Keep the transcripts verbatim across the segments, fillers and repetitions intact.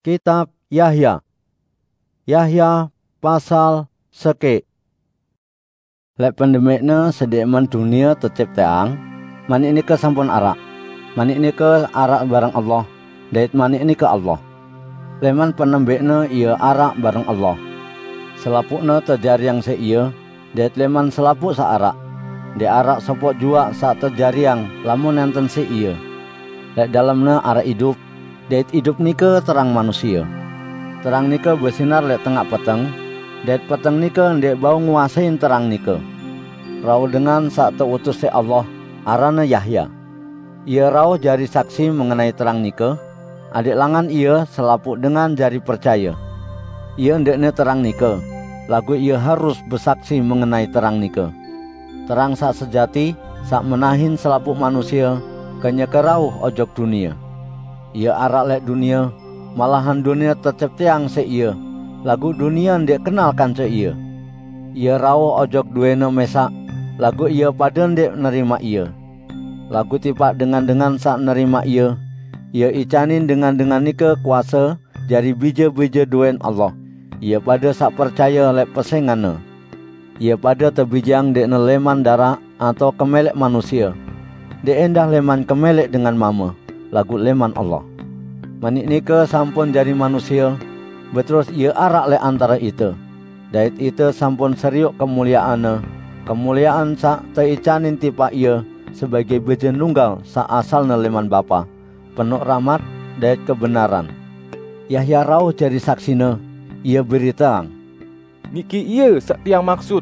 Kitab Yahya. Yahya pasal seke. Lek pandemikne sedeqman dunia tecipteang, manik nike sampun araq. Manik nike araq bareng Allah, dait manik nike Allah. Leman penembikne ie araq bareng Allah. Selapuqne tejariang siq ie, dait leman selapuq saq araq, ndeq araq sopoq juaq saq tejariang lamun nenten siq ie. Lek dalemne araq idup, dait idup nike terang manusie. Terang nike besinar lek tengaq peteng, dait peteng nike ndeq bau nguasein terang nike. Rauh dengan saq teutus siq Allah, aranne Yahya. Ie rauh jari saksi mengenai terang nike, adeq langan ie selapuq dengan jari percaye. Ie ndeqne terang nike, laguq ie harus besaksi mengenai terang nike. Terang saq sejati, saq menahin selapuq manusie, kenyeke rauh ojok dunie. Ie araq lek dunie, malahan dunie tecipteang siq ie, laguq dunie ndeq kenal kance ie. Ie rauh ojok duene mesaq, laguq ie pade ndeq nerimaq ie. Laguq tipaq dengan-dengan saq nerimaq ie, ie icanin dengan-dengan nike kuase jari bije-bije duen Allah, ie pade saq percaye lek pesenganne. Ie pade tebijeang ndeqne leman daraq atao kemeleq manusie, ndeq endah leman kemeleq dengan mame, laguq leman Allah. Manik nike sampun jari manusie, beterus ie araq lek antare ite, dait ite sampun serioq kemulieanne, kemuliean saq teicanin tipaq ie sebagei Bije Nunggal saq asalne leman Bapa, penoq rahmat dait kebenaran. Yahya rauh jari saksine, ie beriteang, "Niki ie saq tiang maksut,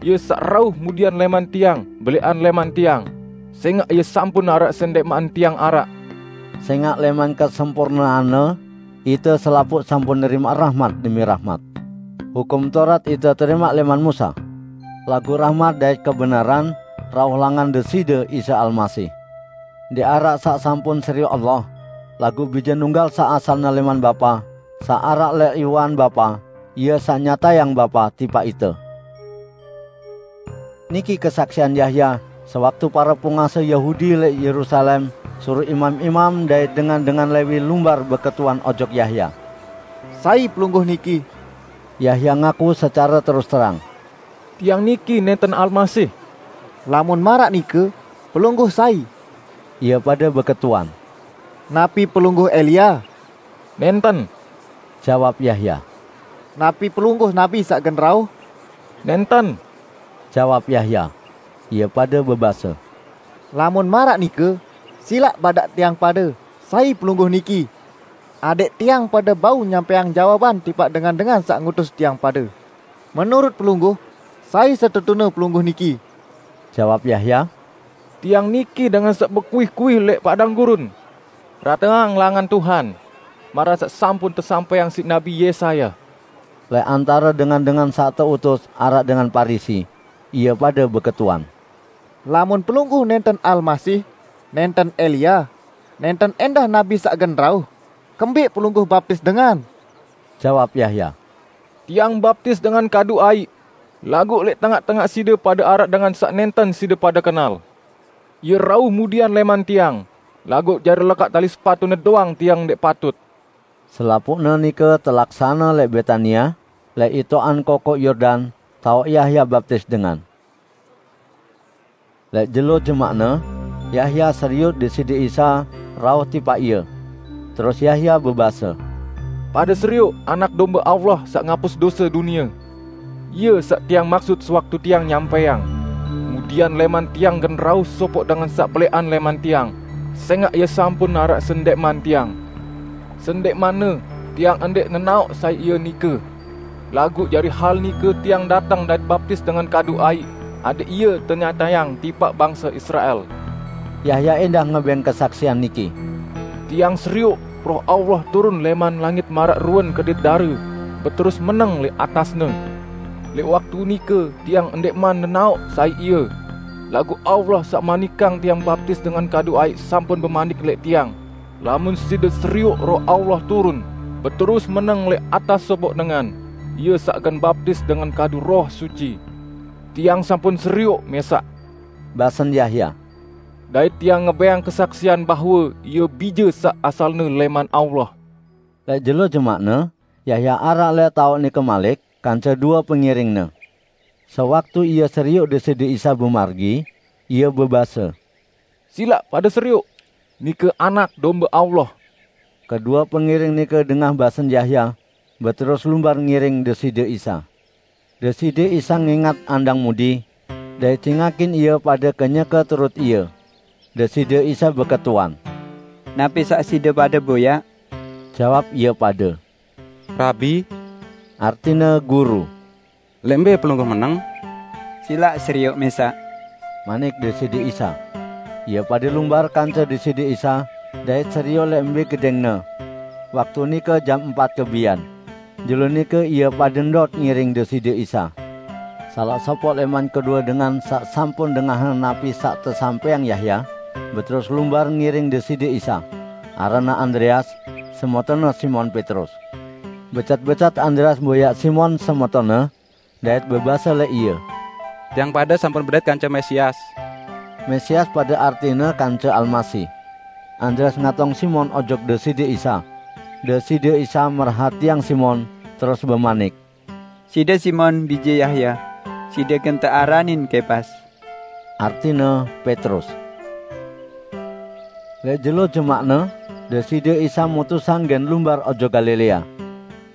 ie saq rauh mudian leman tiang, beleqan leman tiang, sengaq ie sampun araq sendeqman tiang araq." Sengaq leman kesempurneanne, ite selapuq sampun nerimaq rahmat demi rahmat. Hukum Taurat ite terimaq leman Musa, laguq rahmat dait kebenaran rauh langan Deside Isa Almasih. Ndeq araq saq sampun serioq Allah, laguq Bije Nunggal saq asalne leman Bapa, saq araq lek iwan Bapa, ie saq nyatayang Bapa tipaq ite. Niki kesaksian Yahya, sewaktu pare pungase Yahudi lek Yerusalem suruq imam-imam dait dengan-dengan Lewi lumbar beketuan ojok Yahya. "Sai Pelungguh niki?" Yahya ngaku secare terus terang, "Tiang niki nenten Almasih." "Lamun maraq nike, Pelungguh sai?" Ie pade beketuan, "Napi Pelungguh Elia?" "Nenten," jawab Yahya. "Napi Pelungguh nabi saq gen rauh?" "Nenten," jawab Yahya. Ie pade bebase, "Lamun maraq nike, silaq badaq tiang pade, sai Pelungguh niki, adeq tiang pade bau nyampaiang jawaban tipaq dengan-dengan saq ngutus tiang pade. Menurut Pelungguh, sai setetune Pelungguh niki?" Jawab Yahya, "Tiang niki dengan saq bekuih-kuih lek padang gurun, 'Rateang langan Tuhan,' maraq saq sampun tesampaiang siq Nabi Yesaya." Lek antare dengan-dengan saq teutus araq dengan Parisi, ie pade beketuan, "Lamun Pelungguh nenten Almasih, nenten Elia, nenten endah nabi saq gen rauh, kembeq Pelungguh baptis dengan?" Jawab Yahya, "Tiang baptis dengan kadu aiq, laguq lek tengaq-tengaq side pade araq dengan saq nenten side pade kenal. Ie rauh mudian leman tiang, laguq jari lekaq tali sepatune doang tiang ndeq patut." Selapuqne nike telaksane lek Betania, lek itoqan kokoq Yordan, taoq Yahya baptis dengan. Lek jelo jemaqne, Yahya serioq Deside Isa rauh tipaq ie. Terus Yahya bebase, "Pade serioq Anak Dombe Allah saq ngapus dose dunie. Ie saq tiang maksut sewaktu tiang nyampaiang, 'Mudian leman tiang gen rauh sopoq dengan saq beleqan leman tiang, sengaq ie sampun araq sendeqman tiang. Sendeqmanne tiang ndeq nenaoq sai ie nike. Laguq jari hal nike tiang dateng dait baptis dengan kadu aiq, adeq ie tenyatayang tipaq bangse Israel.'" Yahya endah ngebeng kesaksian niki, "Tiang serioq Roh Allah turun leman langit maraq ruen kedit dare, beterus meneng lek atasne. Lek waktu nike tiang ndeqman nenaoq sai ie, laguq Allah saq manikang tiang baptis dengan kadu aiq sampun bemanik lek tiang, 'Lamun side serioq Roh Allah turun, beterus meneng lek atas sopoq dengan, ie saq gen baptis dengan kadu Roh Suci.' Tiang sampun serioq mesaq," basen Yahya, "dait tiang ngebeng kesaksian bahwe ie Bije saq asalne leman Allah." Lek jelo jemakne, Yahya araq lek taoq nike malik kance due pengiringne. Sewaktu ie serioq Deside Isa bemargi, ie bebase, "Silaq pade serioq! Nike Anak Dombe Allah!" Kedue pengiring nike dengah basen Yahya, beterus lumbar ngiring Deside Isa. Deside Isa ngingat andang mudi, dait cingakin ie pade kenyeke turut Ie. Deside Isa beketuan, "Napi saq side pade boyaq?" Jawab ie pade, "Rabi," artine Guru, "leq mbe Pelungguh meneng?" "Silaq serioq mesaq," manik Deside Isa. Ie pade lumbar kance Deside Isa, dait serioq leq mbe gedingne. Waktu nike jam empat kebian. Jelo nike ie pade ndot ngiring Deside Isa. Salaq sopoq leman kedue dengan saq sampun dengahang napi saq tesampeyang Yahya, beterus lumbar ngiring Deside Isa. Aranne Andreas, semetonne Simon Petrus. Becat-becat Andreas boyaq Simon semetonne, dait bebase leq ie, "Tiang pade sampun bedait kance Mesias." Mesias pade artine kance Almasih. Andreas ngatong Simon ojok Deside Isa. Deside Isa merhatiang Simon, terus bemanik, "Side Simon, bije Yahya. Side gen tearanin Kepas," artine Petrus. Leq jelo jemakne, Deside Isa mutusang gen lumbar ojok Galilea.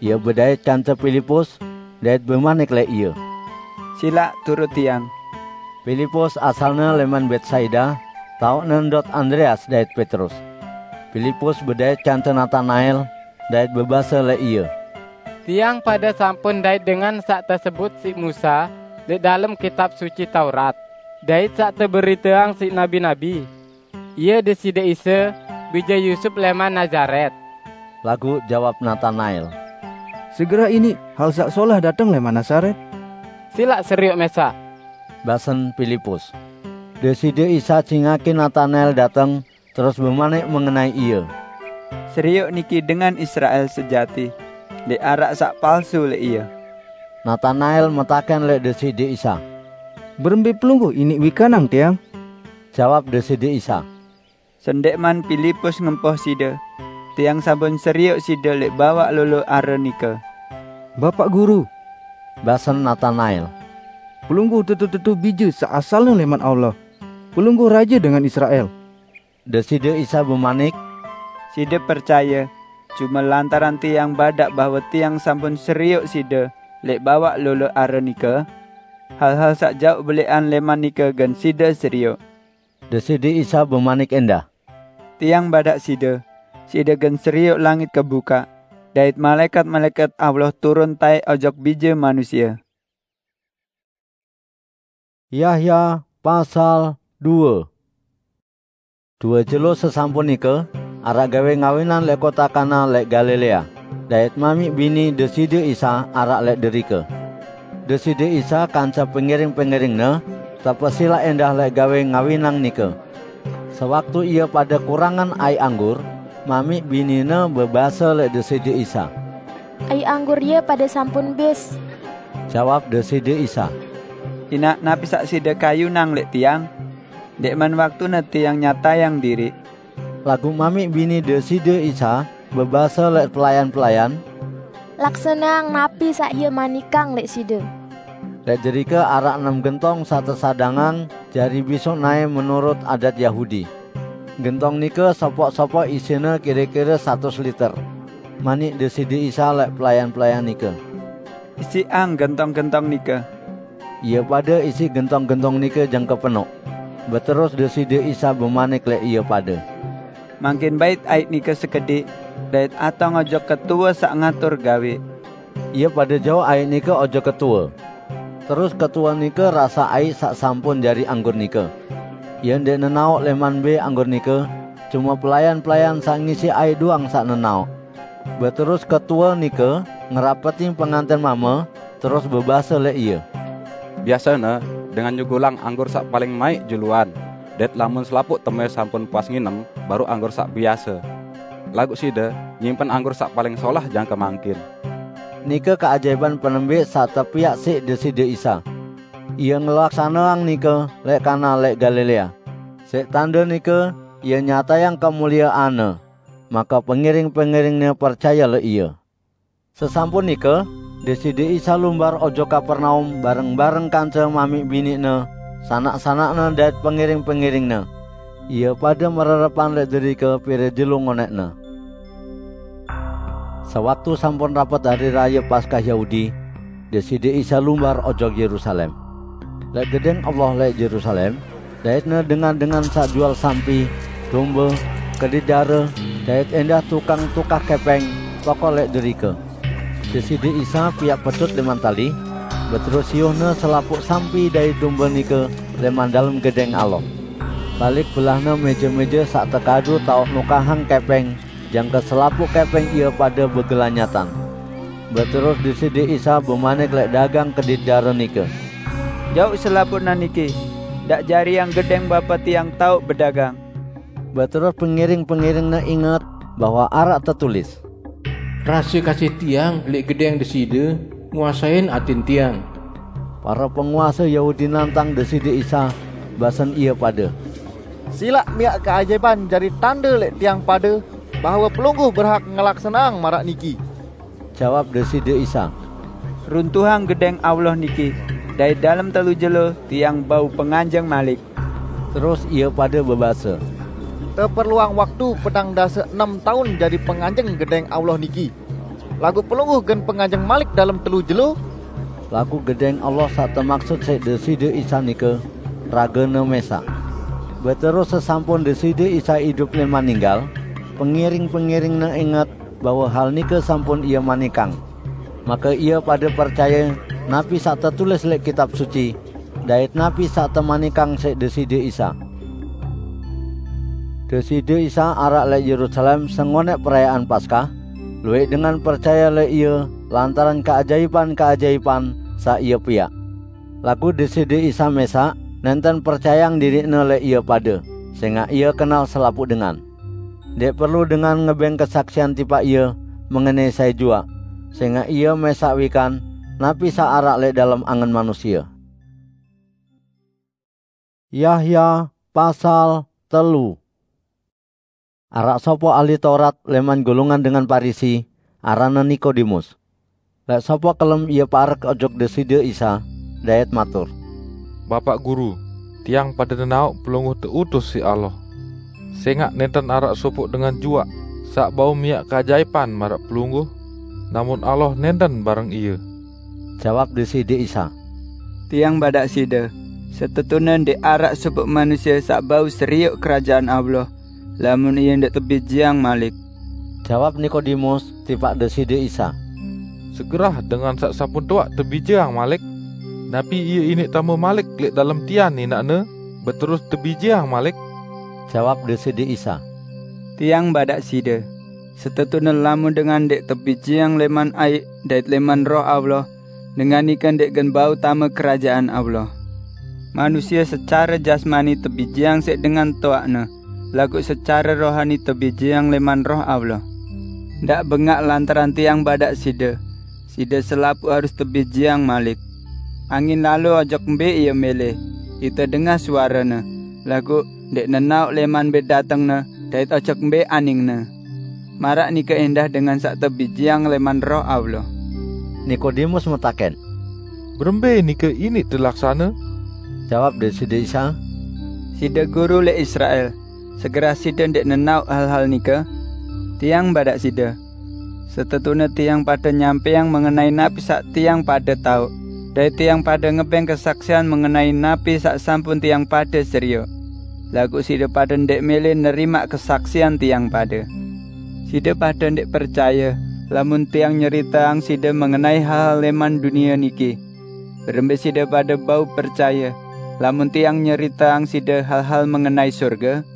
Ie bedait kance Pilipus, dait bemanik leq ie, "Silaq turut Tiang." Pilipus asalne leman Betsaida, taoqne ndot Andreas dait Petrus. Pilipus bedait kance Natanael, dait bebase leq ie, "Tiang pade sampun ndait dengan saq tesebut siq Musa leq dalem Kitab Suci Taurat, dait saq teberiteang siq nabi-nabi. Ie Deside Isa, bije Yusup leman Nazaret." Laguq jawab Natanael, "Segerah iniq hal saq solah dateng leman Nazaret?" "Silaq serioq mesaq," basen Pilipus. Deside Isa cingakin Natanael dateng, terus bemanik mengenai ie, "Serioq niki dengan Israel sejati, ndeq araq saq palsu leq ie." Natanael metaken leq Deside Isa, "Berembe Pelungguh iniq wikanang tiang?" Jawab Deside Isa, "Sendeqman Pilipus ngempoh side, Tiang sampun serioq side leq bawaq lolo are nike." "Bapaq Guru," basen Natanael, "Pelungguh tetu-tetu bije saq asalne leman Allah, Pelungguh raje dengan Israel." Deside Isa bemanik, "Side percaye, cume lantaran Tiang badaq bahwe Tiang sampun serioq side leq bawaq lolo are nike? Hal-hal saq jaoq beleqan leman nike gen side serioq." Deside Isa bemanik endah, "Tiang badaq side, side gen serioq langit kebukaq, dait malaekat-malaekat Allah turun taeq ojok Bije Manusie." Yahya pasal due. Due jelo sesampun nike, araq gawe ngawinan leq kota Kana leq Galilea, dait mamiq bini Deside Isa araq leq derike. Deside Isa kance pengiring-pengiring-Ne tepesilaq endah leq gawe ngawinang nike. Sewaktu ie pade kurangan aiq anggur, mamiq binine bebase leq Deside Isa, "Aiq anggur ie pade sampun bis." Jawab Deside Isa, "Inaq napi saq side kayunang leq Tiang? Ndeqman waktune Tiang nyatayang diriq." Laguq mamiq bini Deside Isa bebase leq pelayan-pelayan, "Laksaneang napi saq Ie manikang leq side." Leq derike araq enem gentong saq tesadangang jari bisuq nae menurut adat Yahudi. Gentong nike sopoq-sopoq isine kire-kire satus liter. Manik Deside Isa leq pelayan-pelayan nike, "Isiqang gentong-gentong nike." Ie pade isiq gentong-gentong nike jangke penoq. Beterus Deside Isa bemanik leq ie pade, "Mangkin bait aiq nike sekediq, dait atong ojok ketue saq ngatur gawe." Ie pade jauq aiq nike ojok ketue. Terus ketue nike rasaq aiq saq sampun jari anggur nike. Ie ndeq nenaoq leman mbe anggur nike, cume pelayan-pelayan saq ngisiq aiq doang saq nenaoq. Beterus ketue nike ngerapetin penganten mame, terus bebase leq ie, "Biasene dengan nyugulang anggur saq paling maiq juluan, dait lamun selapuq teme sampun puas nginem, baruq anggur saq biase. Laguq side nyimpen anggur saq paling solah jangke mangkin." Nike keajaiban penembiq saq tepiaq siq Deside Isa. Ie ngelaksaneang nike leq Kana leq Galilea. Siq tande nike Ie nyatayang kemulieanne. maka pengiring-pengiringnya percaya lek ia. Sesampun nika, Deside Isa lumbar ojok Kapernaum bareng-bareng kanca mami bininya, sanak-sanaknya dait pengiring-pengiringnya. Ia pada mererepan lek derika pire jelo ngoneknya. Sewaktu sampun rapet hari raya Paskah Yahudi, Deside Isa lumbar ojok Yerusalem. Lek gedeng Allah lek Yerusalem, daitnya dengan-dengan sak jual sampi, domba, kedidara, dait endah tukang tukah kepeng, tokol lek derika. Deside Isa piak petut leman tali, beterus siuhnya selapuk sampi dait domba nika leman dalem gedeng Allah. Balik belahnya meja-meja sak tekadu tau nukahang kepeng, jangka selapuk kepeng ia pada begelanyatan. Beterus Deside Isa bemanik lek dagang kedidara nika, "Jauk selapukna niki, dak jariang gedeng Bapa tiang tau bedagang." Beterus pengiring-pengiringnya inget bahwa arak tetulis, "Rasa kasih tiang lek gedeng Deside nguasain atin tiang." Para penguasa Yahudi nantang Deside Isa, basen ia pada, "Silak miak keajaiban jari tanda lek tiang pada bahwa Pelungguh berhak ngelaksanang marak niki." Jawab Deside Isa, "Runtuhang gedeng Allah niki, dait dalem telu jelo tiang bau penganjeng malik." Terus ia pada bebase, "Teperluang waktu petang dasa enem taun jari penganjeng gedeng Allah niki. Laguq Pelungguh gen penganjeng malik dalem telu jelo." Laguq gedeng Allah sak temaksud siq Deside Isa nika ragane mesak. Beterus sesampun Deside Isa idup leman ninggal, pengiring-pengiringnya inget bahwa hal nika sampun ia manikang. Maka ia pada percaya napi sak tetulis lek Kitab Suci, dait napi sak temanikang siq Deside Isa. Deside Isa arak lek Yerusalem sengonek perayaan Paskah, lueq dengan percaya lek ia lantaran keajaipan-keajaipan sak ia piak. Laguq Deside Isa mesak nenten percayang diriqne lek ia pada, sengaq ia kenal selapuq dengan. Ndeq perlu dengan ngebeng kesaksian tipaq ia mengenai sai juaq, sengaq ia mesak wikan napi saq araq lek dalem angen manusie. Yahya pasal telu. Araq sopoq ahli Taurat leman golongan dengan Parisi, aranne Nikodemus. Lek sopoq kelem ie parek ojok Deside Isa, dait matur, "Bapaq Guru, tiang pade nenaoq Pelungguh teutus siq Allah. Sengaq nenten araq sopoq dengan juaq saq bau miaq keajaipan maraq Pelungguh, lamun Allah nenten bareng ie." Jawab Deside Isa, "Tiang badaq side, setetune ndeq araq sopoq manusie saq bau serioq Kerajaan Allah, lamun ie ndeq tebijeang malik." Jawab Nikodemus tipaq Deside Isa, "Segerah dengan saq sampun toaq tebijeang malik, napi ie iniq tame malik lek dalem tian inaqne, beterus tebijeang malik?" Jawab Deside Isa, "Tiang badaq side, setetune lamun dengan ndeq tebijeang leman aiq dait leman Roh Allah, dengan nike ndeq gen bau tame Kerajaan Allah. Manusie secare jasmani tebijeang siq dengan toaqne, laguq secare rohani tebijeang leman Roh Allah. Ndaq bengaq lantaran tiang badaq side, side selapuq harus tebijeang malik. Angin lalo ojok mbe ie mele, ite dengah suarene, laguq ndeq nenaoq leman mbe datengne dait ojok mbe aningne. Maraq nike endah dengan saq tebijeang leman Roh Allah." Nikodemus metaken, "Berembe nike iniq telaksane?" Jawab Deside Isa, "Side guru leq Israel, segerah side ndeq nenaoq hal-hal nike? Tiang badaq side, setetune tiang pade nyampaiang mengenai napi saq tiang pade taoq, dait tiang pade ngebeng kesaksian mengenai napi saq sampun tiang pade serioq. Laguq side pade ndeq mele nerimaq kesaksian tiang pade. Side pade ndeq percaye lamun tiang nyeriteang side mengenai hal-hal leman dunie niki. Berembe side pade bau percaye lamun tiang nyeriteang side hal-hal mengenai sorge?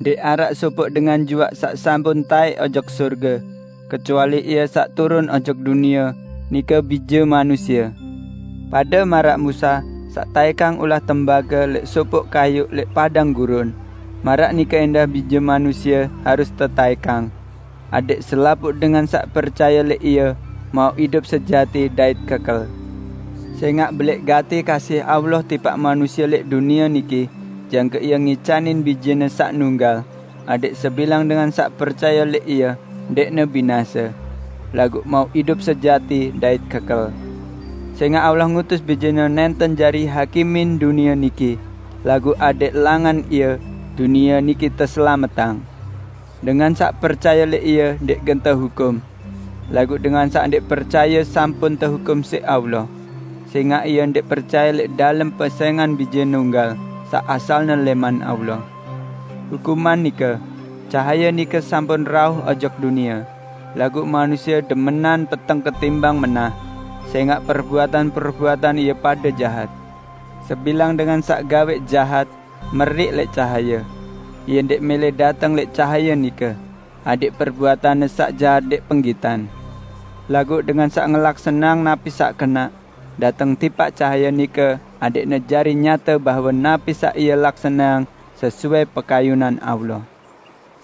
Ndeq araq sopoq dengan juaq saq sampun taeq ojok sorge, kecuali Ie saq turun ojok dunie, nike Bije Manusie. Pade maraq Musa saq taekang ulah tembage leq sopoq kayuq leq padang gurun, maraq nike endah Bije Manusie harus tetaekang, adaq selapuq dengan saq percaye leq Ie mauq idup sejati dait kekel. Sengaq beleq gati kasih Allah tipaq manusie leq dunie niki, jangke Ie ngicanin Bije-Ne saq nunggal, adẽk sebilang dengan saq percaye leq Ie, ndeqne binase, laguq mauq idup sejati dait kekel. Sẽngaq Allah ngutus Bijene nenten jari hakimin dunie niki, laguq adẽq langan Ie, dunie niki teselametang. Dengan saq percaye leq Ie ndeq gen tehukum. Laguq dengan saq ndeq percaye sampun tehukum siq Allah, sẽngaq ie ndeq percaye leq dalem pesẽngan Bije Nunggal saq asalne lẽman Allah. Hukuman nike: Cahaye nike sampun rauh ojok dunie, laguq manusie demenan peteng ketimbang menah, sẽngaq perbuatan-perbuatan ie pade jahat. Sebilang dengan saq gaweq jahat meriq leq cahaye. Ie ndeq mele dateng leq cahaye nike, adẽq perbuatanne saq jahat ndeq penggitan. Laguq dengan saq ngelaksaneang napi saq kenaq, dateng tipaq cahaye nike, adẽqne jari nyate bahwe napi saq ie laksaneang sesuai pekayunan Allah.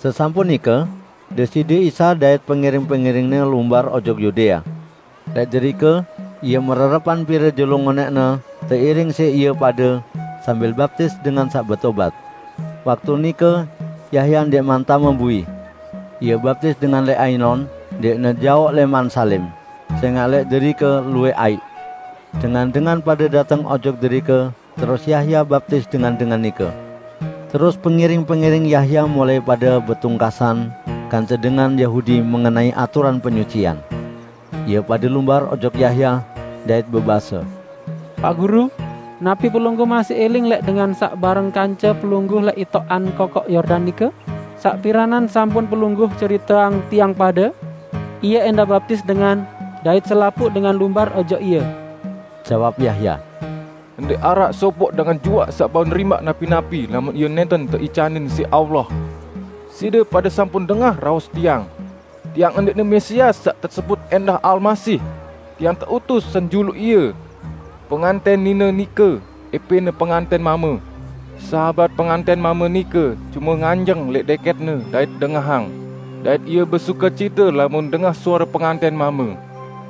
Sesampun nike, Deside Isa dait pengiring-pengiring-Ne lumbar ojok Yudea. Leq derike, Ie mererepan pire jelo ngonẽqne teiring siq ie pade sambil baptis dengan saq betobat. Waktu nike, Yahya ndeqman tame bui. Ie baptis dengan leq Ainon, ndeqne jaoq lẽman Salim, sẽngaq leq derike luwẽq aiq. Dengan-dengan pade dateng ojok derike, terus Yahya baptis dengan-dengan nike. Terus pengiring-pengiring Yahya mulai pade betungkasan kance dengan Yahudi mengenai aturan penyucian. Ie pade lumbar ojok Yahya dait bebase, "Pak Guru, napi Pelungguh masih eling leq dengan saq bareng kance Pelungguh leq itoqan kokoq Yordan nike, saq piranan sampun Pelungguh ceriteang tiang pade? Ie endah baptis dengan, dait selapuq dengan lumbar ojok Ie." Jawab Yahya, "Ndeq araq sopoq dengan juaq saq bau nerimaq napi-napi lamun ie nenten teicanin siq Allah. Side pade sampun dengah raos tiang. Tiang ndeqne Mesias saq tesebut endah Almasih. Tiang teutus senjuluq Ie. Penganten nine nike epene penganten mame. Sahabat penganten mame nike cume nganjeng leq deketne dait dengahang, dait ie besukecite lamun dengah suare penganten mame.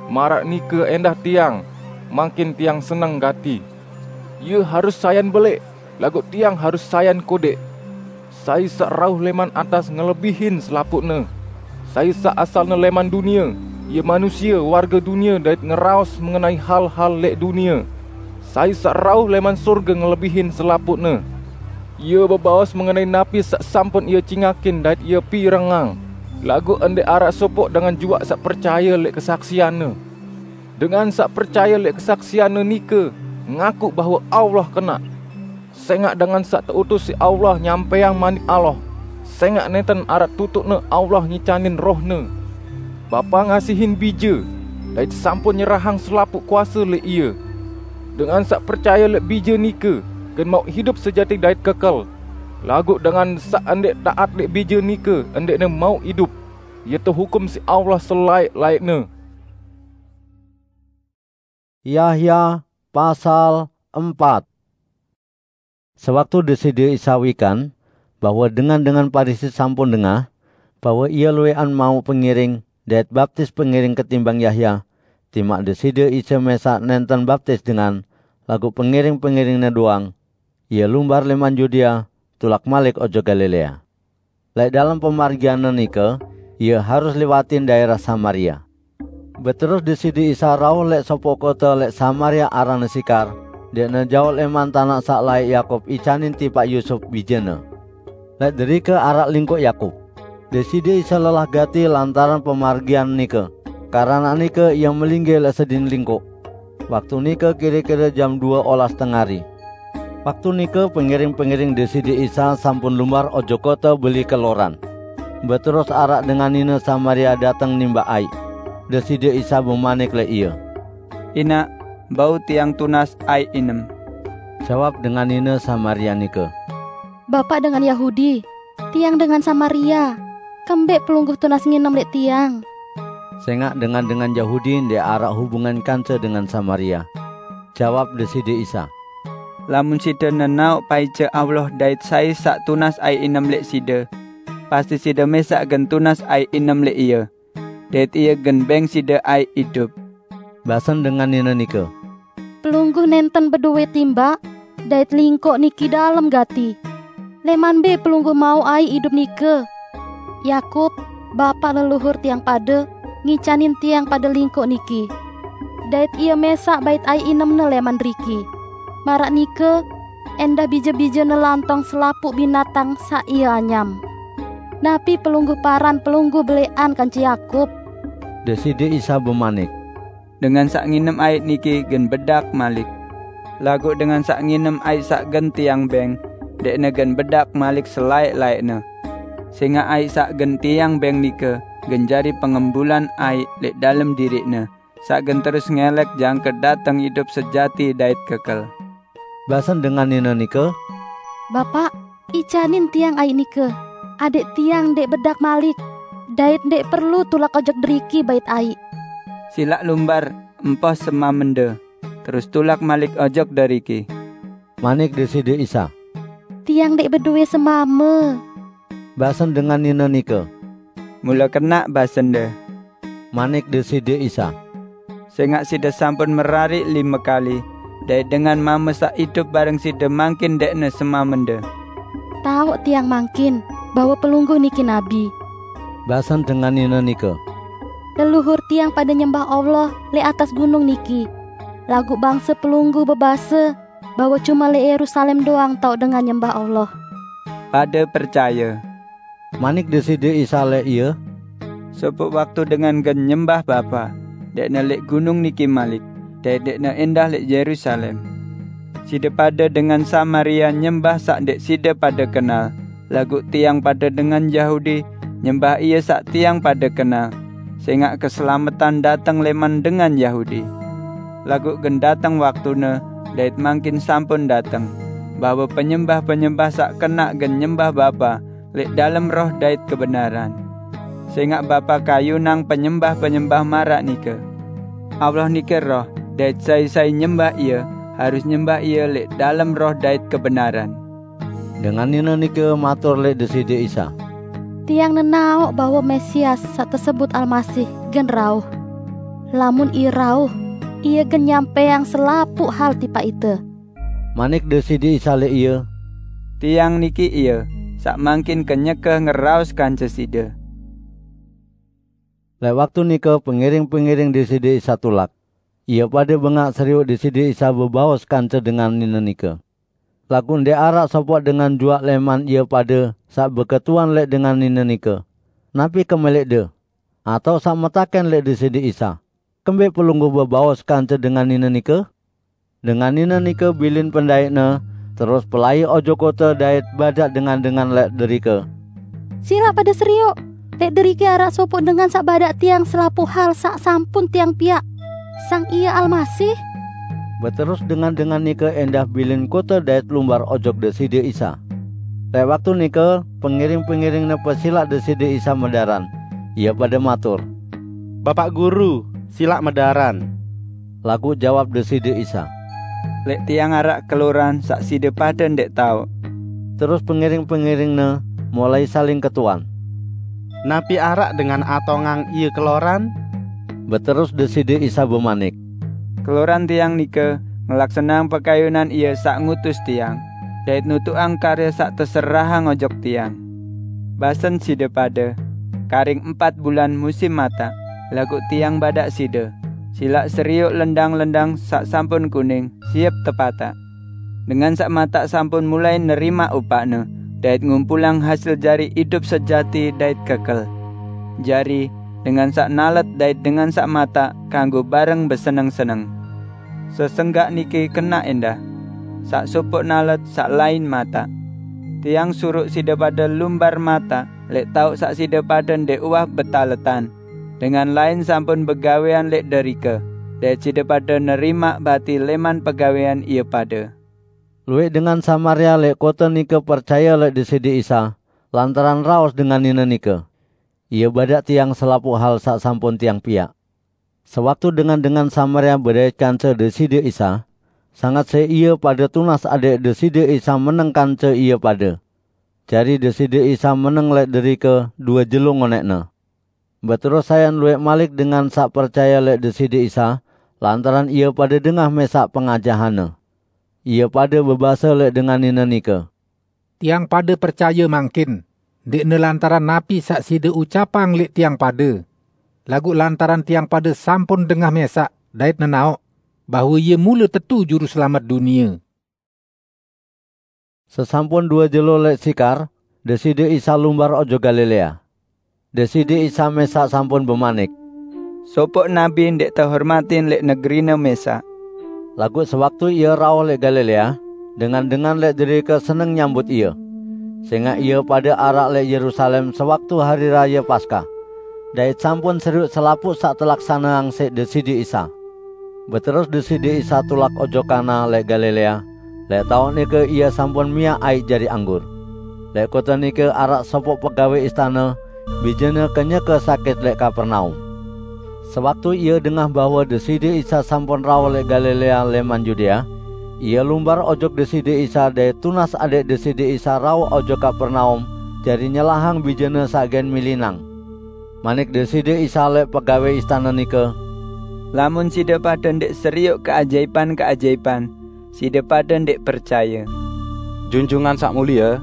Maraq nike endah tiang, mangkin tiang seneng gati. Ie harus sayan beleq, laguq tiang harus sayan kodeq. Sai saq rauh lẽman atas ngelebihin selapuqne. Sai saq asalne lẽman dunie, ie manusie warge dunie dait ngeraos mengenai hal-hal leq dunie. Sai saq rauh lẽman sorge ngelebihin selapuqne. Ie bebaos mengenai napi saq sampun ie cingakin dait ie pirengang, laguq ndeq araq sopoq dengan juaq saq percaye leq kesaksianne. Dengan saq percaye leq kesaksianne nike ngaku bahwe Allah kenaq. Sengaq dengan saq teutus siq Allah nyampẽang manik Allah, sengaq nenten araq tutuqne Allah ngicanin Roh-Ne. Bapa ngasihin Bije, dait sampun nyerahang selapuq kuase leq Ie. Dengan saq percaye leq Bije nike gen mauq idup sejati dait kekel. Laguq dengan saq ndeq taat leq Bije nike ndeqne mauq idup. Ie tehukum siq Allah selaeq-laeqne." Yahya pasal empat. Sewaktu Deside Isa wikan bahwe dengan-dengan Parisi sampun dengah bahwe Ie luwẽqan mauq pengiring dait baptis pengiring ketimbang Yahya, timaq Deside Isa mesaq nenten baptis dengan, laguq pengiring-pengiring-Ne doang, Ie lumbar lẽman Yudea tulak malik ojok Galilea. Leq dalem pemargian-Ne nike, Ie harus liwatin daerah Samaria. Beterus Deside Isa rauh leq sopoq kote leq Samaria aranne Sikar, ndeqne jaoq lẽman tanaq saq laeq Yakub icanin tipaq Yusup bijene. Leq derike araq lingkoq Yakub. Deside Isa lelah gati lantaran pemargian nike, keranaq nike Ie melinggih leq sedin lingkoq. Waktu nike kire-kire jam due olas tengari. Waktu nike pengiring-pengiring Deside Isa sampun lumbar ojok kote beli keloran. Beterus araq dengan nine Samaria dateng nimbaq aiq. Deside Isa bemanik leq ie, "Inaq, bau tiang tunas aiq inem." Jawab dengan nine Samaria nike, "Bapaq dengan Yahudi, tiang dengan Samaria. Kembeq Pelungguh tunas nginem leq tiang?" Sengaq dengan-dengan Yahudi ndeq araq hubungan kance dengan Samaria. Jawab Deside Isa, "Lamun side nenaoq paice Allah dait sai saq tunas aiq inem leq side, pasti side mesaq gen tunas aiq inem leq Ie, dait Ie gen beng side aiq idup." Basen dengan nine nike, "Pelungguh nenten bedowe timbaq, dait lingkoq niki dalem gati." "Leman be pelungguh mauq aiq idup nike? Yakub, bapaq leluhur tiang pade, ngicanin tiang pade lingkoq niki. Dait ie mesaq bait aiq inemne leman deriki. Maraq nike, endah bije-bijene lantong selapuq binatang saq ie anyam. Napi pelungguh paran pelungguh beleqan kance Yakub?" Deside Isa bemanik, "Dengan saq nginem aiq niki gen bedak malik. Laguq dengan saq nginem aiq saq gen tiang beng, ndeqne gen bedak malik selaeq-laeqne. Sengaq aiq saq gen tiang beng nike gen jari pengembulan aiq leq dalem diriqne, saq gen terus ngelek jangke dateng idup sejati dait kekel." Basen dengan nine nike, "Bapaq, icanin tiang aiq nike, adẽq tiang ndeq bedak malik, dait ndeq perlu tulak ojok deriki bait aiq." "Silaq lumbar empoh semamende, terus tulak malik ojok deriki," manik Deside Isa. "Tiang ndeq bedoe semame," basen dengan nine nike. "Mule kenaq basende," manik Deside Isa, "sengaq side sampun merariq lime kali, dait dengan mame saq idup bareng side mangkin ndeqne semamende." "Taoq tiang mangkin bahwe Pelungguh niki nabi," basen dengan nine nike. "Leluhur tiang pade nyembah Allah leq atas gunung niki, laguq bangse Pelungguh bebase bahwe cume leq Yerusalem doang taoq dengan nyembah Allah." "Pade percaye," manik Deside Isa leq ie, "sopoq waktu dengan gen nyembah Bapa, ndeqne leq gunung niki malik, dait ndeqne endah leq Yerusalem. Side pade dengan Samaria nyembah saq ndeq side pade kenal, laguq tiang pade dengan Yahudi nyembah Ie saq tiang pade kenal, sengaq keselametan dateng leman dengan Yahudi. Laguq gen dateng waktune, dait mangkin sampun dateng, bahwe penyembah-penyembah saq kenaq gen nyembah Bapa leq dalem roh dait kebenaran. Sengaq Bapa kayunang penyembah-penyembah maraq nike. Allah nike Roh, dait sai-sai nyembah Ie, harus nyembah Ie leq dalem roh dait kebenaran." Dengan nine nike matur leq Deside Isa, "Tiang nenaoq bahwe Mesias saq tesebut Almasih gen rauh. Lamun Ie rauh, Ie gen nyampeang selapuq hal tipaq ite." Manik Deside Isa leq ie, "Tiang niki Ie, saq mangkin kenyeke ngeraos kance side." Leq waktu nike pengiring-pengiring Deside Isa tulak. Ie pade bengaq serioq Deside Isa bebaos kance dengan nine nike. Laguq ndeq araq sopoq dengan juaq leman ie pade saq beketuan leq dengan nine nike, "Napi kemeleqde?" Atao saq metaken leq Deside Isa, "Kembeq Pelungguh bebaos kance dengan nine nike?" Dengan nine nike bilin pendaiqne, terus pelai ojok kote dait badaq dengan-dengan leq derike, "Silaq pade serioq! Leq deriki araq sopoq dengan saq badaq tiang selapuq hal saq sampun tiang piaq. Sang Ie Almasih." Beterus dengan-dengan nike endah bilin kote dait lumbar ojok Deside Isa. Leq waktu nike, pengiring-pengiring-Ne pesilaq Deside Isa medaran. Ie pade matur, "Bapaq Guru, silaq medaran." Laguq jawab Deside Isa, "Leq Tiang araq keloran saq side pade ndeq taoq." Terus pengiring-pengiring-Ne mulai saling ketuan, "Napi araq dengan atongang ie keloran?" Beterus Deside Isa bemanik, "Keloran Tiang nike ngelaksaneang pekayunan Ie saq ngutus Tiang, dait nutuqang karye saq teserahang ojok Tiang. Basen side pade, 'Karing empat bulan musim mataq,' laguq Tiang badaq side, 'Silaq serioq lendang-lendang saq sampun kuning, siep tepataq.' Dengan saq mataq sampun mulai nerimaq upaqne, dait ngumpulang hasil jari idup sejati dait kekel. Jari, dengan saq nalet dait dengan saq mataq kanggo bareng beseneng-seneng. Sesenggak niki kenaq endah: saq sopoq nalet, saq lain mataq. Tiang suruq side pade lumbar mataq leq taoq saq side pade ndeq uwah betaletan. Dengan lain sampun begawean leq derike, dait side pade nerimaq bati leman pegawean ie pade." Lueq dengan Samaria leq kote nike percaye leq Deside Isa lantaran raos dengan nine nike, "Ie badaq tiang selapuq hal saq sampun tiang piaq." Sewaktu dengan-dengan Samaria bedait kance Deside Isa, sanget siq ie pade tunas adẽq Deside Isa meneng kance ie pade. Jari Deside Isa meneng leq derike due jelo ngonẽqne. Beterus sayan lueq malik dengan saq percaye leq Deside Isa, lantaran ie pade dengah mesaq pengajahan-Ne. Ie pade bebase leq dengan nine nike, Tiang pada percaya mangkin, ndikne lantaran napi saq side ucapang leq tiang pada, laguq lantaran tiang pada sampun dengah mesaq dait nenaoq bahwe Ie mule tetu Juru Selamet dunie. Sesampun due jelo leq Sikar, Deside Isa lumbar ojok Galilea. Deside Isa mesaq sampun bemanik, "Sopoq nabi ndeq tehormatin leq negerine mesaq." Laguq sewaktu Ie rauh leq Galilea, dengan-dengan leq derike seneng nyambut Ie, sengaq ie pade araq leq Yerusalem sewaktu Hari Raye Paskah, dait sampun serioq selapuq saq telaksaneang siq Deside Isa. Beterus Deside Isa tulak ojok Kana leq Galilea. Leq taoq nike Ie sampun miaq aiq jari anggur. Leq kote nike araq sopoq pegawe istane, bijene kenyeke sakit leq Kapernaum. Sewaktu ie dengah bahwe Deside Isa sampun rauh leq Galilea leman Yudea, ie lumbar ojok Deside Isa dait tunas adẽq Deside Isa rauh ojok Kapernaum jari nyelahang bijene saq gen milinang. Manik Deside Isa leq pegawe istane nike, "Lamun side pade ndeq serioq keajaipan-keajaipan, side pade ndeq percaye." "Junjungan Saq Mulie,"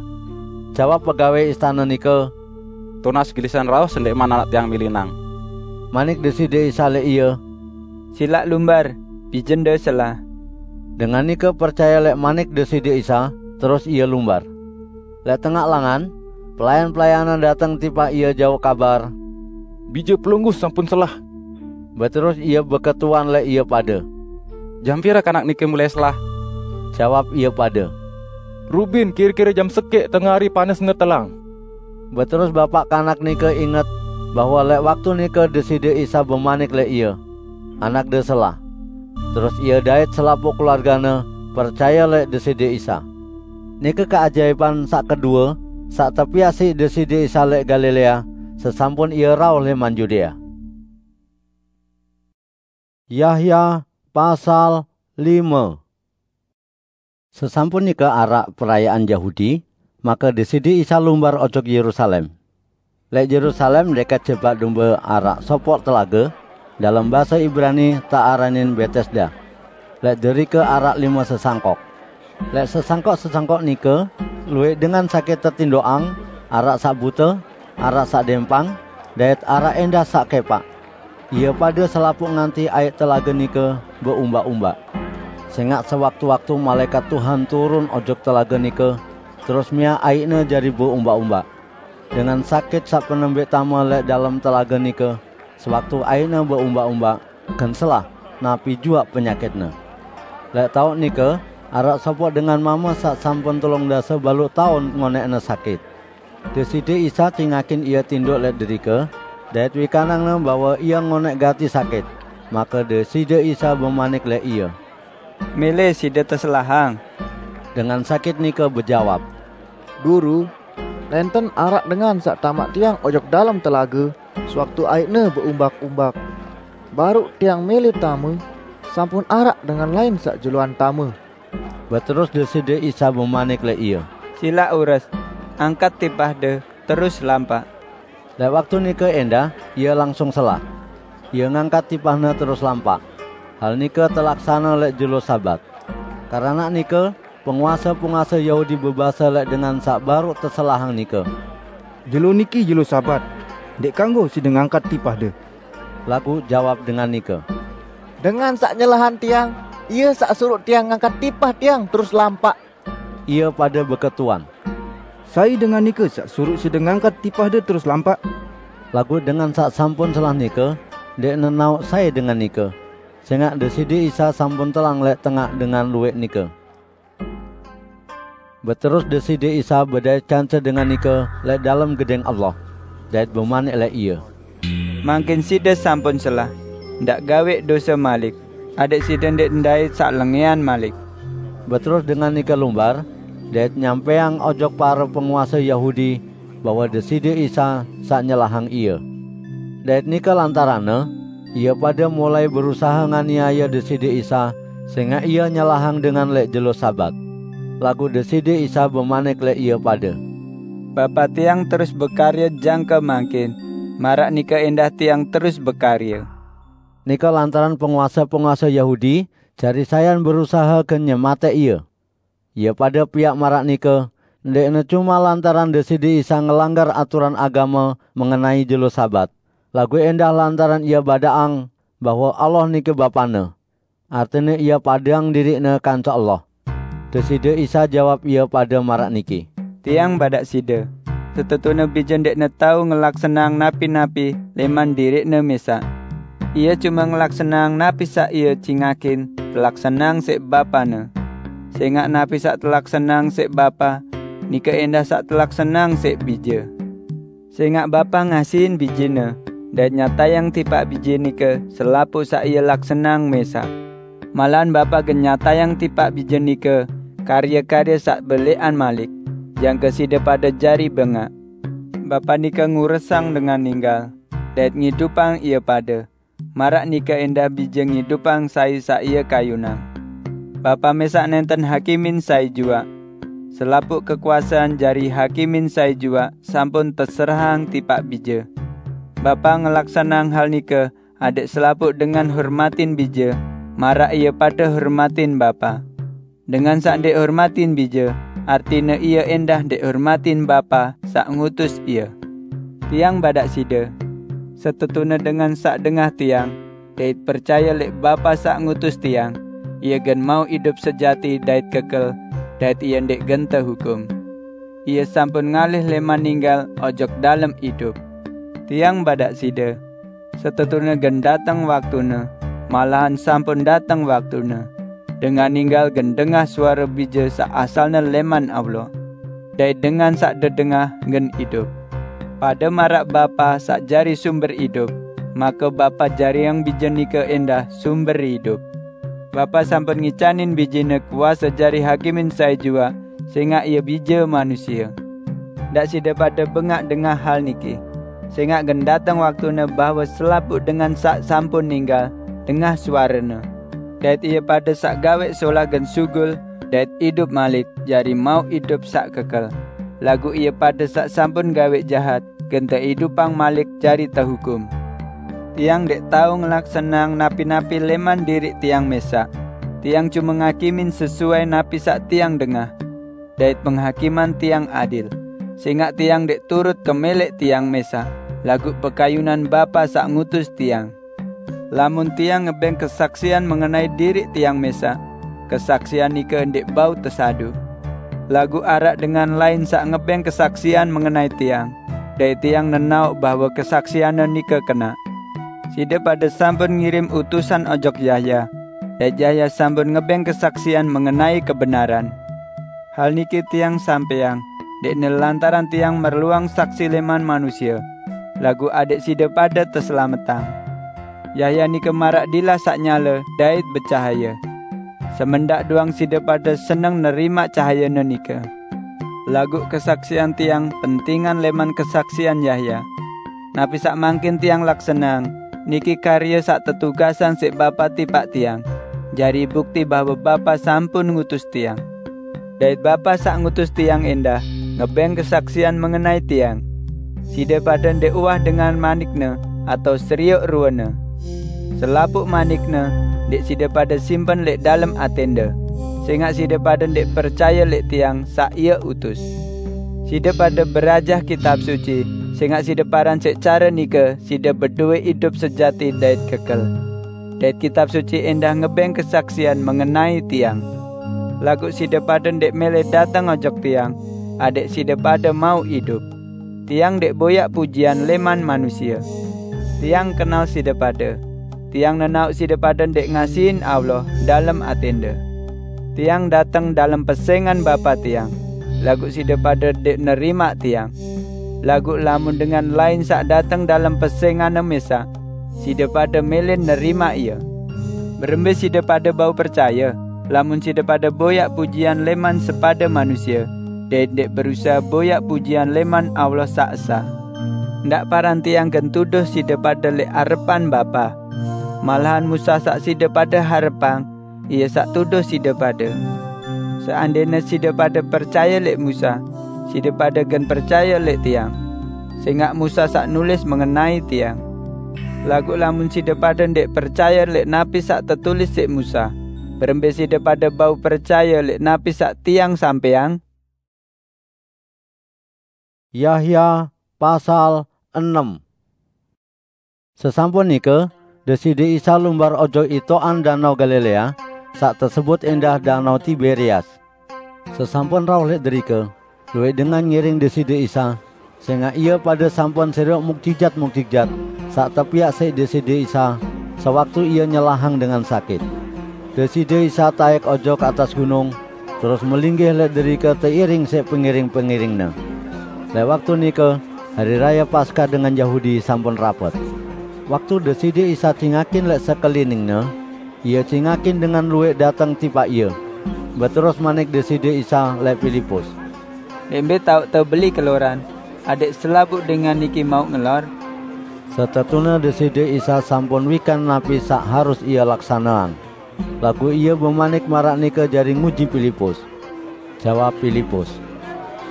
jawab pegawe istane nike, "tunas gilisan rauh sendẽqman anak tiang milinang." Manik Deside Isa leq ie, "Silaq lumbar, bijende selah." Dengan nike percaye leq manik Deside Isa, terus ie lumbar. Leq tengaq langan, pelayan-pelayanne dateng tipaq ie jauq kabar, "Bije Pelungguh sampun selah." Beterus ie beketuan leq ie pade. "Jam pire kanak nike mulai selah?" jawab ie pade. "Rubin kire-kire jam sekeq tengari panesne telang." Beterus bapaq kanak nike inget bahwe leq waktu nike Deside Isa bemanik leq ie, "Anakde selah." Terus ie dait selapuq keluargane percaye leq Deside Isa. Nike keajaipan saq kedue saq tepiaq siq Deside Isa leq Galilea, sesampun Ie rauh leman Yudea. Yahya pasal lime. Sesampun nike araq perayaan Yahudi, make Deside Isa lumbar ojok Yerusalem. Leq Yerusalem, deket Jebak Dombe, araq sopoq telage, dalem base Ibrani tearanin Betesda. Leq derike araq lime sesangkok. Leq sesangkok-sesangkok nike, lueq dengan sakit tetindoqang, araq saq bute, araq saq dempang, dait araq endah saq kepaq. Ie pade selapuq nganti aiq telage nike beumbak-umbak. Sengaq sewaktu-waktu malaekat Tuhan turun ojok telage nike, terus miaq aiqne jari beumbak-umbak. Dengan sakit saq penembeq tame leq dalem telage nike, sewaktu aiqne beumbak-umbak, gen selah, napi juaq penyakitne. Leq taoq nike, araq sopoq dengan mame saq sampun telung dase baluq taun ngoneqne sakit. Deside Isa cingakin ie tindoq leq derike, dait wikanangne bahwe ie ngoneq gati sakit. Make Deside Isa bemanik leq ie, "Mele side teselahang." Dengan sakit nike bejawab, "Guru, nenten araq dengan saq tamaq tiang ojok dalem telage, sewaktu aiqne beumbak-umbak. Baruq tiang mele tame, sampun araq dengan lain saq juluan tame." Beterus Deside Isa bemanik leq ie, "Silaq ures, angkat tipahde, terus lampaq." Leq waktu nike endah, ie langsung selah. Ie ngangkat tipahne terus lampaq. Hal nike telaksane leq jelo Sabat. Keranaq nike, penguase-penguase Yahudi bebase leq dengan saq baruq teselahang nike, "Jelo niki jelo Sabat, ndeq kanggo side ngangkat tipahde." Laguq jawab dengan nike, "Dengan saq nyelahang tiang, ie saq suruq tiang ngangkat tipah tiang terus lampaq." Ie pade beketuan, "Sai dengan nike saq suruq side ngangkat tipahde terus lampaq?" Laguq dengan saq sampun selah nike ndeq nenaoq sai dengan nike, sengaq Deside Isa sampun telang leq tengaq dengan lueq nike. Beterus Deside Isa bedait kance dengan nike leq dalem Gedeng Allah, dait bemanik leq ie, "Mangkin side sampun selah, ndaq gaweq dose malik, adẽq side ndeq ndait saq lengẽan malik." Beterus dengan nike lumbar, dait nyampeang ojok pare penguase Yahudi bahwe Deside Isa saq nyelahang ie. Dait nike lantaranne, ie pade mulai berusahe nganiaye Deside Isa, sengaq Ie nyelahang dengan leq jelo Sabat. Laguq Deside Isa bemanik leq ie pade, "Bapa tiang terus bekarye jangke mangkin, maraq nike endah tiang terus bekarye." Nike lantaran penguase-penguase Yahudi jari sayan berusahe gen nyematẽq Ie. Ie pade piaq maraq nike, Ndé'kné cuma lantaran Deside Isa ngelanggar aturan agama mengenai jelo Sabat, laguq éndah lantaran Ie badaqang bahwe Allah nike Bapane, artine Ie padeang diriq-Ne kance Allah. Deside Isa jawab ie pade maraq niki, "Tiang badaq side, setetune bije ndeqne tao ngelaksaneang napi-napi lẽman diriqne mesaq. Ie cume ngelaksaneang napi saq ie cingakin telaksaneang siq Bapane. Sẽngaq napi saq telaksaneang siq Bapa, nike endah saq telaksaneang siq Bije. Sẽngaq Bapa ngasihin Bijene dait nyatayang tipaq Bije nike selapuq saq Ie laksaneang mesaq. Malahan Bapa gen nyatayang tipaq Bije nike karye-karye saq belẽqan malik, jangke side pade jari bengaq. Bapa nike nguresang dengan ninggal dait ngidupang ie pade, maraq nike endah Bije ngidupang sai saq Ie kayunang. Bapa mesaq nenten hakimin sai juaq. Selapuq kekuasean jari hakimin sai juaq sampun teserahang tipaq Bije. Bapa ngelaksaneang hal nike adẽq selapuq dengan hormatin Bije, maraq ie pade hormatin Bapa. Dengan saq ndeq hormatin Bije, artine ie endah ndeq hormatin Bapa saq ngutus Ie. Tiang badaq side, setetune dengan saq dengah Tiang dait percaye lẽq Bapa saq ngutus Tiang, ie gen mauq idup sejati dait kekel, dait ie ndeq gen tehukum. Ie sampun ngalih lẽman ninggal ojok dalem idup. Tiang badaq side, setetune gen dateng waktune, malahan sampun dateng waktune, dengan ninggal gen dengah suare Bije saq asalne lẽman Allah, dait dengan saq dedengah gen idup. Pade maraq Bapa saq jari sumber idup, make Bapa jariang Bije nike endah sumber idup. Bapa sampun ngicanin Bijene kuase jari hakimin sai juaq, sẽngaq Ie Bije manusie. Ndaq side pade bengaq dengah hal niki, sẽngaq gen dateng waktune bahwe selapuq dengan saq sampun ninggal dengah suarene, dait ie pade saq gaweq solah gen sugul dait idup malik jari mauq idup saq kekel, laguq ie pade saq sampun gaweq jahat gen teidupang malik jari tehukum. Tiang ndeq tao ngelaksaneang napi-napi lẽman diriq Tiang mesaq. Tiang cume ngakimin sesuai napi saq Tiang dengah, dait penghakiman Tiang adil, sẽngaq Tiang ndeq turut kemeleq Tiang mesaq, laguq pekayunan Bapa saq ngutus Tiang. Lamun Tiang ngebeng kesaksian mengenai diriq Tiang mesaq, kesaksian nike ndeq bau tesadu. Laguq araq dengan lain saq ngebeng kesaksian mengenai Tiang, dait Tiang nenaoq bahwe kesaksianne nike kenaq. Side pade sampun ngirim utusan ojok Yahya, dait Yahya sampun ngebeng kesaksian mengenai kebenaran. Hal niki Tiang sampeang, ndeqne lantaran Tiang merluang saksi lẽman manusie, laguq adẽq side pade teselametang. Yahya nike maraq dilah saq nyale dait becahaye. Semendaq doang side pade seneng nerimaq cahayene nike. Laguq kesaksian Tiang pentingan lẽman kesaksian Yahya. Napi saq mangkin Tiang laksaneang, niki karye saq tetugasang siq Bapa tipaq Tiang, jari bukti bahwe Bapa sampun ngutus Tiang. Dait Bapa saq ngutus Tiang endah ngebeng kesaksian mengenai Tiang. Side pade ndeq uwah dengan manikne atao serioq ruene. Selapuq manikne ndeq side pade simpen lẽq dalem atẽnde, sẽngaq side pade ndeq percaye lẽq Tiang saq Ie utus. Side pade berajah Kitab Suci, sẽngaq side paran siq care nike side bedowe idup sejati dait kekel. Dait Kitab Suci endah ngebeng kesaksian mengenai Tiang. Laguq side pade ndeq mele dateng ojok Tiang, adẽq side pade mauq idup. Tiang ndeq boyaq pujian lẽman manusie. Tiang kenal side pade. Tiang nenaoq side pade ndeq ngasihin Allah dalem atẽnde. Tiang dateng dalem pesẽngan Bapa Tiang, laguq side pade ndeq nerimaq Tiang. Laguq lamun dengan lain saq dateng dalem pesẽnganne mesaq, side pade mele nerimaq ie. Berembe side pade bau percaye, lamun side pade boyaq pujian lẽman sepade manusie, dait ndeq berusahe boyaq pujian lẽman Allah saq esa? Ndaq paran Tiang gen tuduh side pade lẽq arepan Bapa. Malahan Musa saq side pade harepang, ie saq tuduh side pade. Seandene side pade percaye lẽq Musa, side pade gen percaye lẽq Tiang, sẽngaq Musa saq nulis mengenai Tiang. Laguq lamun side pade ndeq percaye lẽq napi saq tetulis siq Musa, berembe side pade bau percaye lẽq napi saq Tiang sampeang? Yahya pasal enem. Sesampun nika, Deside Isa lumbar ojok itokan Danau Galilea, sak tesebut endah Danau Tiberias. Sesampun rauh lek derika, luwek dengan ngiring Deside Isa, sengak ia pada sampun seruk mukjijat-mukjijat, sak tepiak sik Deside Isa, sewaktu ia nyelahang dengan sakit. Deside Isa taik ojok atas gunung, terus melinggih lek derika teiring sik pengiring-pengiringnya. Lek waktu nika, hari raya Paskah dengan Yahudi sampun rapet. Waktu Deside Isa cingakin lek sekeliningnya, ia cingakin dengan luwek dateng tipak ia. Beterus manik Deside Isa lek Pilipus, "Lek mbe tauk tebeli keloran, adik selabuk dengan niki mau ngelor?" Setetuna Deside Isa sampun wikan napi sak harus ia laksanaan. Lagu ia bemanik marak nika jari nguji Pilipus. Jawab Pilipus,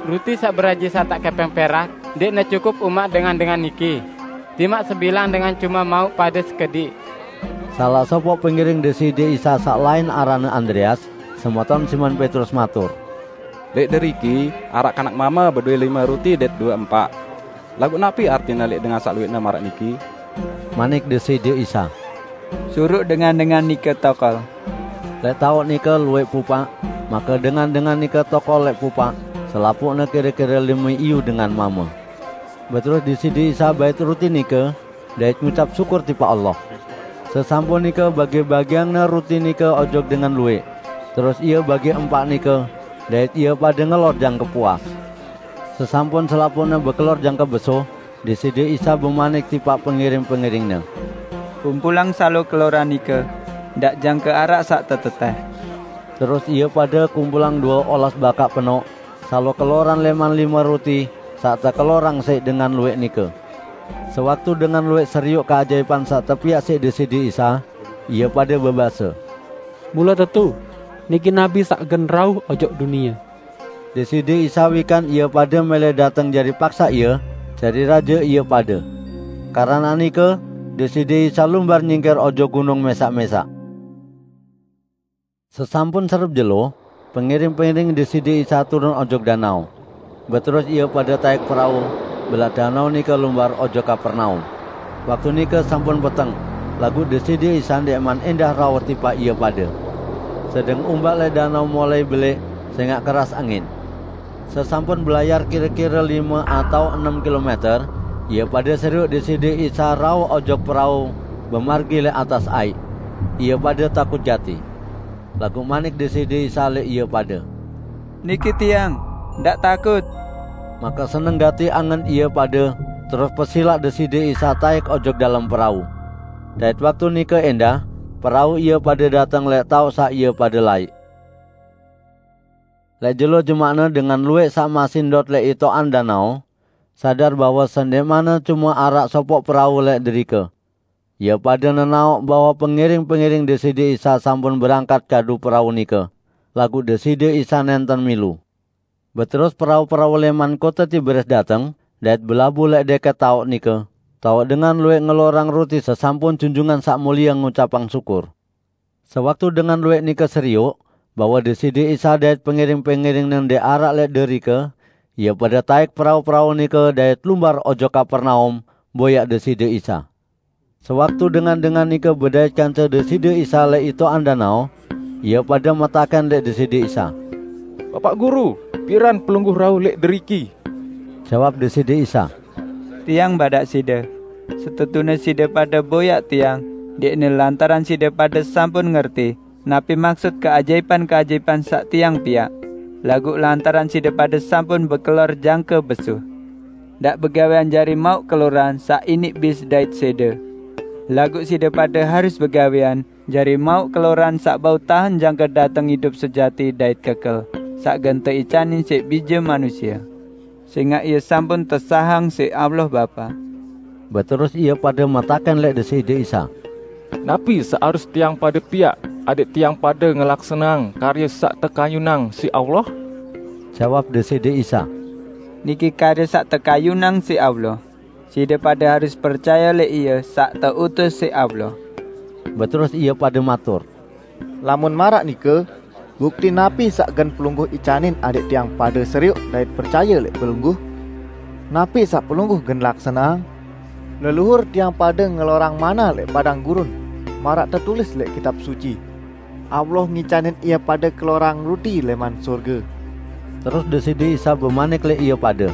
"Ruti sak beraji satak kepeng perak, ndikne cukup umak dengan-dengan niki. Timak sebilang dengan cuma mau pada sekedik." Salah sopo pengiring Deside Isa sak lain arane Andreas, semeton Simon Petrus matur, "Lek deriki, arak kanak mama bedue lima ruti dait dua empak. Lagu napi artine lek dengan sak luwekne marak niki?" Manik Deside Isa, "Suruk dengan-dengan nika tokol." Lek tauk nika luwek pupak, maka dengan-dengan nika tokol lek pupak, selapukne kira-kira lime iu dengan mama. Beterus Deside Isa bait ruti nika, dait ngucap syukur tipak Allah. Sesampun nika bagi-bagiangne ruti nika ojok dengan luwek. Terus ia bagi empak nika, dait ia pada ngelor jangke puas. Sesampun selapukne bekelor jangke besuh, Deside Isa bemanik tipak pengiring-pengiringne, "Kumpulang salo keloran nika, ndak jangke arak sak teteteh." Terus ia pada kumpulang dua olas bakak penok, salo keloran leman lime ruti, sak tekelorang sik dengan luwek nika. Sewaktu dengan luwek seriuk keajaipan sak tepiak sik Deside Isa, ia pada bebase, "Mula tetu, niki nabi sak gen rauh ojok dunia." Deside Isa wikan ia pada mele dateng jari paksa ia, jari raja ia pada. Karana nika, Deside Isa lumbar nyingkir ojok gunung mesak-mesak. Sesampun serep jelo, pengiring-pengiring Deside Isa turun ojok danau. Beterus ia pada taik perau, belak danau nika lumbar ojok Kapernaum. Waktu nika sampun peteng, lagu Deside Isa ndekman endah rauh tipak ia pada. Sedeng umbak lek danau mulai belik, sengak keras angin. Sesampun belayar kira-kira lime atau enem kilometer, ia pada seruk Deside Isa rauh ojok perau, bemargi lek atas aik. Ia pada takut jati. Lagu manik Deside Isa lek ia pada, "Niki tiang, ndak takut." Maka seneng gati angen ia pada, terus pesilak Deside Isa taik ojok dalem perau. Dait waktu nika endah, perau ia pada dateng lek tauk sak ia pada laik. Lek jelo jemakne dengan luwek sak masih ndot lek itokan danau, sadar bahwa sendekmane cuma arak sopok perau lek derika. Ia pada nenaok bahwa pengiring-pengiring Deside Isa sampun berangkat kadu perau nika, lagu Deside Isa nenten milu. Beterus perau-perau leman kota Tiberias dateng, dait belabuh lek deket taok nika, taok dengan luwek ngelorang ruti sesampun Junjungan Sak Mulia ngucapang syukur. Sewaktu dengan luwek nika seriuk, bahwa Deside Isa dait pengiring-pengiringne ndek arak lek derika, ia pada taik perau-perau nika dait lumbar ojok Kapernaum, boyak Deside Isa. Sewaktu dengan-dengan nika bedait kance Deside Isa lek itokan danau, ia pada metaken lek Deside Isa, "Bapak Guru, piran pelungguh rauh lek deriki?" Jawab Deside Isa, "Tiang badak side, setetune side pada boyak Tiang, ndikne lantaran side pada sampun ngerti napi maksud keajaipan-keajaipan sak Tiang piak, laguq lantaran side pada sampun bekelor jangke besuh. Ndak begawean jari mauq keloran sak inik bis dait side, laguq side pade harus begawean jari mauq keloran sak bau tahen jangke dateng idup sejati dait kekel, sak gen teicanin siq Bije Manusie, sengaq Ie sampun tesahang siq Allah Bapa." Beterus ie pade metaken leq Deside Isa, "Napi saq harus tiang pade piaq, adẽq tiang pade ngelaksaneang karye saq tekayunang siq Allah?" Jawab Deside Isa, "Niki karye saq tekayunang siq Allah, side pade harus percaye leq Ie saq teutus siq Allah." Beterus ie pade matur, "Lamun maraq nike, bukti napi saq gen Pelungguh icanin adẽq tiang pade serioq dait percaye leq Pelungguh?" Napi saq Pelungguh gen laksaneang? Leluhur tiang pada ngelorang manna leq padang gurun, maraq tetulis leq Kitab Suci, 'Allah ngicanin ie pada kelorang ruti leman sorge.' Terus Deside Isa bemanik leq ie pade,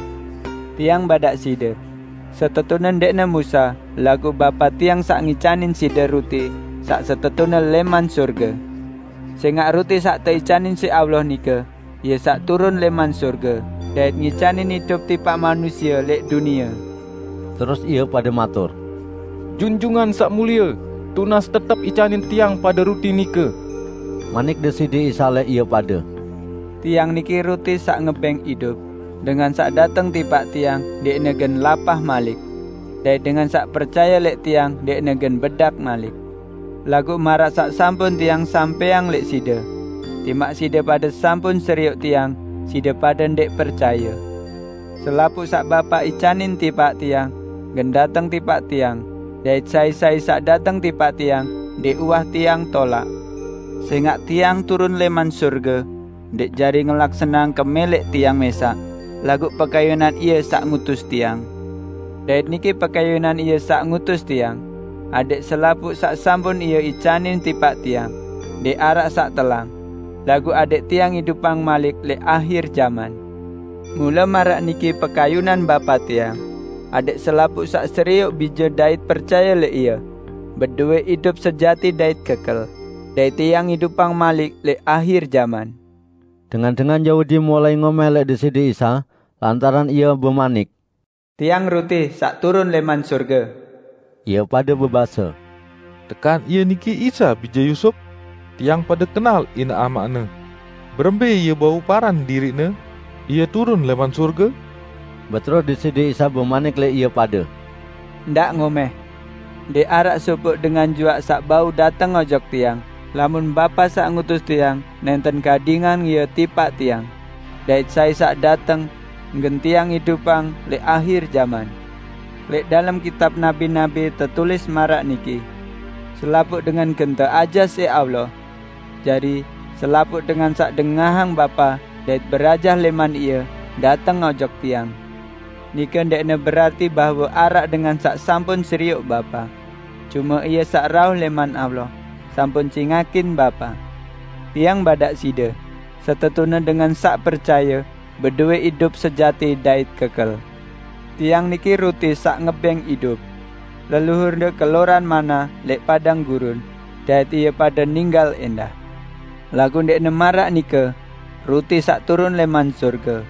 "Tiang badaq side, setetune ndeqne Musa, laguq Bapa Tiang saq ngicanin side ruti saq setetune leman sorge. Sengaq ruti saq teicanin siq Allah nike, Ie saq turun leman sorge dait ngicanin idup tipaq manusie leq dunie." Terus ie pade matur, "Junjungan Saq Mulie, tunas tetep icanin tiang pade ruti nike." Manik Deside Isa leq ie pade, "Tiang niki ruti saq ngebeng idup. Dengan saq dateng tipaq Tiang ndeqne gen lapah malik, dait dengan saq percaye leq Tiang ndeqne gen bedak malik. Laguq maraq saq sampun Tiang sampeang leq side, timaq side pade sampun serioq Tiang, side pade ndeq percaye. Selapuq saq Bapa icanin tipaq Tiang, gen dateng tipaq Tiang, dait sai-sai saq dateng tipaq Tiang, ndeq uwah Tiang tolaq. Sengaq Tiang turun leman sorge, ndeq jari ngelaksaneang kemeleq Tiang mesaq, laguq pekayunan Ie saq ngutus Tiang. Dait niki pekayunan Ie saq ngutus Tiang, adẽq selapuq saq sampun Ie icanin tipaq Tiang, ndeq araq saq telang, laguq adẽq Tiang idupang malik leq ahir jaman. Mule maraq niki pekayunan Bapa Tiang, adẽq selapuq saq serioq Bije dait percaye leq Ie, bedowe idup sejati dait kekel, dait Tiang idupang malik leq ahir jaman." Dengan-dengan Yahudi mulai ngomeh leq Deside Isa, lantaran Ie bemanik, "Tiang ruti saq turun leman sorge." Ie pade bebase, "Tekan Ie niki Isa, bije Yusup? Tiang pade kenal inaq amaq-Ne. Berembe Ie bau paran diriq-Ne? Ie turun leman sorge?" Beterus Deside Isa bemanik leq ie pade, "Ndaq ngomeh. Ndeq araq sopoq dengan juaq saq bau dateng ojok Tiang, lamun Bapa saq ngutus Tiang nenten gadingang ie tipaq Tiang. Dait sai saq dateng, gen Tiang idupang leq ahir jaman. Leq dalem kitab nabi-nabi tetulis maraq niki, 'Selapuq dengan gen teajah siq Allah.' Jari, selapuq dengan saq dengahang Bapa dait berajah leman Ie, dateng ojok Tiang. Nike ndeqne berarti bahwe araq dengan saq sampun serioq Bapa. Cume Ie saq rauh leman Allah, sampun cingakin Bapa. Tiang badaq side, setetune dengan saq percaye bedowe idup sejati dait kekel. Tiang niki ruti saq ngebeng idup. Leluhurde keloran manna leq padang gurun, dait ie pade ninggal endah. Laguq ndeqne maraq nike, ruti saq turun leman sorge.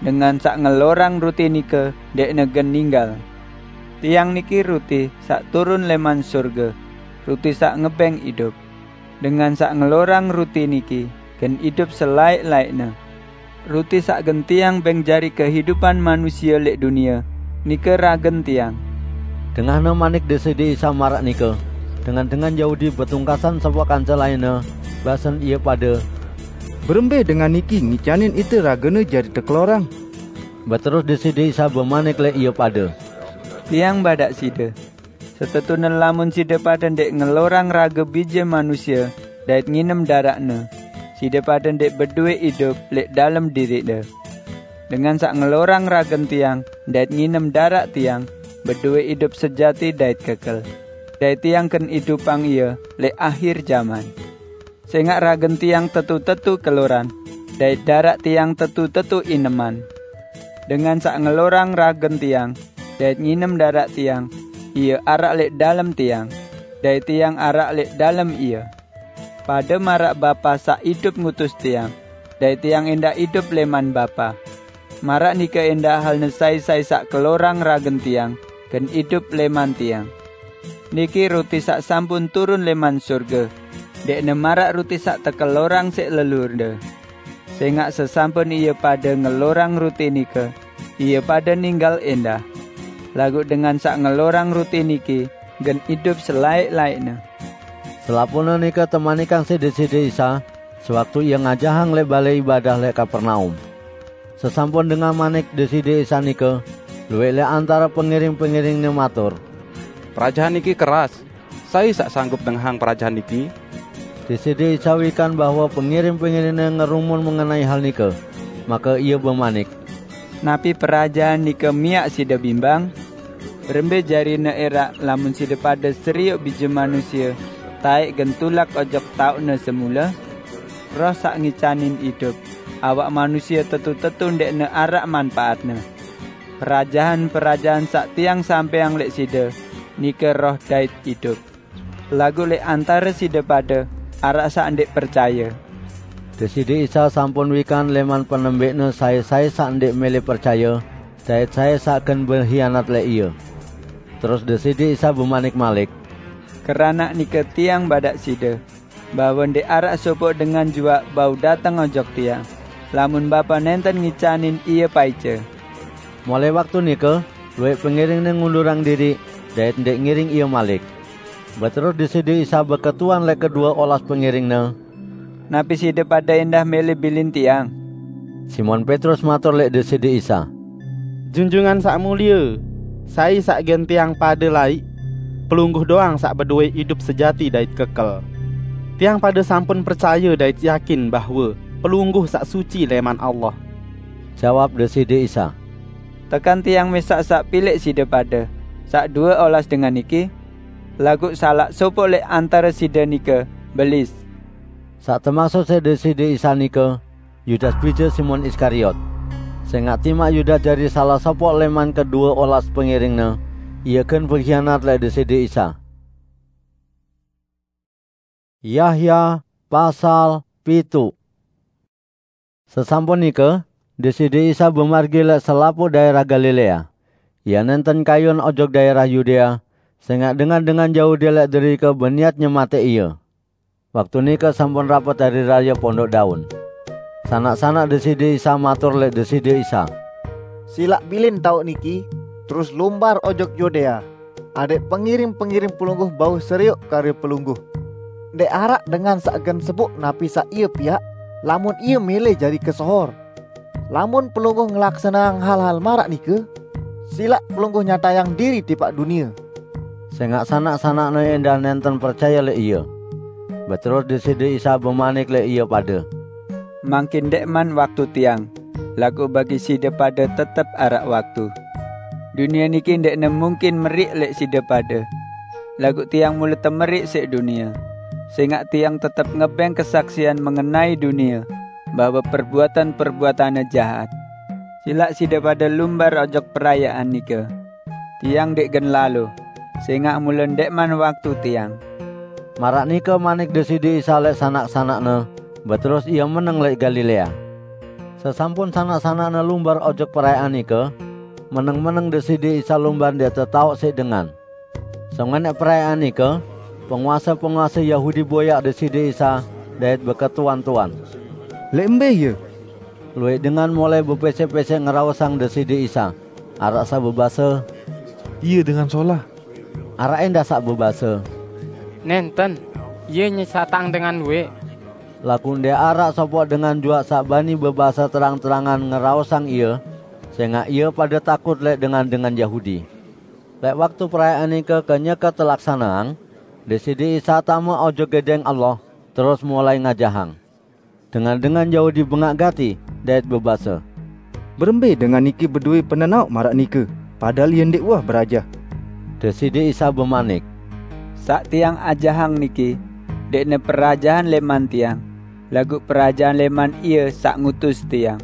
Dengan saq ngelorang ruti nike ndeqne gen ninggal. Tiang niki ruti saq turun leman sorge, ruti saq ngebeng idup. Dengan saq ngelorang ruti niki gen idup selaeq-laeqne. Ruti saq gen Tiang beng jari kehidupan manusie leq dunie, nike ragen Tiang." Dengahne manik Deside Isa maraq nike, dengan-dengan Yahudi betungkasan sopoq kance lainne, basen ie pade, "Berembe dengan niki ngicanin ite ragene jari tekelorang?" Beterus Deside Isa bemanik leq ie pade, "Tiang badaq side, setetune lamun side pade ndeq ngelorang rage Bije Manusie dait nginem daraqne, side pade ndeq bedowe idup leq dalem diriqde. Dengan saq ngelorang ragen Tiang dait nginem daraq Tiang, bedowe idup sejati dait kekel, dait Tiang gen idupang ie leq ahir jaman. Sengaq ragen Tiang tetu-tetu keloran, dait daraq Tiang tetu-tetu ineman. Dengan saq ngelorang ragen Tiang dait nginem daraq Tiang, ie araq leq dalem Tiang, dait Tiang araq leq dalem ie. Pade maraq Bapa saq idup ngutus Tiang, dait Tiang endah idup leman Bapa. Maraq nike endah halne sai-sai saq kelorang ragen Tiang, gen idup leman Tiang. Niki ruti saq sampun turun leman sorge, ndeqne maraq ruti saq tekelorang siq leluhurde. Sengaq sesampun ie pade ngelorang ruti nike, ie pade ninggal endah. Laguq dengan saq ngelorang ruti niki gen idup selaeq-laeqne." Selapuqne nike temanikang siq Deside Isa, sewaktu Ie ngajahang leq Bale Ibadah leq Kapernaum. Sesampun dengah manik Deside Isa nike, lueq leq antare pengiring-pengiring-Ne matur, "Perajahan niki keras. Sai saq sanggup nengahang perajahan niki?" Deside Isa wikan bahwe pengiring-pengiring-Ne ngerumun mengenai hal nike, make Ie bemanik, Napi parajahan nika miak sida bimbang? Rembe jarina erak lamun sida pada seriuk Bija Manusia taek gen tulak ojok taukne semula? Roh sak ngicanin idup, awak manusia tetu-tetu ndekne arak manpaatne. Parajahan-parajahan sak tiang sampeang lek sida nika roh dait idup. Lagu lek antara sida pada arak sak ndek percaya. Deside Isa sampun wikan leman penembekne sai-sai sak ndek mele percaya, dait sai sak gen berhianat lek Ia. Terus Deside Isa bemanik malik, "Keranak nika tiang badak sida, bahwa ndek arak sopoq dengan juak bau dateng ojok tiang, lamun Bapa nenten ngicanin ia paica." Mulai waktu nika, luek pengiringne ngundurang diri, dait ndek ngiring Ia malik. Beterus Deside Isa beketuan lek kedua olas pengiringne, "Napi sida pada endah mele bilin tiang?" Simon Petrus matur lek Deside Isa, "Junjungan sak mulia, sai sak gen tiang pada laik? Pelungguh doang sak bedue idup sejati dait kekel. Tiang pada sampun percaya dait yakin bahwa Pelungguh sak suci leman Allah." Jawab Deside Isa, "Tekan tiang mesak sak pilek sida pada, sak dua olas dengan niki? Laguq salaq sopoq lek antara sida nika belis." Sak temaksud siq Deside Isa nika, Yudas, bija Simon Iskariot. Sengaq timaq Yudas jari salah sopoq leman kedua olas pengiringne, ia gen behianat lek Deside Isa. Yahya pasal pitu. Sesampun nika, Deside Isa bemargi lek selapuq daerah Galilea. Ia nenten kayun ojok daerah Yudea, sengaq dengan-dengan Yahudi lek derike beniat nyemateq Ia. Waktu nika sampun rapet Hari Raye Pondok Daun. Sanak-sanak Deside Isa matur lek Deside Isa, "Silaq bilin tauk niki, terus lumbar ojok Yudea, adeq pengiring-pengiring Pelungguh bau seriuk kare Pelungguh. Ndeq araq dengan saq gen sepuq napi saq ie piaq, lamun ie mele jari kesohor. Lamun Pelungguh ngelaksaneang hal-hal maraq nike, silaq Pelungguh nyatayang diri tipaq dunie." Sengaq sanak-sanakne endah nenten percaye lek Ie. Beterus Deside Isa bemanik lek ie pade, "Mangkin ndeqman waktu Tiang, laguq bagi side pade tetep araq waktu. Dunie niki ndeqne mungkin meriq lek side pade, laguq Tiang mule temeriq siq dunie, sengaq Tiang tetep ngebeng kesaksian mengenai dunie bahwe perbuatan-perbuatanne jahat. Silaq side pade lumbar ojok perayaan nike. Tiang ndeq gen lalo, sengaq mule ndeqman waktu Tiang." Maraq nike manik Deside Isa lek sanak-sanakne, beterus Ie meneng lek Galilea. Sesampun sanak-sanakne lumbar ojok perayaan nike, meneng-meneng Deside Isa lumbar ndeq tetaoq siq dengan. Sengeneq perayaan nike, penguase-penguase Yahudi boyaq Deside Isa dait beketuan-tuan, "Leq mbe Ie?" Lueq dengan mulai bepesek-pesek ngeraosang Deside Isa. Araq saq bebase, "Ie dengan solah." Araq endah saq bebase, "Nenten, Ie nyesatang dengan lueq." Laguq ndeq araq sopoq dengan juaq saq bani bebase terang-terangan ngeraosang Ie, sengaq ie pade takut lek dengan-dengan Yahudi. Lek waktu perayaan nike kenyeke telaksaneang, Deside Isa tame ojok Gedeng Allah, terus mulai ngajahang. Dengan-dengan Yahudi bengaq gati dait bebase, "Berembe dengan niki bedoe penenaoq maraq nike, padahal Ie ndeq uwah berajah?" Deside Isa bemanik, "Saq Tiang ajahang niki ndeqne perajahan leman Tiang, laguq perajahan leman Ie saq ngutus Tiang.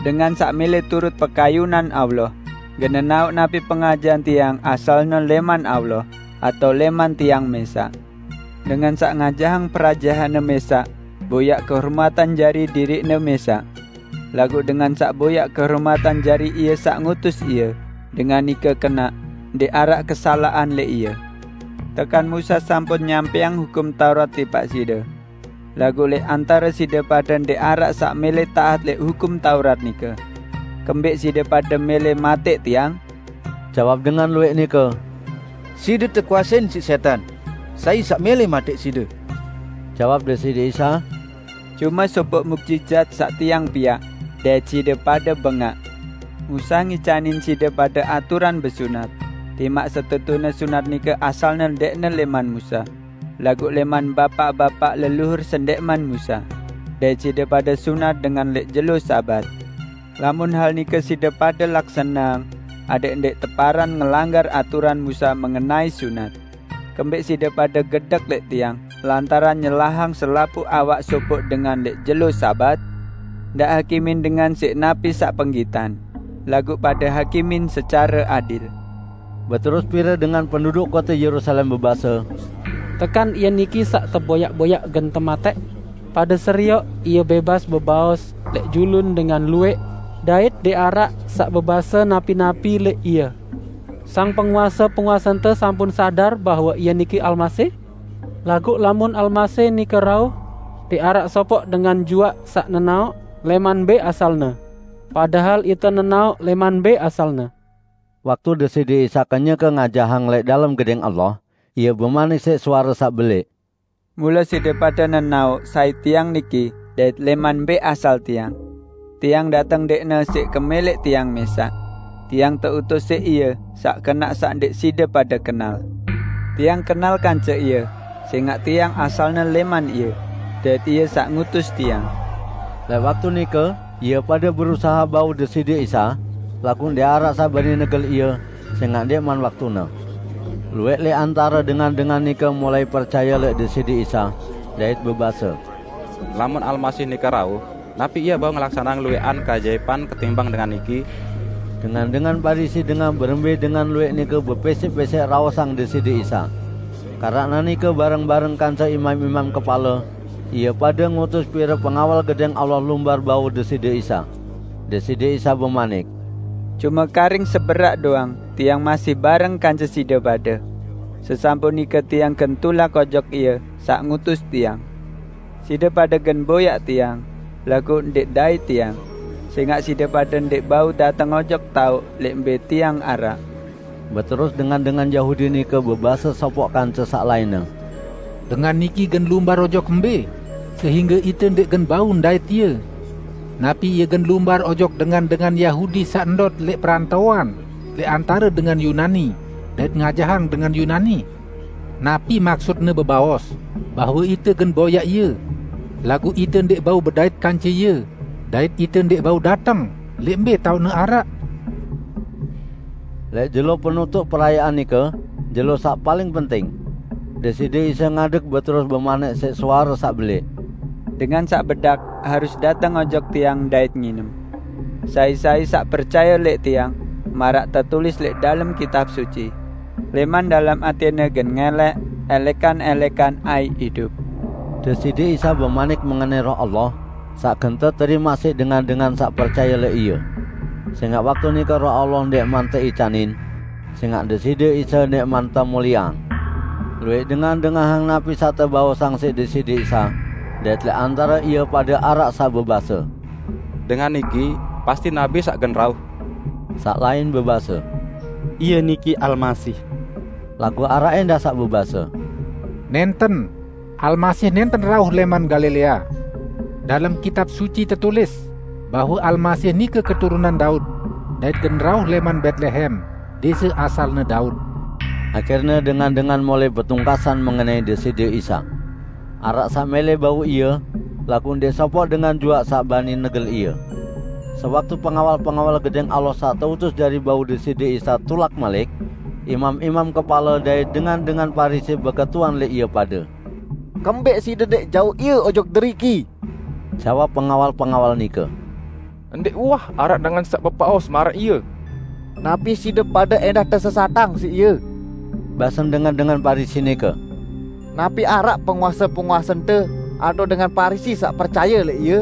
Dengan saq mele turut pekayunan Allah, gen nenaoq napi pengajahan Tiang asalne leman Allah atao leman Tiang mesaq. Dengan saq ngajahang perajahanne mesaq, boyaq kehormatan jari diriqne mesaq. Laguq dengan saq boyaq kehormatan jari Ie saq ngutus ie, dengan nike kenaq, ndeq araq kesalaqan lek ie. Tekan Musa sampun nyampeang Hukum Taurat tipaq side. Laguq lek antare side pade ndeq araq saq mele taat lek Hukum Taurat nike. Kembeq side pade mele mateq Tiang?" Jawab dengan lueq nike, "Side tekuasein siq setan. Sai saq mele mateq side?" Jawab Deside Isa, "Cume sopoq mukjijat saq Tiang piaq, dait side pade bengaq. Musa ngicanin side pade aturan besunat, timaq setetune sunat nike asalne ndeqne leman Musa, laguq leman bapaq-bapaq leluhur sendeqman Musa. Dait side pade sunat dengan lek jelo Sabat. Lamun hal nike side pade laksaneang, adek ndek teparan ngelanggar aturan Musa mengenai sunat. Kembek side pade gedek lek tiang, lantaran nyelahang selapuq awak sopok dengan lek jelo Sabat? Ndak hakimin dengan sik napi saq penggitan, laguq pade hakimin secare adil. Beterus pire dengan penduduk kote Yerusalem bebase, "Tekan Ie niki saq teboyak-boyak gen temateq, pade serioq Ie bebas bebaos lek julun dengan lueq, dait ndeq araq saq bebase napi-napi lek Ie. Sang penguase-penguasente sampun sadar bahwe Ie niki Almasih? Laguq lamun Almasih nike rauh, ndeq araq sopoq dengan juaq saq nenaoq leman mbe asalne. Padahal ite nenaoq leman mbe asalne." Waktu Deside Isa kenyeke ngajahang lek dalem Gedeng Allah, Ie bemanik siq suare saq beleq, "Mule side pade nenaoq sai Tiang niki dait leman mbe asal Tiang. Tiang dateng ndeqne siq kemeleq Tiang mesaq. Tiang teutus siq Ie saq kenaq saq ndeq side pade kenal. Tiang kenal kance Ie, sengaq Tiang asalne leman Ie, dait Ie saq ngutus Tiang." Lek waktu nike, ie pade berusahe bau Deside Isa, laguq ndeq araq saq bani negel Ie, sengaq ndeqman waktune. Lueq lek antare dengan-dengan nike mulai percaye lek Deside Isa, dait bebase, "Lamun Almasih nike rauh, napi Ie bau ngelaksaneang lueqan keajaipan ketimbang dengan niki?" Dengan-dengan Parisi dengah berembe dengan lueq nike bepesek-pesek raosang Deside Isa. Karaqne nike bareng-bareng kance imam-imam kepale, ie pade ngutus pire pengawal Gedeng Allah lumbar bau Deside Isa. Deside Isa bemanik, "Cume karing seberaq doang Tiang masih bareng kance side pade. Sesampun nike Tiang gen tulak ojok Ie saq ngutus Tiang. Side pade gen boyaq Tiang, laguq ndeq dait Tiang, sengaq side pade ndeq bau dateng ojok taoq lek mbe Tiang araq." Beterus dengan-dengan Yahudi nike bebase sopoq kance saq lainne, "Dengan niki gen lumbar ojok mbe, sehingge ite ndeq gen bau ndait Ie? Napi Ie gen lumbar ojok dengan-dengan Yahudi saq ndot lek perantoan lek antare dengan Yunani, dait ngajahang dengan Yunani? Napi maksudne bebaos, bahwe ite gen boyaq Ie, laguq ite ndeq bau bedait kance Ie, dait ite ndeq bau dateng lek mbe taoqne araq?" Lek jelo penutuq perayaan nike, jelo saq paling penting, Deside Isa ngadeg beterus bemanik siq suare saq beleq, "Dengan saq bedak harus dateng ojok Tiang dait nginem. Sai-sai saq percaye lek Tiang, maraq tetulis lek dalem Kitab Suci, 'Leman dalem atene gen ngeleq elekan-elekan aiq idup.'" Deside Isa bemanik mengenai Roh Allah, saq gen teterimaq siq dengan-dengan saq percaye lek Ie. Sengaq waktu nike Roh Allah ndeqman teicanin, sengaq Deside Isa ndeqman temulieang. Lueq dengan dengahang napi saq tebaosang siq Deside Isa, dait lek antare ie pade araq saq bebase, "Dengan niki pasti nabi saq gen rauh." Saq lain bebase, "Ie niki Almasih." Laguq araq endah saq bebase, "Nenten, Almasih nenten rauh leman Galilea. Dalem Kitab Suci tetulis bahwe Almasih nike keturunan Daud, dait gen rauh leman Betlehem, dese asalne Daud." Akhirne dengan-dengan mulai betungkasan mengenai Deside Isa. Araq saq mele bau Ie, laguq ndeq sopoq dengan juaq saq bani negel Ie. Sewaktu pengawal-pengawal Gedeng Allah saq teutus jari bau Deside Isa tulak malik, imam-imam kepale dait dengan-dengan Parisi beketuan lek ie pade. "Kembek side ndeq jauq Ie ojok deriki?" jawab pengawal-pengawal nike. "Ndeq uwah araq dengan saq bebaos maraq Ie." "Napi side pade endah tesesatang siq Ie?" basen dengan-dengan Parisi nike. "Napi araq penguase-penguasente atao dengan Parisi saq percaye lek Ie?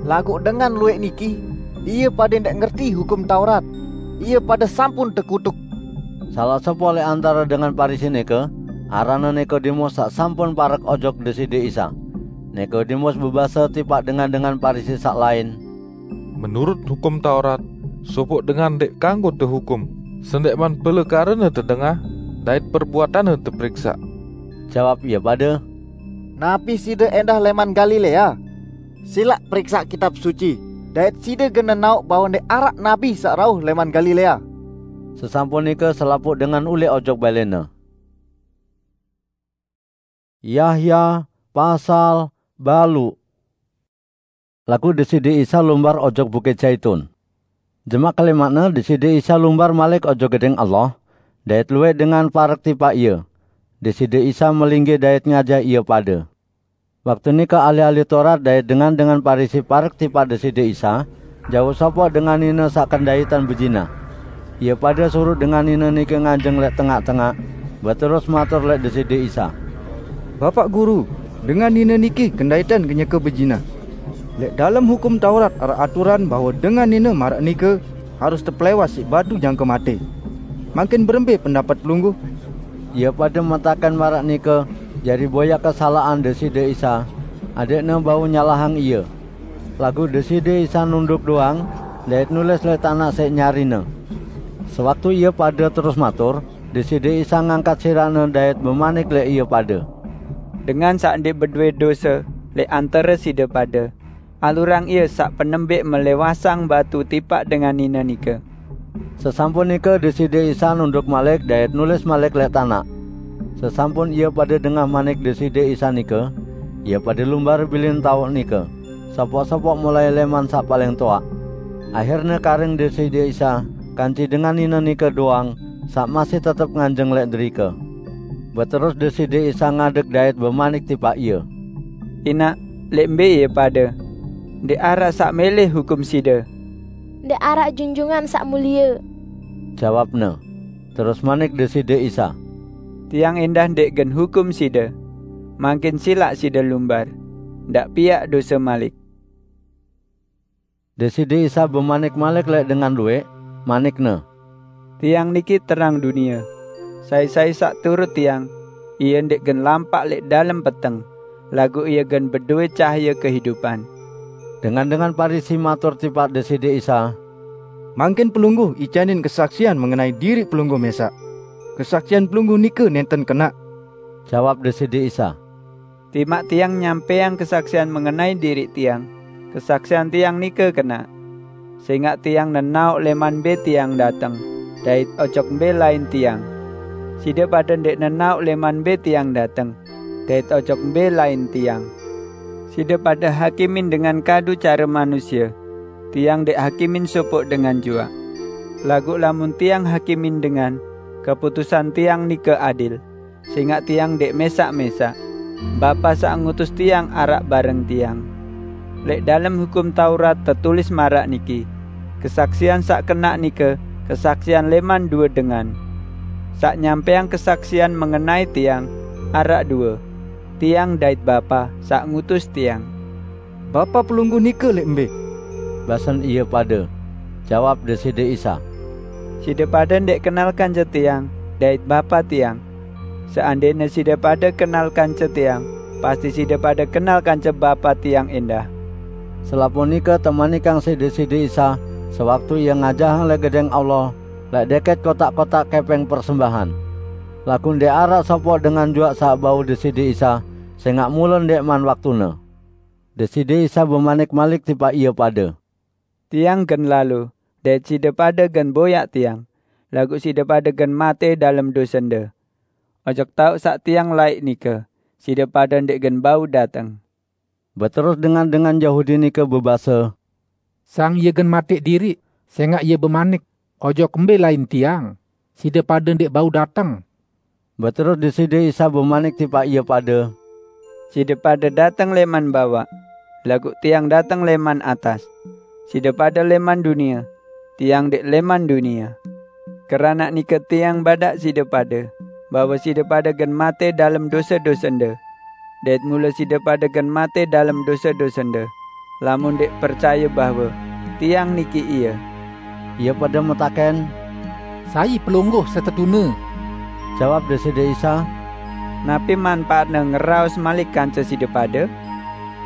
Laguq dengan lueq niki, ie pade ndeq ngerti Hukum Taurat. Ie pade sampun tekutuk." Salaq sopoq lek antare dengan Parisi nike, aranne Nikodemus saq sampun parek ojok Deside Isa. Nikodemus bebase tipaq dengan-dengan Parisi saq lain, "Menurut Hukum Taurat, sopoq dengan ndeq kanggo tehukum, sendeqman pelekarene tedengah dait perbuatanne teperiksaq." Jawab ie pade, "Napi side endah leman Galilea? Silaq periksaq Kitab Suci, dait side gen nenaoq bahwe ndeq araq nabi saq rauh leman Galilea." Sesampun nike selapuq dengan ulih ojok balene. Yahya pasal baluq. Laguq Deside Isa lumbar ojok Bukit Zaitun. Jemaq kelimangne Deside Isa lumbar malik ojok Gedeng Allah, dait lueq dengan parek tipaq Ie. Deside Isa melinggih dait ngajah ie pade. Waktu nike ahli-ahli Torat dait dengan-dengan Parisi parek tipaq Deside Isa, jauq sopoq dengan nine saq kendaitan bezinah. Ie pade suruq dengan nine nike nganjeng leq tengaq-tengaq, beterus matur leq Deside Isa, "Bapaq Guru, dengan nine niki kendaitan kenyeke bezinah. Leq dalem Hukum Taurat araq aturan bahwe dengan nine maraq nike harus tepelewas siq batu jangke mate. Mangkin berembe pendapet Pelungguh?" Ie pade metaken maraq nike jari boyaq kesalaqan Deside Isa, adeqne bau nyalahang Ie. Laguq Deside Isa nunduk doang, dait nulis leq tanaq siq nyarine. Sewaktu ie pade terus matur, Deside Isa ngangkat sirahne dait bemanik leq ie pade, "Dengan saq ndeq bedowe dose leq antare side pade, alurang ie saq penembeq melewasang batu tipaq dengan nine nike." Sesampun nike Deside Isa nunduk malik dait nulis malik leq tanaq. Sesampun ie pade dengah manik Deside Isa nike, ie pade lumbar bilin taoq nike, sopoq-sopoq mulai leman saq paling toaq. Ahirne karing Deside Isa kance dengan nine nike doang saq masih tetep nganjeng leq derike. Beterus Deside Isa ngadeg dait bemanik tipaq ie, "Inaq, leq mbe ie pade? Ndeq araq saq mele hukum side?" "Ndeq araq Junjungan Saq Mulie," jawabne. Terus manik Deside Isa, "Tiang endah ndeq gen hukum side. Mangkin silaq side lumbar, ndaq piaq dose malik." Deside Isa bemanik malik leq dengan lueq, manik-Ne, "Tiang niki terang dunie. Sai-sai saq turut Tiang, ie ndeq gen lampaq leq dalem peteng, laguq ie gen bedowe cahaye kehidupan." Dengan-dengan Parisi matur tipaq Deside Isa, "Mangkin Pelungguh icanin kesaksian mengenai diriq Pelungguh mesaq. Kesaksian Pelungguh nike nenten kenaq." Jawab Deside Isa, "Timaq Tiang nyampeang kesaksian mengenai diriq Tiang, kesaksian Tiang nike kenaq. Sengaq Tiang nenaoq leman mbe Tiang dateng, dait ojok mbe lain Tiang. Side pade ndeq nenaoq leman mbe Tiang dateng, dait ojok mbe lain Tiang. Side pade hakimin dengan kadu care manusie. Tiang ndeq hakimin sopoq dengan juaq. Laguq lamun Tiang hakimin dengan, keputusan Tiang nike adil, sengaq Tiang ndeq mesaq-mesaq. Bapa saq ngutus Tiang araq bareng Tiang. Leq dalem Hukum Taurat tetulis maraq niki, 'Kesaksian saq kenaq nike kesaksian leman due dengan.' Saq nyampeang kesaksian mengenai Tiang araq due, Tiang dait Bapa saq ngutus Tiang." "Bapa Pelungguh nike leq mbe?" basen ie pade. Jawab Deside Isa, "Side pade ndeq kenal kance Tiang dait Bapa Tiang. Seandene side pade kenal kance Tiang, pasti side pade kenal kance Bapa Tiang endah." Selapuq nike temanikang siq Deside Isa sewaktu Ie ngajahang leq Gedeng Allah, leq deket kotak-kotak kepeng persembahan. Laguq ndeq araq sopoq dengan juaq saq bau Deside Isa, sengaq mule ndeqman waktune. Deside Isa bemanik malik tipaq ie pade, "Tiang gen lalo, dait side pade gen boyaq Tiang, laguq side pade gen mate dalem dosende. Ojok taoq saq Tiang laeq nike, side pade ndeq gen bau dateng." Beterus dengan-dengan Yahudi nike bebase, "Sang Ie gen mate diriq, sengaq Ie bemanik, 'Ojok mbe lain Tiang, side pade ndeq bau dateng.'" Beterus Deside Isa bemanik tipaq ie pade, "Side pade dateng leman bawaq, laguq Tiang dateng leman atas. Side pade leman dunie, Tiang ndeq leman dunie. Keranaq nike Tiang badaq side pade, bahwe side pade gen mate dalem dose-dosende. Dait mule side pade gen mate dalem dose-dosende, lamun ndeq percaye bahwe Tiang niki Ie." Ie pade metaken, "Sai Pelungguh setetune?" Jawab Deside Isa, "Napi manpaatne ngeraos malik kance side pade?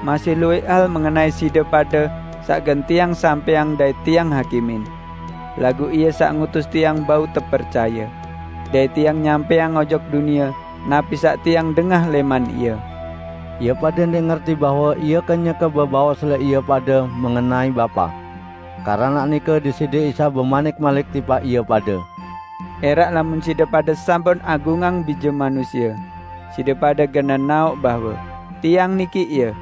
Masih luwih hal mengenai side pade saq gen Tiang sampeang dait Tiang hakimin. Laguq Ie saq ngutus Tiang bau tepercaye, dait Tiang nyampeang ojok dunie napi saq Tiang dengah leman Ie." Ie pade ndeq ngerti bahwe Ie kenyeke bebaos leq ie pade mengenai Bapa. Keranaq nike Deside Isa bemanik malik tipaq ie pade, "Eraq lamun side pade sampun agungang Bije Manusie, side pade gen nenaoq bahwe Tiang niki Ie.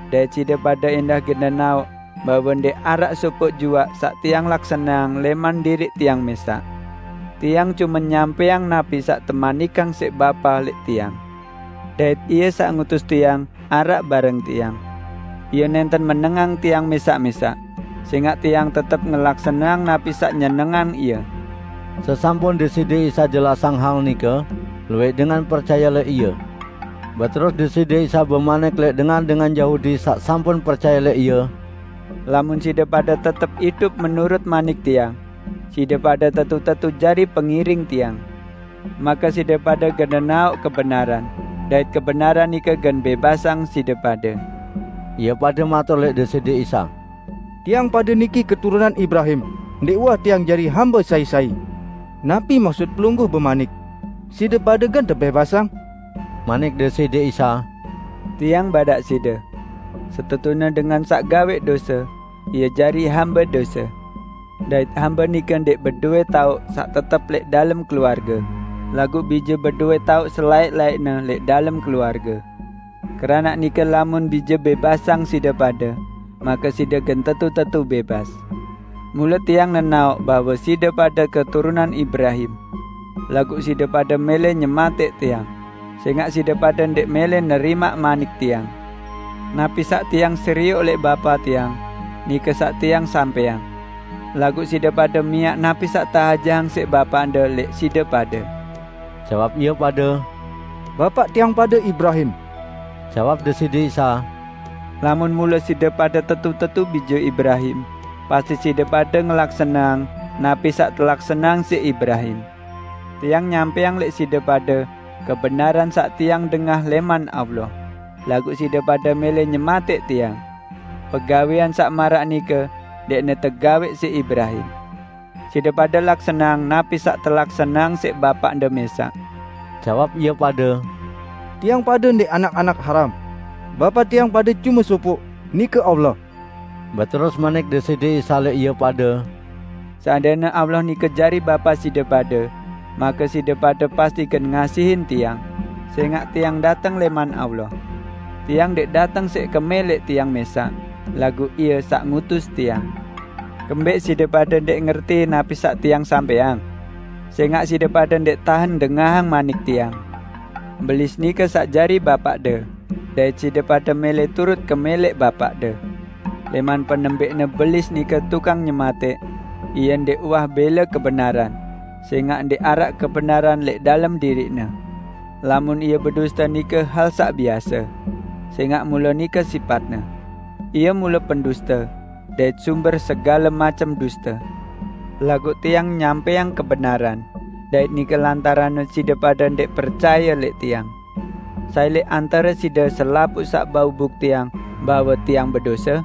Dait side pade endah gen nenaoq bahwe ndeq araq sopoq juaq saq tiang laksaneang leman diriq tiang mesaq. Tiang cume nyampaiang napi saq temanikang siq Bapa leq tiang. Dait Ie saq ngutus tiang araq bareng tiang. Ie nenten menengang tiang mesaq-mesaq, sengaq tiang tetep ngelaksaneang napi saq nyenengang Ie." Sesampun Deside Isa jelasang hal nike, luwih dengan percaye leq Ie. Beterus Deside Isa bemanik leq dengan-dengan Yahudi saq sampun percaye leq Ie, "Lamun side pade tetep idup menurut manik Tiang, side pade tetu-tetu jari pengiring Tiang. Make side pade gen nenaoq kebenaran, dait kebenaran nike gen bebasang side pade." Ie pade matur leq Deside Isa, "Tiang pade niki keturunan Ibrahim, ndeq uwah tiang jari hambe sai-sai. Napi maksut Pelungguh bemanik, 'Side pade gen tebebasang'?" Manik Deside Isa, "Tiang badaq side, setetune dengan saq gaweq dose, ie jari hambe dose. Dait hambe nike ndeq bedowe taoq saq tetep leq dalem keluarge, laguq bije bedowe taoq selaeq-laeqne leq dalem keluarge. Keranaq nike lamun bije bebasang side pade, make side gen tetu-tetu bebas. Mule Tiang nenaoq bahwe side pade keturunan Ibrahim, laguq side pade mele nyemateq Tiang, sengaq side pade ndeq mele nerimaq manik Tiang. Napi saq Tiang serioq leq Bapa Tiang, nike saq Tiang sampaiang. Laguq side pade miaq napi saq teajahang siq bapaqde leq side pade." Jawab ie pade, "Bapaq tiang pade Ibrahim." Jawab Deside Isa, "Lamun mule side pade tetu-tetu bije Ibrahim, pasti side pade ngelaksaneang napi saq telaksaneang siq Ibrahim. Tiang nyampaiang leq side pade kebenaran saq tiang dengah leman Allah, laguq side pade mele nyemateq Tiang. Pegawean saq maraq nike ndeqne tegaweq siq Ibrahim. Side pade laksaneang napi saq telaksaneang siq bapaqde mesaq." Jawab ie pade, "Tiang pade ndeq anak-anak haram. Bapa tiang pade cume sopoq, nike Allah." Beterus manik Deside Isa leq ie pade, "Seandene Allah nike jari Bapa side pade, make side pade pasti gen ngasihin Tiang, sengaq Tiang dateng leman Allah. Tiang ndeq dateng siq keme leq Tiang mesaq, laguq Ie saq ngutus Tiang. Kembeq side pade ndeq ngerti napi saq Tiang sampaiang? Sengaq side pade ndeq tahen dengahang manik Tiang. Belis nike saq jari bapaqde, dait side pade mele turut keme leq bapaqde. Leman penembekne Belis nike tukang nyemateq, ie ndeq uwah bele kebenaran, sengaq ndeq araq kebenaran leq dalem diriqne. Lamun ie beduste nike hal saq biase, sengaq mule nike sipatne. Ie mule penduste, dait sumber segale macem duste. Laguq Tiang nyampaiang kebenaran, dait nike lantaranne side pade ndeq percaye leq Tiang. Sai leq antare side selapuq saq bau buktiang bahwe Tiang bedose?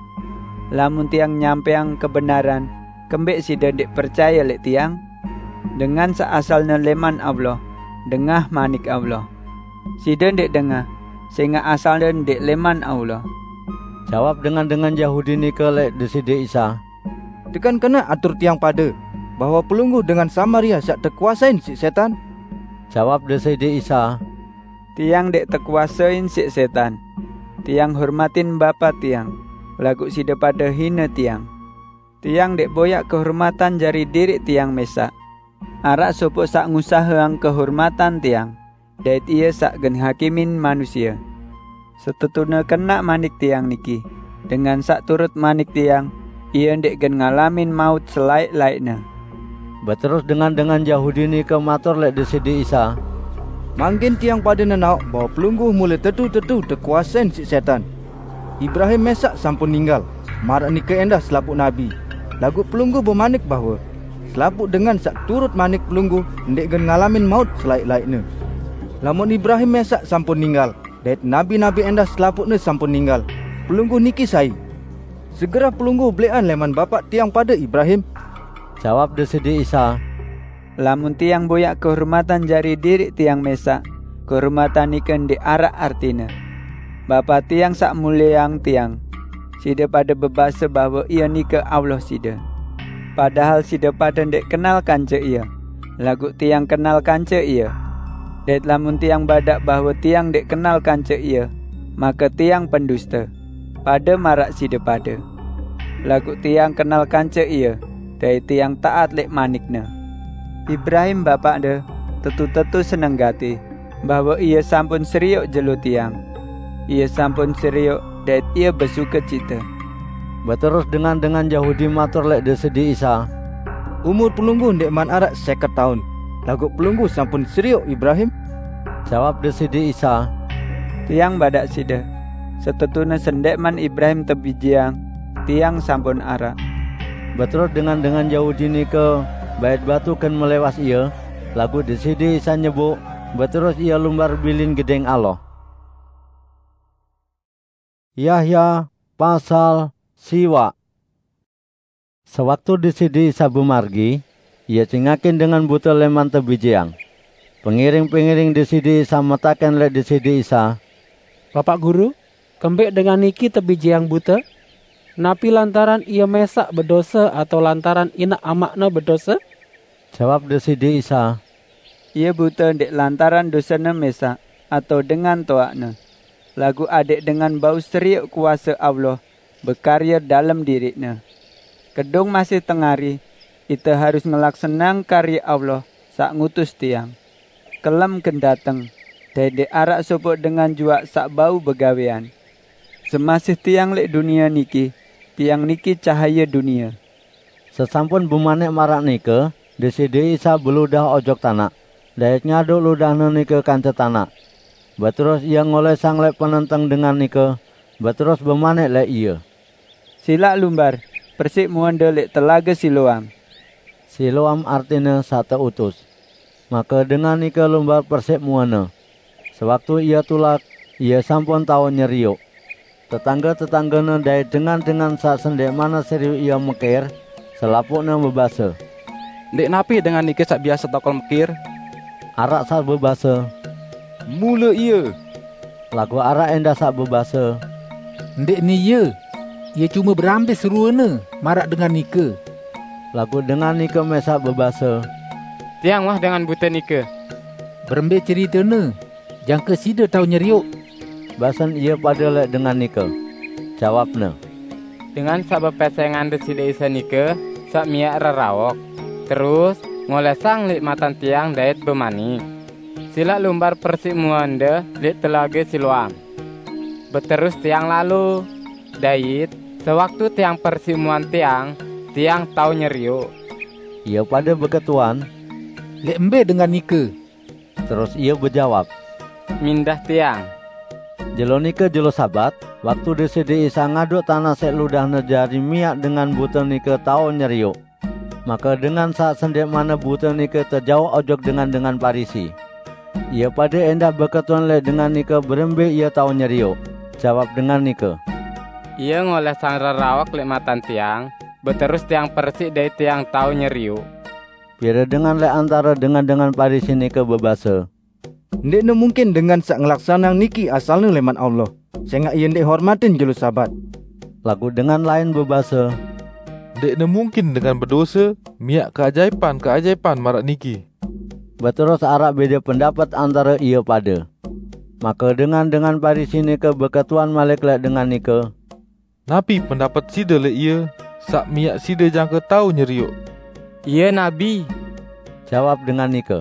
Lamun Tiang nyampaiang kebenaran, kembeq side ndeq percaye leq Tiang? Dengan saq asalne leman Allah, dengah manik Allah. Side ndeq dengah, sengaq asalne ndeq leman Allah." Jawab dengan-dengan Yahudi nike leq Deside Isa, "Tekan kene atur tiang pade bahwe Pelungguh dengan Samaria saq tekuasein siq setan?" Jawab Deside Isa, "Tiang ndeq tekuasein siq setan. Tiang hormatin Bapa Tiang, laguq side pade hine Tiang. Tiang ndeq boyaq kehormatan jari diriq Tiang mesaq. Araq sopoq saq ngusaheang kehormatan Tiang, dait Ie saq gen hakimin manusie. Setetune kenaq manik Tiang niki, dengan saq turut manik Tiang, ie ndeq gen ngalamin maut selaeq-laeqne." Beterus dengan-dengan Yahudi nike matur leq Deside Isa, "Mangkin tiang pade nenaoq bahwe Pelungguh mule tetu-tetu tekuasein siq setan. Ibrahim mesaq sampun ninggal, maraq nike endah selapuq nabi. Laguq Pelungguh bemanik bahwe selapuq dengan saq turut manik Pelungguh ndeq gen ngalamin maut selaeq-laeqne. Lamun Ibrahim mesaq sampun ninggal, dait nabi-nabi endah selapuqne sampun ninggal, Pelungguh niki sai? Segerah Pelungguh beleqan leman bapaq tiang pade Ibrahim?" Jawab Deside Isa, "Lamun Tiang boyaq kehormatan jari diriq Tiang mesaq, kehormatan nike ndeq araq artine. Bapa Tiang saq mulieang Tiang. Side pade bebase bahwe Ie nike Allah side. Padahal side pade ndeq kenal kance Ie, laguq Tiang kenal kance Ie. Dait lamun Tiang badaq bahwe Tiang ndeq kenal kance Ie, make Tiang penduste. pada maraq side pade. Laguq tiang kenal kance ie, dait tiang taat leq manikne. Ibrahim bapaqde tetu-tetu seneng gati bahwe ie sampun serioq jelo tiang. Ie sampun serioq dait ie besukecite." Beterus dengan-dengan Yahudi matur leq Deside Isa, "Umur Pelungguh ndeqman araq seket taun, laguq Pelungguh sampun serioq Ibrahim?" Jawab Deside Isa, "Tiang badaq side, setetune sendeqman Ibrahim tebijeang, tiang sampun araq." Beterus dengan-dengan Yahudi nike bait batu gen melewas ie, laguq Deside Isa nyebuk, beterus ie lumbar bilin Gedeng Allah. Yahya pasal siwaq. Sewaktu Deside Isa bemargi, Ie cingakin dengan bute leman tebijeang. Pengiring-pengiring Deside Isa metaken leq Deside Isa, "Bapaq Guru, kembeq dengan niki tebijeang bute? Napi lantaran ie mesaq bedose atao lantaran inaq amaqne bedose?" Jawab Deside Isa, "Ie bute ndeq lantaran dosene mesaq atao dengan toaqne, laguq adẽq dengan bau serioq kuase Allah bekarye dalem diriqne. Kedung masih tengari, ite harus ngelaksaneang karye Allah saq ngutus tiang. Kelem gen dateng, dait ndeq araq sopoq dengan juaq saq bau begawean. Semasih tiang leq dunie niki, tiang niki cahaye dunie." Sesampun bemanik maraq nike, Deside Isa beludah ojok tanaq, dait ngaduq ludahne nike kance tanaq. Beterus Ie ngolesang leq penenteng dengan nike, beterus bemanik leq ie, "Silaq lumbar persiq muende leq Telage Siloam." Siloam artine Saq Teutus. Make dengan nike lumbar persiq muene. Sewaktu ie tulak, ie sampun tao nyerioq. Tetangge-tetanggene dait dengan-dengan saq sendeqmanne serioq ie mekir, selapuqne bebase, "Ndeq napi dengan nike saq biase tokol mekir?" Araq saq bebase, "Mule ie." Laguq araq endah saq bebase, "Ndeqne ie. Ie cume berambis ruene maraq dengan nike." Laguq dengan nike mesaq bebase, "Tiang wah dengan bute nike. Berembe ceritene, jangke side tao nyerioq?" Basen ie pade leq dengan nike. Jawabne, "Dengan saq bepesengan Deside Isa nike saq miaq reraok, terus ngolesang leq matan tiang dait bemanik, 'Silaq lumbar persiq muende leq Telage Siloam.' Beterus tiang lalo, dait sewaktu tiang persiq muan tiang, tiang tao nyerioq." Ie pade beketuan, "Leq mbe dengan nike?" Terus ie bejawab, "Mindah tiang." Jelo nike jelo Sabat, waktu Deside Isa ngaduq tanaq siq ludahne jari miaq dengan bute nike tao nyerioq. Make dengan saq sendeqmanne bute nike tejauq ojok dengan-dengan Parisi. Ie pade endah beketuan leq dengan nike berembe ie tao nyerioq. Jawab dengan nike, "Ie ngolesang reraok leq matan tiang, beterus tiang persiq dait tiang tao nyerioq." Pire dengan leq antare dengan-dengan Parisi nike bebase, "Ndeqne mungkin dengan saq ngelaksaneang niki asalne leman Allah, sengaq ie ndeq hormatin jelo Sabat." Laguq dengan lain bebase, "Ndeqne mungkin dengan bedose miaq keajaipan-keajaipan maraq niki." Beterus araq bede pendapet antare ie pade. Make dengan-dengan Parisi nike beketuan malik leq dengan nike, "Napi pendapet side leq Ie, saq miaq side jangke tao nyerioq?" "Ie nabi," jawab dengan nike.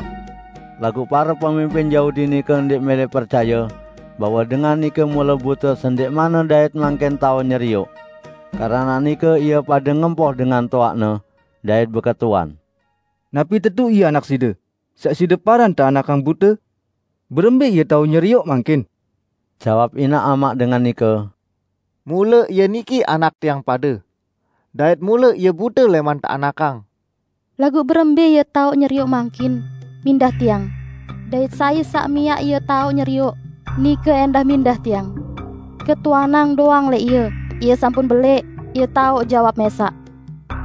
Laguq pare pemimpin Yahudi nike ndeq mele percaye bahwe dengan nike mule bute sendeqmanne dait mangkin tao nyerioq. Keranaq nike ie pade ngempoh dengan toaqne dait beketuan, "Napi tetu Ie Anak side, saq side paran teanakang bute? Berembe Ie tao nyerioq mangkin?" Jawab inaq amaq dengan nike, "Mule Ie niki anak tiang pade, dait mule Ie bute leman teanakang. Laguq berembe Ie tao nyerioq mangkin? Mindah tiang. Dait sai saq miaq Ie tao nyerioq, nike endah mindah tiang. Ketuanang doang leq Ie, Ie sampun beleq, Ie tao jawab mesaq."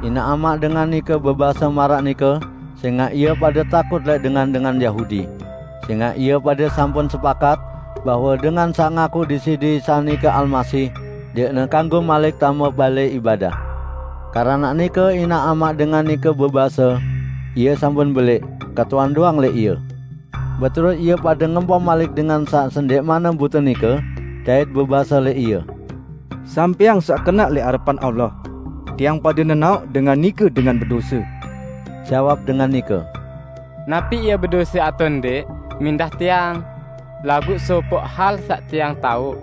Inaq amaq dengan nike bebase maraq nike, sengaq ie pade takut leq dengan-dengan Yahudi. Sengaq ie pade sampun sepakat bahwe dengan saq ngaku Deside Isa nike Almasih, ndeqne kanggo malik tame bale ibadah. Keranaq nike inaq amaq dengan nike bebase, "Ie sampun beleq, ketuan doang leq Ie." Beterus ie pade ngempoh malik dengan saq sendeqmanne bute nike, dait bebase leq ie, Sampéang sak kenaq lé arepan Allah. Tiang pade nenaoq dengan nike dengan bedose." Jawab dengan nike, "Napi ie bedose atau ndeq, mindah tiang. Laguq sopoq hal saq tiang taoq.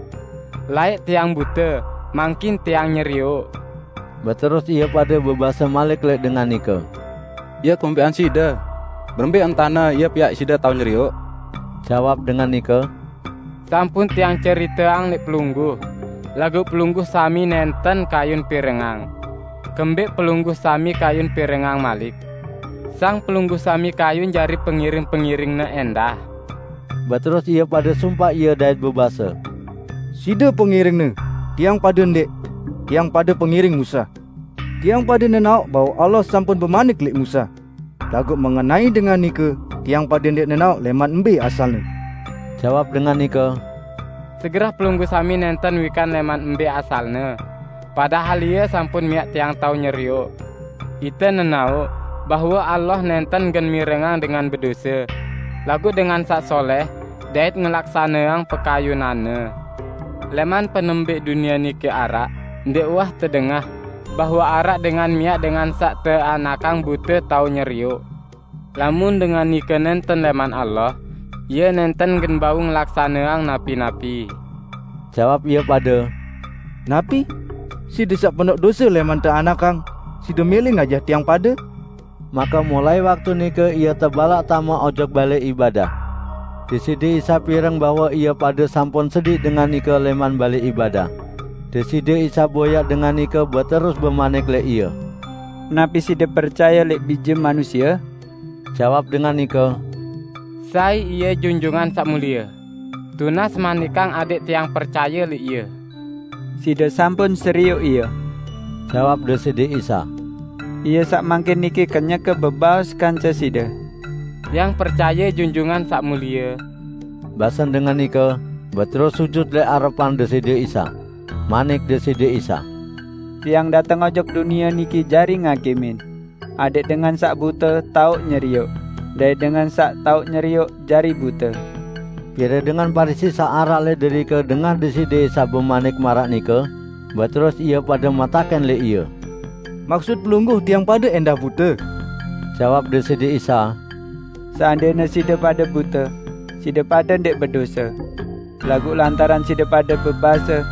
Laeq tiang bute, mangkin tiang nyerioq." Beterus ie pade bebase malik leq dengan nike, "Ie kumpiqan side? Berembe entane ie piaq side tao nyerioq?" Jawab dengan nike, "Sampun tiang ceriteang leq pelungguh, laguq pelungguh sami nenten kayun pirengang. Kembeq pelungguh sami kayun pirengang malik. Sang pelungguh sami kayun jari pengiring-pengiringne endah." Beterus ie pade sumpaq ie dait bebase, "Side pengiringne, tiang pade ndeq. Tiang pade pengiring Musa. Tiang pade nenaoq bahwe Allah sampun bemanik leq Musa. Laguq mengenai dengan nike, tiang pade ndeq nenaoq leman embe asalne." Jawab dengan nike, "Segerah pelungguh sami nenten wikan leman embe asalne, padahal ie sampun miaq tiang tao nyerioq. Ite nenaoq bahwe Allah nenten gen mirengang dengan bedose, laguq dengan saq soleh dait ngelaksaneang pekayunanne. Leman penembeq dunie nike araq, ndeq uwah tedengah bahwe araq dengan miaq dengan saq teanakang bute tao nyerioq. Lamun dengan nike nenten leman Allah, ie nenten gen bau ngelaksaneang napi-napi." Jawab ie pade, "Napi? Side saq penoq dose leman teanakang, side mele ngajah tiang pade?" Make mulai waktu nike ie tebalaq tame ojok bale ibadah. Deside Isa pireng bahwe ie pade sampun sediq dengan nike leman bale ibadah. Deside Isa boyaq dengan nike beterus bemanik leq ie, "Napi side percaye leq Bije Manusie?" Jawab dengan nike, "Sai Ie Junjungan Saq Mulie. Tunas manikang adeq tiang percaye leq Ie." "Side sampun serioq Ie," jawab Deside Isa. "Ie saq mangkin niki kenyeke bebaos kance side." "Tiang percaye Junjungan Saq Mulie," basen dengan nike, beterus sujut leq arepan Deside Isa. Manik Deside Isa, "Tiang dateng ojok dunie niki jari ngakimin, adeq dengan saq bute taoq nyerioq, dait dengan saq taoq nyerioq jari bute." Pire dengan Parisi saq araq leq derike dengah Deside Isa bemanik maraq nike, beterus ie pade metaken leq Ie, "Maksut Pelungguh tiang pade endah bute?" Jawab Deside Isa, "Seandene side pade bute, side pade ndeq bedose. Laguq lantaran side pade bebase,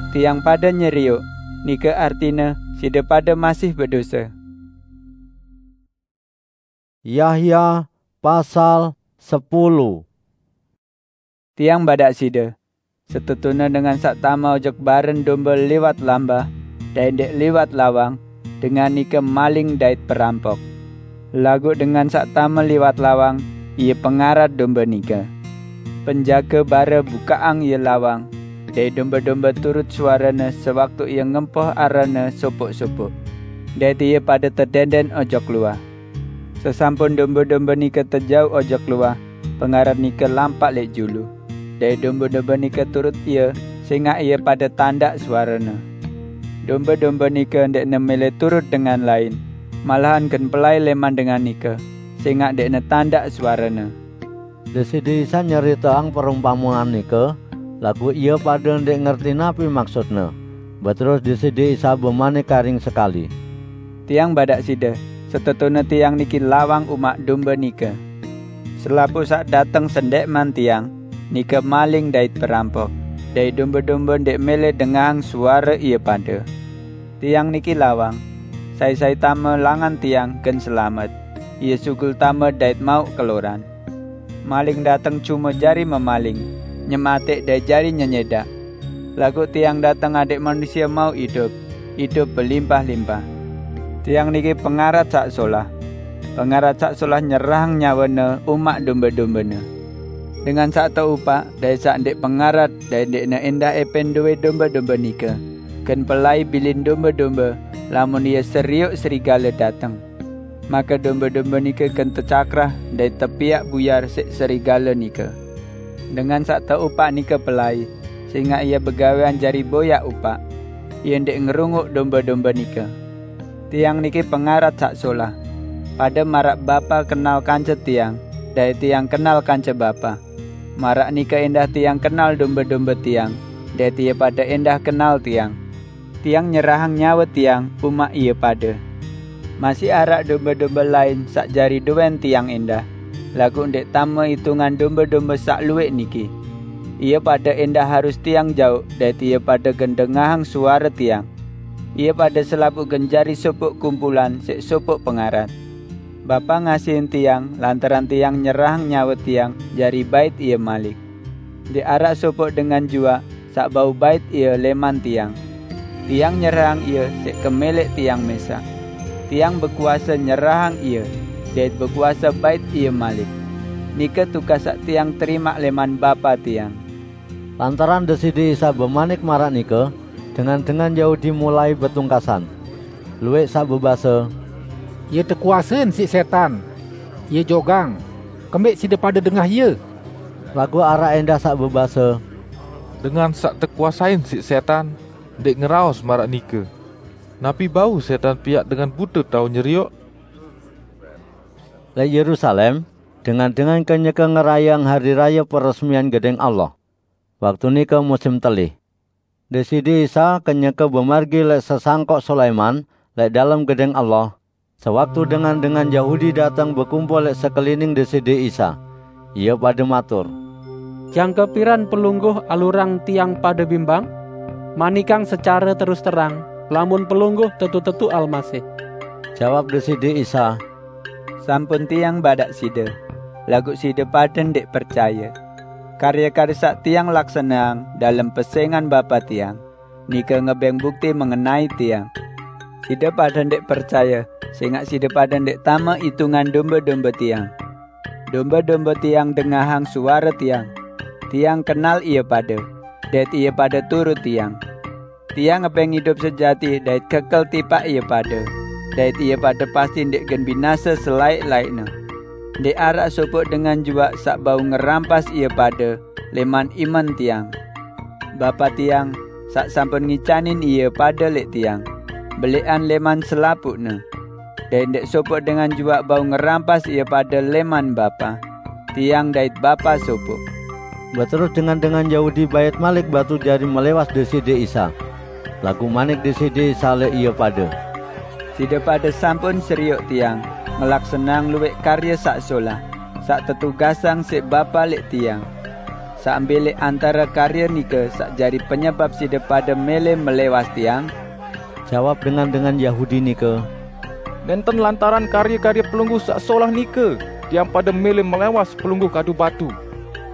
'Tiang pade nyerioq,' nike artine side pade masih bedose." Yahya pasal sepuluh. Tiang badaq side, setetune dengan saq tame ojok baren dombe liwat lambah, dait ndeq liwat lawang, dengan nike maling dait perampok. Laguq dengan saq tame liwat lawang, ie pengarat dombe nike. Penjage bare bukaqang ie lawang, dait dombe-dombe turut suarene sewaktu ie ngempoh arene sopoq-sopoq. Dait ie pade tedenden ojok luah. Sesampun dombe-dombe nike tejauq ojok luah, pengarat nike lampaq leq julu, dait dombe-dombe nike turut ie, sengaq ie pade tandaq suarene. Dombe-dombe nike ndeqne mele turut dengan lain, malahan gen pelai leman dengan nike, sengaq ndeqne tandaq suarene. Deside Isa nyeriteang perumpamean nike, laguq ie pade ndeq ngerti napi maksudne. Beterus Deside Isa bemanik karing sekali, "Tiang badaq side, setetune Tiang niki lawang umaq dombe nike. Selapuq saq dateng sendẽqman Tiang, nike maling dait perampok, dait dombe-dombe ndeq mele dengahang suare ie pade. Tiang niki lawang. Sai-sai tame langan Tiang gen selamet. Ie sugul tame dait mauq keloran. Maling dateng cume jari memaling, nyemateq dait jari nyenyedaq. Laguq Tiang dateng adeq manusie mauq idup, idup belimpah-limpah. Tiang niki pengarat saq solah. Pengarat saq solah nyerahang nyawene umaq dombe-dombene. Dengan saq teupaq dait saq ndeq pengarat dait ndeqne endah epen dowé dombe-dombe nike, gen pelai bilin dombe-dombe lamun ie serioq serigale dateng. Make dombe-dombe nike gen tecakrah dait tepiaq buyar siq serigale nike. Dengan saq teupaq nike pelai, sengaq ie begawean jari boyaq upaq. Ie ndeq ngerunguq dombe-dombe nike. Tiang niki pengarat saq solah. Pade maraq Bapa kenal kance Tiang, dait Tiang kenal kance Bapa. Maraq nike endah Tiang kenal dombe-dombe Tiang, dait ie pade endah kenal Tiang, Tiang nyerahang nyawe tiang umak ie pade. Masih araq dombe-dombe lain saq jari dowen tiang endah, laguq ndeq tame itungan dombe-dombe saq luwẽq niki. Ie pade endah harus tiang jauq dait ie pade gen dengahang suare tiang. Ie pade selapuq gen jari sopoq kumpulan siq sopoq pengarat. Bapa ngasihin tiang lantaran tiang nyerahang nyawe tiang jari bait ie malik. Ndeq araq sopoq dengan juaq saq bau bait ie lẽman tiang. Tiang nyerahang ie siq kemẽlẽq tiang mẽsaq. Tiang bekuase nyerahang ie, dait bekuase bait ie malik. Nike tugas saq tiang terimaq lẽman Bapa tiang." Lantaran Deside Isa bemanik maraq nike, dengan-dengan Yahudi mulai betungkasan. Luwẽq saq bebase, "Ie tekuasein siq sẽtan. Ie jogang. Kembẽq side pade dengah ie?" Laguq araq endah saq bebase, "Dengan saq tekuasein siq sẽtan ndeq ngeraos maraq nike. Napi bau sẽtan piaq dengan bute tao nyerioq?" Lẽq Yerusalem, dengan-dengan kenyeke ngerayeang Hari Raye Peresmian Gedẽng Allah. Waktu nike musim telih. Deside Isa kenyeke bemargi lẽq sesangkoq Sulaiman lẽq dalem Gedẽng Allah. Sewaktu dengan-dengan Yahudi dateng bekumpul lẽq sekelining Deside Isa, ie pade matur, "Jangke piran Pelungguh alurang tiang pade bimbang? Manikang secare terus terang, lamun Pelungguh tetu-tetu Almasih." Jawab Deside Isa, "Sampun tiang badaq side, laguq side pade ndeq percaye. Karye-karye saq tiang laksaneang dalem pesẽngan Bapa tiang, nike ngebẽng bukti mengenai tiang. Side pade ndeq percaye, sẽngaq side pade ndeq tame itungan dombe-dombe tiang. Dombe-dombe tiang dengahang suare tiang. Tiang kenal ie pade, dait ie pade turut tiang. Tiang ngebẽng idup sejati dait kekel tipaq ie pade, dait ie pade pasti ndeq gen binase selaẽq-laẽqne. Ndeq araq sopoq dengan juaq saq bau ngerampas ie pade lẽman iman tiang. Bapa tiang, saq sampun ngicanin ie pade lẽq tiang, belẽqan lẽman selapuqne. Dait ndeq sopoq dengan juaq bau ngerampas ie pade lẽman Bapa. Tiang dait Bapa sopoq." Beterus dengan-dengan Yahudi bait malik batu jari melẽwas Deside Isa. Laguq manik Deside Isa lẽq ie pade, "Side pade sampun serioq tiang ngelaksaneang luwẽq karye saq solah, saq tetugasang siq Bapa lẽq tiang. Saq mbe lẽq antare karye nike saq jari penyebap side pade mẽlẽ melẽwas tiang?" Jawab dengan-dengan Yahudi nike, "Nenten lantaran karye-karye Pelungguh saq solah nike tiang pade mẽlẽ melẽwas Pelungguh kadu batu,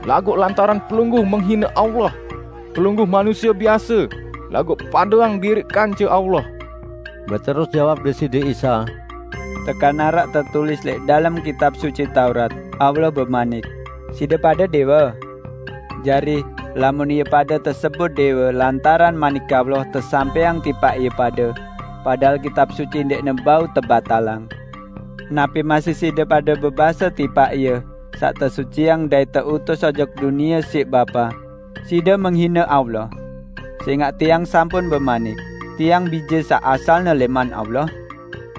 laguq lantaran Pelungguh menghine Allah. Pelungguh manusie biase, laguq padeang diriq kance Allah." Beterus jawab Deside Isa, "Tekan araq tetulis lẽq dalem Kitab Suci Taurat, Allah bemanik, 'Side pade dẽwe.' Jari, lamun ie pade tesebut dẽwe lantaran manik Allah tesampẽang tipaq ie pade, padahal Kitab Suci ndeqne bau tebatalang, napi masih side pade bebase tipaq Ie saq tesuciang dait teutus ojok dunie siq Bapa, 'Side menghine Allah'? Sẽngaq tiang sampun bemanik, 'Tiang Bije saq asalne lẽman Allah.'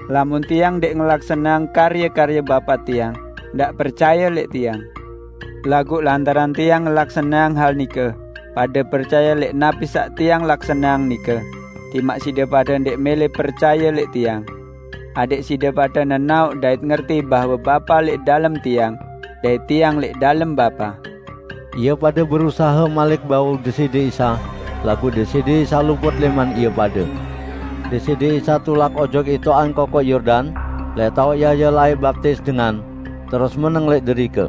Lamun tiang ndeq ngelaksaneang karye-karye Bapa tiang, ndaq percaye lẽq tiang. Laguq lantaran tiang ngelaksaneang hal nike, pade percaye lẽq napi saq tiang laksaneang nike, timaq side pade ndeq mẽlẽ percaye lẽq tiang, adẽq side pade nenaoq dait ngerti bahwe Bapa lẽq dalem tiang, dait tiang lẽq dalem Bapa." Ie pade berusahe malik bau Deside Isa, laguq Deside Isa luput lẽman ie pade. Deside Isa tulak ojok itoqan Kokoq Yordan, lẽq taoq Yahya laeq baptis dengan, terus meneng lẽq derike.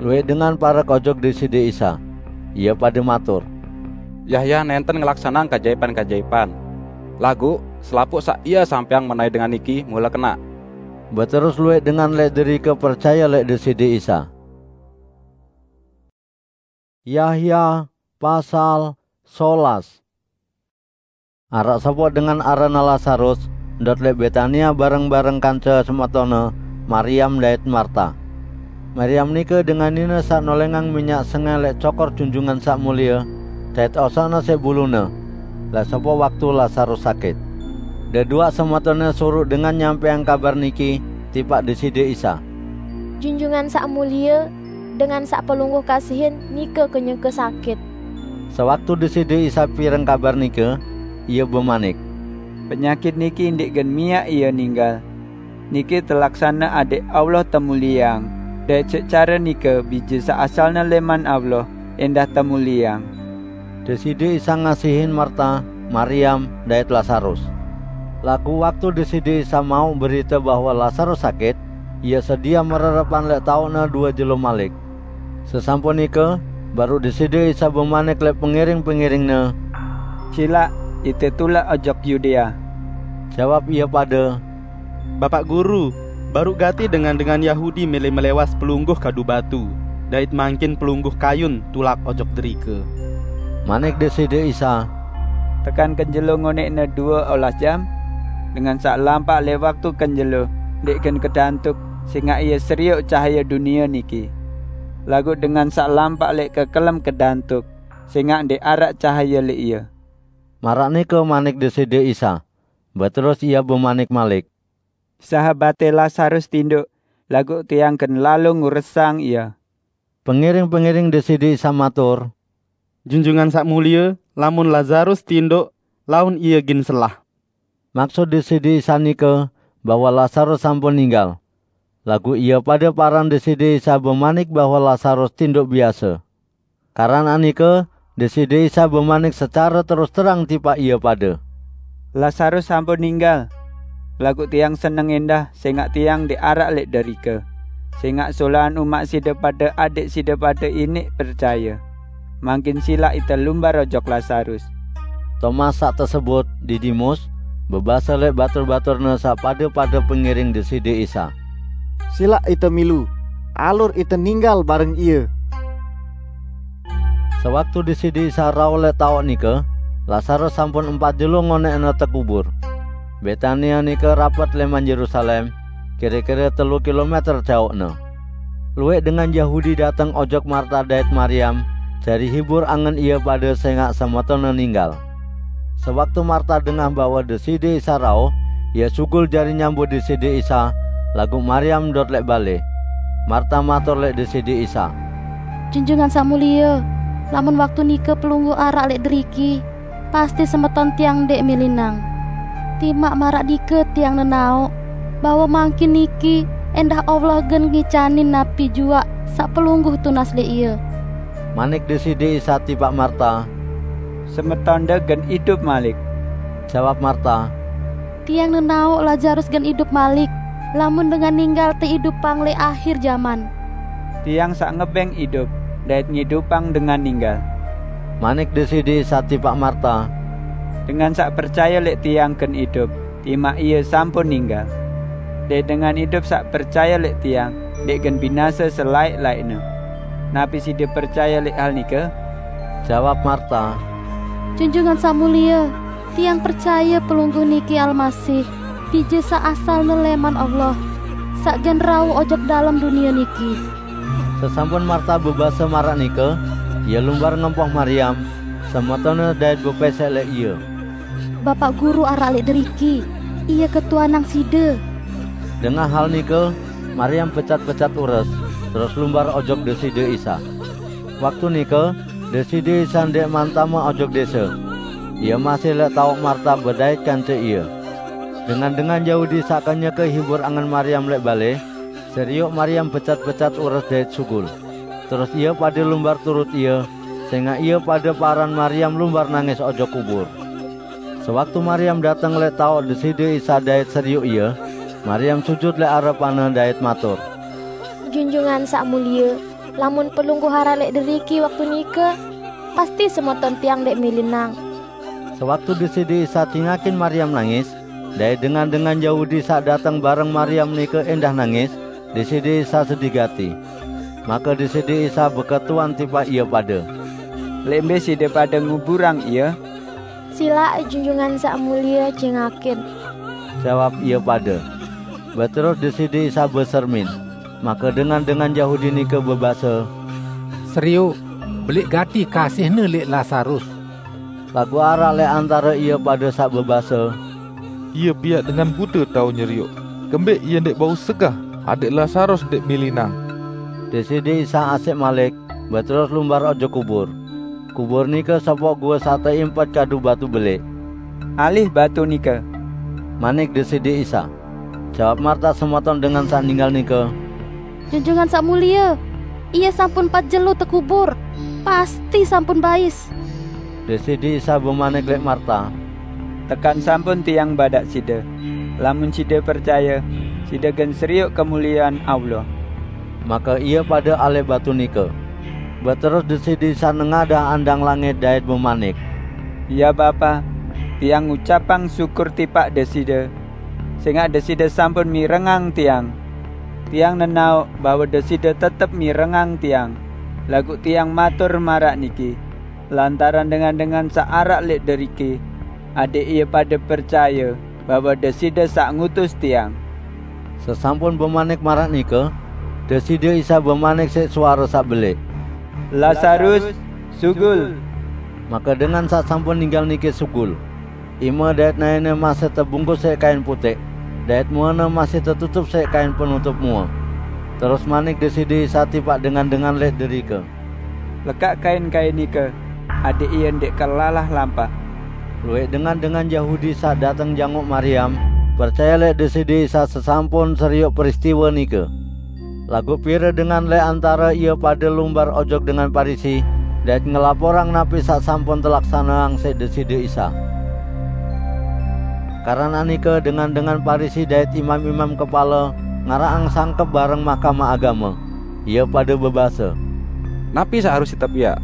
Luwẽq dengan parek ojok Deside Isa. Ie pade matur, "Yahya nenten ngelaksaneang kajaipan-kajaipan, laguq selapuq saq ie sampẽang mengenai Dengan niki mule kenaq." Beterus luwẽq dengan lẽq derike percaye lẽq Deside Isa. Yahya pasal solas. Araq sopoq dengan aranne Lazarus, ndot lẽq Betania bareng-bareng kance semetonne, Mariam dait Marta. Mariam nike dengan nine saq nolengang minyak sengẽ lẽq cokor Junjungan Saq Mulie, dait osokne siq bulune, lẽq sopoq waktu Lazarus sakit. Deduaq semetonne suruq dengan nyampẽang kabar niki tipaq Deside Isa, "Junjungan Saq Mulie, dengan saq Pelungguh kasihin nike kenyeke sakit." Sewaktu Deside Isa pireng kabar nike, Ia bemanik, "Penyakit niki ndeq gen miaq ie ninggal. Niki telaksane adeq Allah temulieang, dait siq care nike Bije saq asalne lẽman Allah ẽndah temulieang." Deside Isa ngasihin Marta, Mariam, dait Lasarus. Laguq waktu Deside Isa mauq berite bahwe Lasarus sakit, Ie sediah mererepan lẽq taoqne due jelo malik. Sesampun nike, baruq Deside Isa bemanik lẽq pengiring-pengiring-Ne, "Silaq ite tulak ojok Yudea." Jawab ie pade, "Bapaq Guru, baruq gati dengan-dengan Yahudi mele melewas Pelungguh kadu batu, dait mangkin Pelungguh kayun tulak ojok derike." Manik Deside Isa, "Tekan kenjelo ngoneqne due olas jam? Dengan saq lampaq lẽq waktu kenjelo ndeq gen kedantuk, sẽngaq ie serioq cahaye dunie niki. Laguq dengan saq lampaq lẽq kekelem kedantuk, sẽngaq ndeq araq cahaye lẽq ie." Maraq nike manik Deside Isa. Beterus Ie bemanik malik, "Sahabate Lasarus tindoq, laguq Tiang gen lalo nguresang ie." Pengiring-pengiring Deside Isa matur, "Junjungan Saq Mulie, lamun Lasarus tindoq, laun ie gin selah." Maksut Deside Isa nike bahwe Lasarus sampun ninggal. Laguq ie pade paran Deside Isa bemanik bahwe Lasarus tindoq biase. Karanaq nike, Deside Isa bemanik secare terus terang tipaq ie pade, "Lasarus sampun ninggal, laguq Tiang seneng ẽndah sẽngaq Tiang ndeq araq lẽq derike, sẽngaq solaan umaq side pade adeq side pade iniq percaye. Mangkin silaq ite lumbar ojok Lasarus." Tomas saq tesebut Didimus, bebase lẽq batur-baturne saq pade-pade pengiring Deside Isa, "Silaq ite milu, alur ite ninggal bareng Ie." Sewaktu Deside Isa rauh lẽq taoq nike, Lasarus sampun empat jelo ngoneqne tekubur. Betania nike rapet lẽman Yerusalem, kire-kire telu kilometer jaoqne. Lueq dengan Yahudi dateng ojok Marta dait Mariam, jari hibur angen ie pade sẽngaq semetonne ninggal. Sewaktu Marta dengah bahwe Deside Isa rauh, ie sugul jari nyambut Deside Isa, laguq Mariam ndot lẽq bale. Marta matur lẽq Deside Isa, "Junjungan Saq Mulie, lamun waktu nike Pelungguh araq lẽq deriki, pasti semeton tiang ndeq milinang. Timaq maraq nike tiang nenaoq bahwe mangkin niki ẽndah Allah gen ngicanin napi juaq saq Pelungguh tunas lẽq ie." Manik Deside Isa tipaq Marta, "Semetonde gen idup malik." Jawab Marta, "Tiang nenaoq Lasarus gen idup malik, lamun dengan ninggal teidupang lẽq ahir jaman." "Tiang saq ngebeng idup dait ngidupang dengan ninggal." Manik Deside Isa tipaq Marta, "Dengan saq percaye lẽq Tiang gen idup, timaq ie sampun ninggal. Dait dengan idup saq percaye lẽq Tiang ndeq gen binase selaẽq-laẽqne. Napi side percaye lẽq hal nike?" Jawab Marta, "Junjungan Saq Mulie, tiang percaye Pelungguh niki Almasih, Bije saq asalne lẽman Allah, saq gen rauh ojok dalem dunie niki." Sesampun Marta bebase maraq nike, ie lumbar ngempoh Mariam, semetonne dait bepesek lẽq ie, "Bapaq Guru araq lẽq deriki, Ie ketuanang side." Dengah hal nike, Mariam becat-becat ures, terus lumbar ojok Deside Isa. Waktu nike, Deside Isa ndeqman tame ojok dese. Ie masih lẽq taoq Marta bedait kance Ie. Dengan-dengan Yahudi saq kenyeke hibur angen Mariam lẽq bale, serioq Mariam becat-becat ures dait sugul. Terus ie pade lumbar turut ie, sẽngaq ie pade paran Mariam lumbar nangis ojok kubur. Sewaktu Mariam dateng lẽq taoq Deside Isa dait serioq Ie, Mariam sujut lẽq arepan-Ne dait matur, "Junjungan Saq Mulie, lamun Pelungguh araq lẽq deriki waktu nike, pasti semeton tiang ndeq milinang." Sewaktu Deside Isa cingakin Mariam nangis, dait dengan-dengan Yahudi saq dateng bareng Mariam nike ẽndah nangis, Deside Isa sedih gati. Make Deside Isa beketuan tipaq ie pade, "Lẽq mbe side pade nguburang Ie?" "Silaq Junjungan Saq Mulie cingakin," jawab ie pade. Beterus Deside Isa besermin. Make dengan-dengan Yahudi nike bebase, "Serioq, beleq gati kasih-Ne lẽq Lasarus." Laguq araq lẽq antare ie pade saq bebase, "Ie piaq dengan bute tao nyerioq. Kembeq Ie ndeq bau segah adẽq Lasarus ndeq milinang?" Deside Isa asẽq malik, beterus lumbar ojok kubur. Kubur nike sopoq gua saq teimpet kadu batu belẽq. alih batu nike." Manik Deside Isa, "Jawab Marta semeton dengan saq ninggal nike, 'Junjungan Saq Mulie, ie sampun pat jelo tekubur, pasti sampun bais.'" Deside Isa bemanik leq Marta, "Tekan sampun Tiang badaq side. Lamun side percaye, side gen serioq kemuliean Allah." Make ie pade alih batu nike. Beterus Deside Isa nengadah andang langit dait bemanik, "Ya Bapa, Tiang ngucapang syukur tipaq Deside, sengaq Deside sampun mirengang Tiang. Tiang nenaoq bahwe Deside tetep mirengang Tiang, laguq Tiang matur maraq niki, lantaran dengan-dengan saq araq leq deriki, adaq ie pade percaye bahwe Deside saq ngutus Tiang." Sesampun bemanik maraq nike, Deside Isa bemanik siq suare saq beleq, "Lasarus, sugul!" Make dengan saq sampun ninggal nike sugul. Ime dait naene masih tebungkus siq kain puteq, dait muene masih tetutup siq kain penutup mue. Terus manik Deside Isa tipaq dengan-dengan leq derike, "Lekaq kain-kain nike, adaq ie ndeq kelalah lampaq." Lueq dengan-dengan Yahudi saq dateng jangoq Mariam, percaye leq Deside Isa sesampun serioq peristiwe nike. Laguq pire dengan leq antare ie pade lumbar ojok dengan Parisi, dait ngelaporang napi saq sampun telaksaneang siq Deside Isa. Keranaq nike dengan-dengan Parisi dait imam-imam kepale ngaraqang sangkep bareng Mahkamah Agame. Ie pade bebase, "Napi saq harus ite piaq?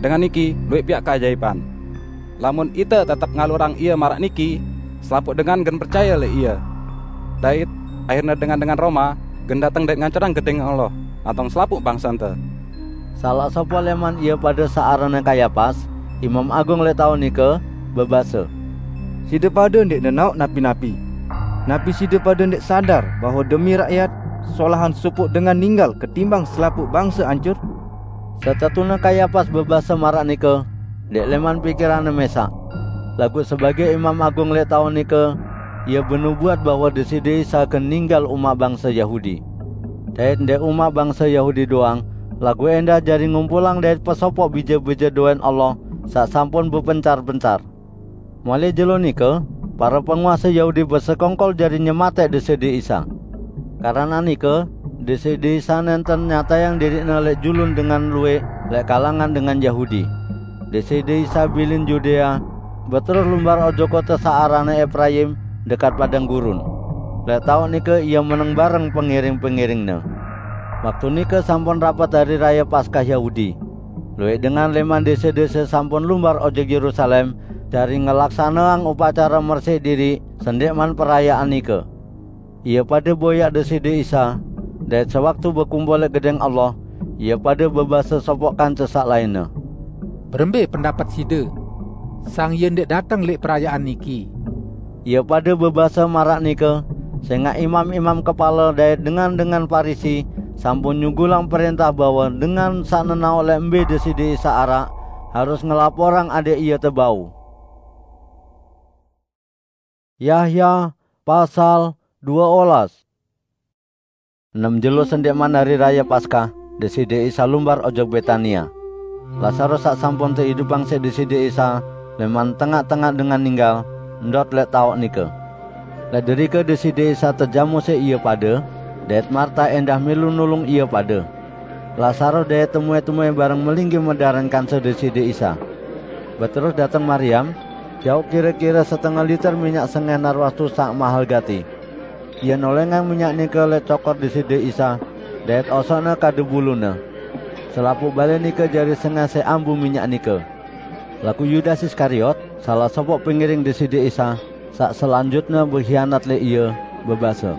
Dengan niki lueq piaq keajaipan. Lamun ite tetep ngalurang ie maraq niki, selapuq dengan gen percaye leq ie. Dait ahirne dengan-dengan Roma gen dateng dait ngancurang Gedeng Allah, nantong selapuq bangsente." Salaq sopoq leman ie pade saq aranne Kayapas, imam agung leq taoq nike, bebase, "Side pade ndeq nenaoq napi-napi. Napi side pade ndeq sadar bahwe demi rakyat, solahan sopoq dengan ninggal ketimbang selapuq bangse ancur?" Setetune Kayapas bebase maraq nike ndeq leman pikiranne mesaq. Laguq sebage imam agung leq taoq nike, ie benubuat bahwe Deside Isa gen ninggal umaq bangse Yahudi. Dait ndeq umaq bangse Yahudi doang, laguq endah jari ngumpulang dait pesopoq bije-bije doen Allah saq sampun bepencar-pencar. Mulai jelo nike, pare penguase Yahudi besekongkol jari nyemateq Deside Isa. Keranaq nike, Deside Isa nenten nyatayang diriqne leq julun dengan lueq leq kalangan dengan Yahudi. Deside Isa bilin Yudea, beterus lumbar ojok kote saq aranne Epraim, dekat padang gurun. Leq taoq nike ie meneng bareng pengiring-pengiringne. Waktu nike sampun rapet Hari Raye Paskah Yahudi. Lueq dengan leman dese-dese sampun lumbar ojok Yerusalem, jari ngelaksaneang upacare mersiq diriq sendikman perayaan nike. Ie pade boyaq Deside Isa, dait sewaktu bekumpul leq Gedeng Allah, ie pade bebase sopoq kance saq lainne, "Berembe pendapet side? Sang Ie ndeq dateng leq perayaan niki." Ie pade bebase maraq nike, sengaq imam-imam kepale dait dengan-dengan Parisi sampun nyugulang prentah bahwe dengan saq nenaoq leq mbe Deside Isa araq, harus ngelaporang adaq Ie tebau. Yahya pasal due olas. Enem jelo sendikman Hari Raye Paskah, Deside Isa lumbar ojok Betania. Lasarus saq sampun teidupang siq Deside Isa leman tengaq-tengaq dengan ninggal, ndot leq taoq nike. Leq derike Deside Isa tejamu siq ie pade, dait Marta endah milu nulung ie pade. Lasarus dait temue-temue bareng melinggih medaran kance Deside Isa. Beterus dateng Mariam, jauq kire-kire setenge liter minyak sengeh narwastu saq mahel gati. Ie nolengang minyak nike leq cokor Deside Isa, dait osoqne kadu bulune. Selapuq bale nike jari sengeh siq ambu minyak nike. Laguq Yudas Iskariot, salah sopoq pengiring Deside Isa, saq selanjutne behianat leq Ie, bebase,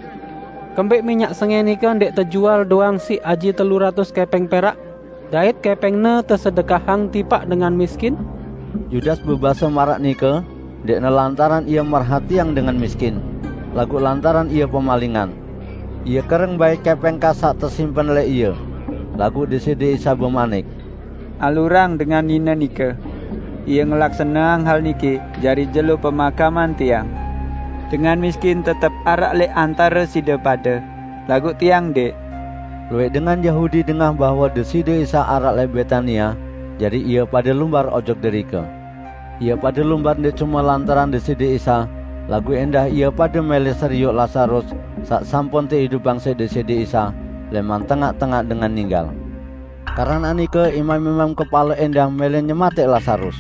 "Kembeq minyak sengeh nike ndeq tejual doang siq aji telu ratus kepeng perak, dait kepengne tesedekahang tipaq dengan miskin?" Yudas bebase maraq nike, ndeqne lantaran ie merhatiang dengan miskin, laguq lantaran ie pemalingan. Ie kereng bait kepeng kas saq tesimpen leq ie. Laguq Deside Isa bemanik, "Alurang dengan nine nike. Ie ngelaksaneang hal niki jari jelo pemakaman Tiang. Dengan miskin tetep araq leq antare side pade, laguq Tiang ndeq." Lueq dengan Yahudi dengah bahwe Deside Isa araq leq Betania, jari ie pade lumbar ojok derike. Ia pada lumbar ndeq cume lantaran Deside Isa, laguq endah ie pade mele serioq Lasarus, saq sampun teidupang siq Deside Isa leman tengaq-tengaq dengan ninggal. Keranaq nike imam-imam kepale endah mele nyemateq Lasarus,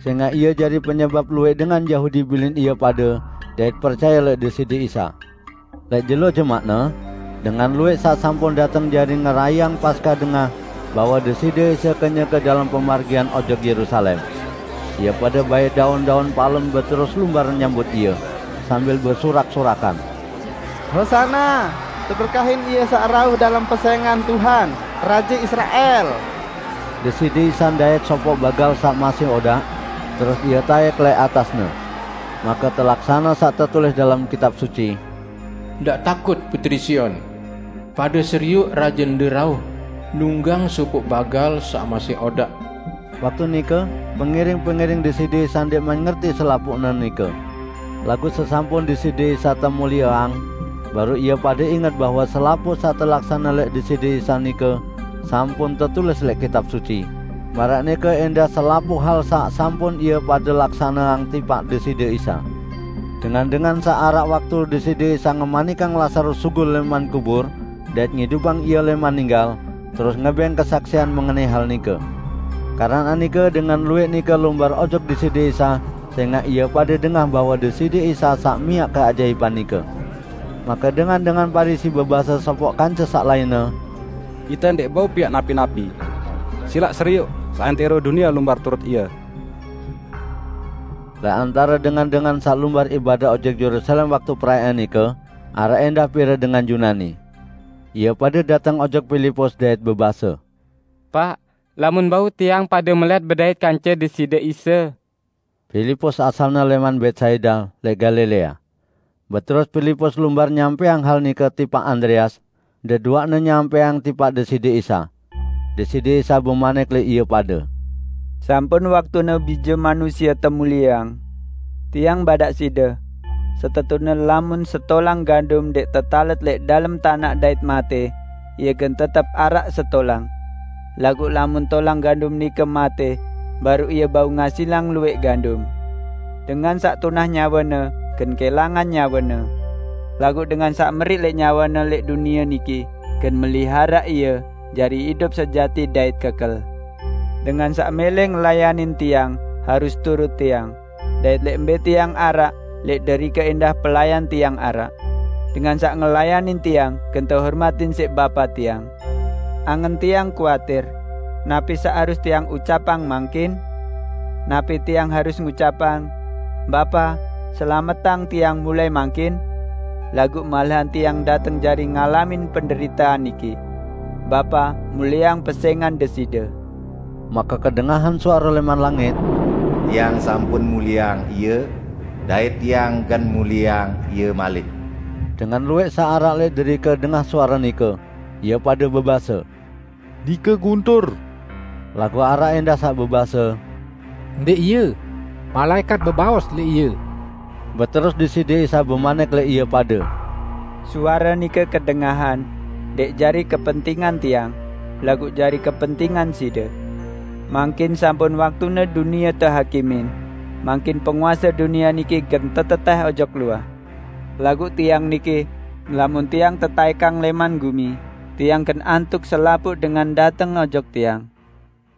sengaq ie jari penyebap luwẽq dengan Yahudi bilin ie pade dait percaye leq Deside Isa. Leq jelo jemaqne, dengan luwẽq saq sampun dateng jari ngerayeang Paskah dengah bahwe Deside Isa kenyeke dalem pemargian ojok Yerusalem. Ie pade bait daun-daun palem beterus lumbar nyambut Ie, sambil besurak-surakan, "Hosana! Teberkahin Ie saq rauh dalem pesẽngan Tuhan, Raje Israel!" Deside Isa ndait sopoq bagal saq masih odaq, terus Ie taek leq atasne. Make telaksane saq tetulis dalem Kitab Suci, "Ndaq takut, Puteri Sion. Pade serioq Rajende rauh, nunggang sopoq bagal saq masih odaq." Waktu nike, pengiring-pengiring Deside Isa ndẽqman ngerti selapuqne nike. Laguq sesampun Deside Isa temulieang, baruq ie pade inget bahwe selapuq saq telaksane leq Deside Isa nike sampun tetulis leq Kitab Suci. Maraq nike endah selapuq hal saq sampun ie pade laksaneang tipaq Deside Isa. Dengan-dengan saq araq waktu Deside Isa ngemanikang Lasarus sugul lẽman kubur dait ngidupang ie lẽman ninggal, terus ngebeng kesaksian mengenai hal nike. Keranaq nike dengan luwẽq nike lumbar ojok Deside Isa, sẽngaq ie pade dengah bahwe Deside Isa saq miaq keajaipan nike. Make dengan-dengan Parisi bebase sopoq kance saq lainne, "Ite ndẽq bau piaq napi-napi. Silaq serioq, seantẽro dunie lumbar turut Ie." Leq antare dengan-dengan saq lumbar ibadah ojok Yerusalem waktu perayaan nike, araq endah pire dengan Yunani. Ie pade dateng ojok Pilipus dait bebase, "Paq, lamun bau tiang pade melet bedait kance Deside Isa." Pilipus asalne lẽman Betsaida leq Galilea. Beterus Pilipus lumbar nyampẽang hal nike tipaq Andreas, deduaqne nyampẽang tipaq Deside Isa. Deside Isa bemanik leq ie pade, "Sampun waktune Bije Manusie temulieang. Tiang badaq side, setetune lamun setolang gandum ndeq tetalet leq dalem tanaq dait mate, ie gen tetep araq setolang. Laguq lamun tolang gandum nike mate, baruq ie bau ngasilang luwẽq gandum. Dengan saq tunah nyawane gen kelangan nyawane, laguq dengan saq meriq leq nyawane leq dunie niki gen meliharaq ie jari idup sejati dait kekel. Dengan saq mele ngelayanin Tiang harus turut Tiang, dait leq mbe Tiang araq, leq derike endah pelayan Tiang araq. Dengan saq ngelayanin Tiang gen tehormatin siq Bapa Tiang. Angen Tiang kuatir, napi saq harus Tiang ucapang mangkin? Napi Tiang harus ngucapang, 'Bapa, selametang Tiang mulai mangkin'? Laguq malahan Tiang dateng jari ngalamin penderitean niki. Bapa, mulieang pesẽngan Deside." Make kedengahan suare lẽman langit, "Tiang sampun mulieang Ie, dait Tiang gen mulieang Ie malik." Dengan luwẽq saq araq leq derike dengah suare nike, ie pade bebase, "Nike guntur!" Laguq araq endah saq bebase, "Ndeq ie! Malaekat bebaos leq ie!" Beterus Deside Isa bemanik leq ie pade, "Suare nike kedengahan, ndeq jari kepentingan Tiang, laguq jari kepentingan side. Mangkin sampun waktune dunie tehakimin, mangkin penguase dunie niki gen tetetẽh ojok luah. Laguq Tiang niki, lamun Tiang tetaekang lẽman gumi, Tiang gen antuk selapuq dengan dateng ojok Tiang."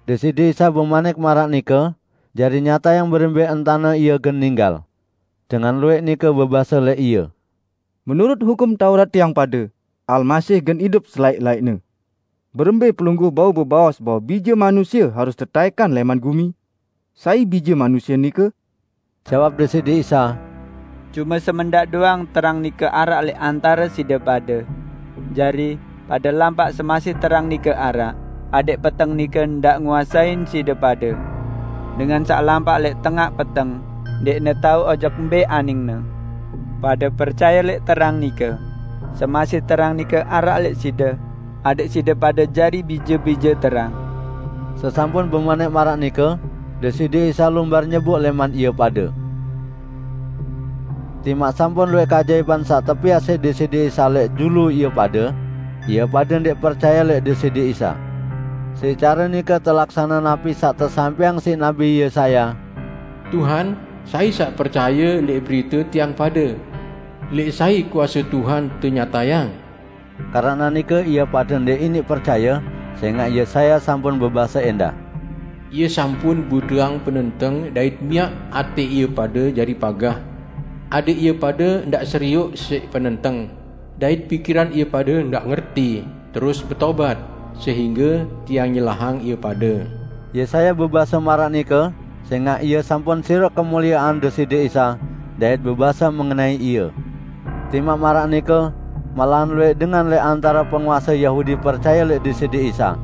Deside Isa bemanik maraq nike, jari nyatayang berembe entane Ie gen ninggal. Dengan luwẽq nike bebase leq Ie, "Menurut Hukum Taurat tiang pade, Almasih gen idup selaẽq-laẽqne. Berembe Pelungguh bau bebaos bahwe Bije Manusie harus tetaẽkan lẽman gumi? Sai Bije Manusie nike?" Jawab Deside Isa, "Cume semendaq doang terang nike araq leq antare side pade. Jari, pade lampaq semasih terang nike araq, adẽq peteng nike ndaq nguasein side pade. Dengan saq lampaq leq tengaq peteng, ndeqne tao ojok mbe aningne. Pade percaye leq terang nike. Semasih terang nike araq leq side, adẽq side pade jari bije-bije terang." Sesampun bemanik maraq nike, Deside Isa lumbar nyebuk lẽman ie pade. Timaq sampun luwẽq keajaipan saq tepiaq siq Deside Isa leq julu ie pade, ie pade ndeq percaye leq Deside Isa. Siq care nike telaksane napi saq tesampẽang siq Nabi Yesaya, "Tuhan, sai saq percaye leq berite tiang pade? Leq sai kuase Tuhan tenyatayang?" Karane nike ie pade ndeq iniq percaye, sengaq Yesaya sampun bebase endah, "Ie sampun buteang penenteng dait miaq ate ie pade jari pagah, adeq ie pade ndaq serioq siq penenteng, dait pikiran ie pade ndaq ngerti, terus betobat, sehingge tiang nyelahang ie pade." Yesaya bebase maraq nike, sengaq ie sampun siroq kemuliean Deside Isa dait bebase mengenai Ie. Timaq maraq nike, malahan luwih dengan leq antare penguase Yahudi percaye leq Deside Isa.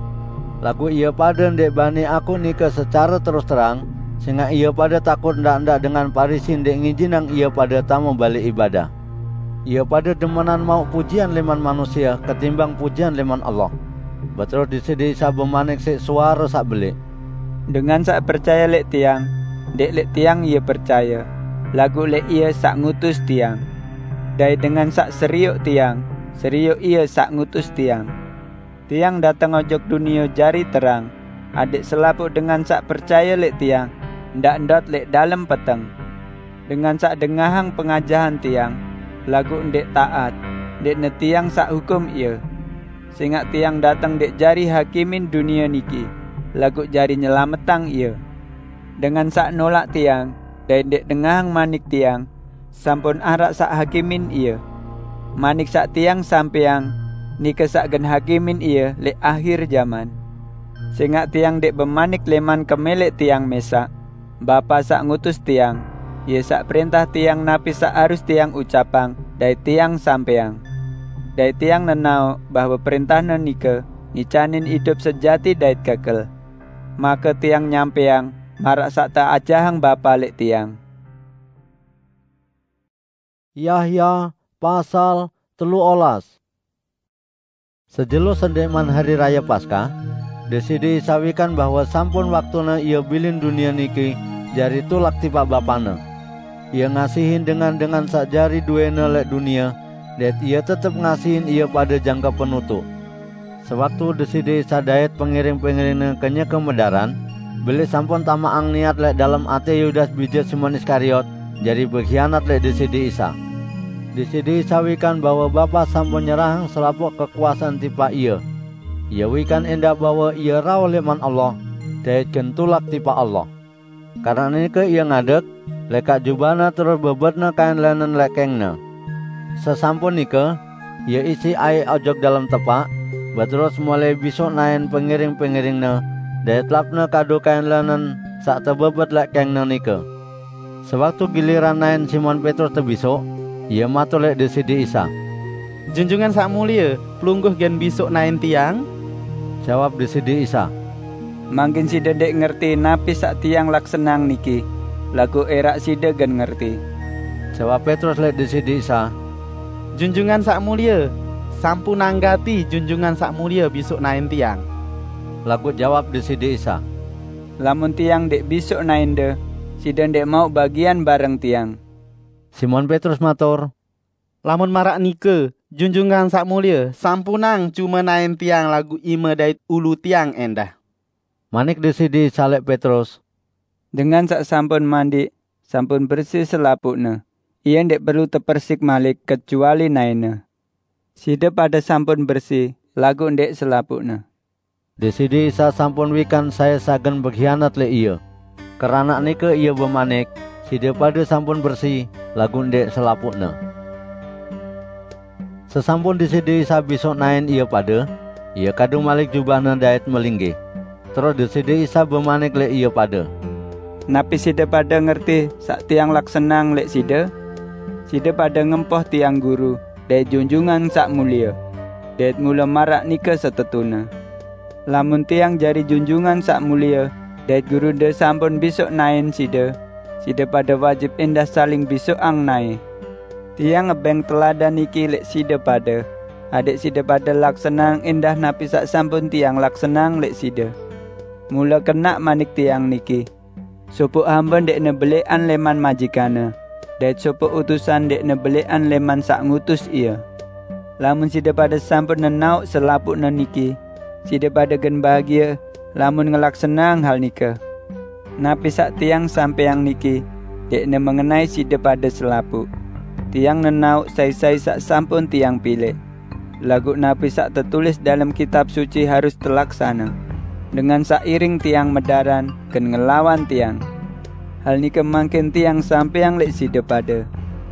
Laguq ie pade ndeq bani akuq nike secare terus terang, sengaq ie pade takut ndaq-ndaq dengan Parisi ndeq ngijinang ie pade tame bale ibadah. Ie pade demenan mauq pujian leman manusie ketimbang pujian leman Allah. Beterus Deside Isa bemanik siq suare saq beleq, "Dengan saq percaye leq Tiang, ndeq leq Tiang ie percaye, laguq leq Ie saq ngutus Tiang. Dait dengan saq serioq Tiang, serioq Ie saq ngutus Tiang. Tiang dateng ojok dunie jari terang, adeq selapuq dengan saq percaye leq Tiang, ndaq ndot leq dalem peteng. Dengan saq dengahang pengajahan Tiang, laguq ndeq taat, ndeqne Tiang saq hukum ie. Sengaq Tiang dateng ndeq jari hakimin dunie niki, laguq jari nyelametang ie. Dengan saq nolaq Tiang dait ndeq dengahang manik Tiang, sampun araq saq hakimin ie. Manik saq Tiang sampeang, nike saq gen hakimin ie leq ahir jaman. Sengaq Tiang ndeq bemanik leman kemeleq Tiang mesaq. Bapa saq ngutus Tiang, Ie saq prentah Tiang napi saq harus Tiang ucapang dait Tiang sampeang. Dait Tiang nenaoq bahwe prentah-Ne nike ngicanin idup sejati dait kekel. Make Tiang nyampeang maraq saq teajahang Bapa leq Tiang." Yahya pasal telu olas. Sejelo sendeqman Hari Raye Paskah, Deside Isa wikan bahwe sampun waktune Ie bilin dunie niki jari tulak tipaq Bapa-Ne. Ie ngasihin dengan-dengan saq jari duene leq dunie, dait Ie tetep ngasihin ie pade jangke penutuq. Sewaktu Deside Isa dait pengiring-pengiring-Ne kenyeke medaran, beleq sampun tamaqang niat leq dalem ate Yudas bije Simon Iskariot jari behianat leq Deside Isa. Deside Isa wikan bahwe Bapa sampun nyerahang selapuq kekuasean tipaq Ie. Ie wikan endah bahwe Ie rauh leman Allah, dait gen tulak tipaq Allah. Karane nike Ie ngadeg, lekaq jubah-Ne terus bebetne kain lenen leq kengene. Sesampun nike, Ie isiq aiq ojok dalem tepaq, beterus mole bisoq naen pengiring-pengiring-Ne, dait lapne kadu kain lenen saq tebebet leq kengene nike. Sewaktu giliran naen Simon Petrus tebisoq, ie matur leq Deside Isa, "Junjungan Saq Mulie, pelungguh gen bisoq naen tiang?" Jawab Deside Isa, "Mangkin side ndeq ngerti napi saq tiang laksaneang niki, laguq eraq side gen ngerti." Jawab Petrus leq Deside Isa, "Junjungan Saq Mulie, sampunang gati Junjungan Saq Mulie bisoq naen tiang." Laguq jawab Deside Isa, "Lamun tiang ndeq bisoq naende, side ndeq mauq bagian bareng tiang." Simon Petrus matur, "Lamun maraq nike, Junjungan Saq Mulie, sampunang cume naen tiang laguq ime dait ulu tiang endah." Manik Deside Isa leq Petrus, "Dengan saq sampun mandiq, sampun bersi selapuqne. Ie ndeq perlu tepersik malik kecuali naene. Side pade sampun bersi, laguq ndeq selapuqne." Deside Isa sampun wikan sai saq gen behianat leq Ie. Keranaq nike Ie bemanik, "Side pade sampun bersi, laguq ndeq selapuqne." Sesampun Deside Isa bisoq naen ie pade, Ie kadu malik jubah-Ne dait melinggih. Terus Deside Isa bemanik leq ie pade, "Napi side pade ngerti saq tiang laksaneang leq side? Side pade ngempoh tiang Guru dait Junjungan Saq Mulie, dait mule maraq nike setetune. Lamun tiang jari Junjungan Saq Mulie dait Gurunde sampun bisoq naen side, side pade wajib endah saling bisoqang nae. Tiang ngebeng teladan niki leq side pade, adeq side pade laksaneang endah napi saq sampun tiang laksaneang leq side. Mule kenaq manik tiang niki, sopoq hambe ndeqne beleqan leman majikanne, dait sopoq utusan ndeqne beleqan leman saq ngutus ie. Lamun side pade sampun nenaoq selapuqne niki, side pade gen bahagie lamun ngelaksaneang hal nike. Napi saq tiang sampeang niki, ndeqne mengenai side pade selapuq. Tiang nenaoq sai-sai saq sampun tiang pilih. Laguq napi saq tetulis dalem Kitab Suci harus telaksane. Dengan saq iring tiang medaran gen ngelawan tiang. Hal nike mangkin tiang sampeang leq side pade.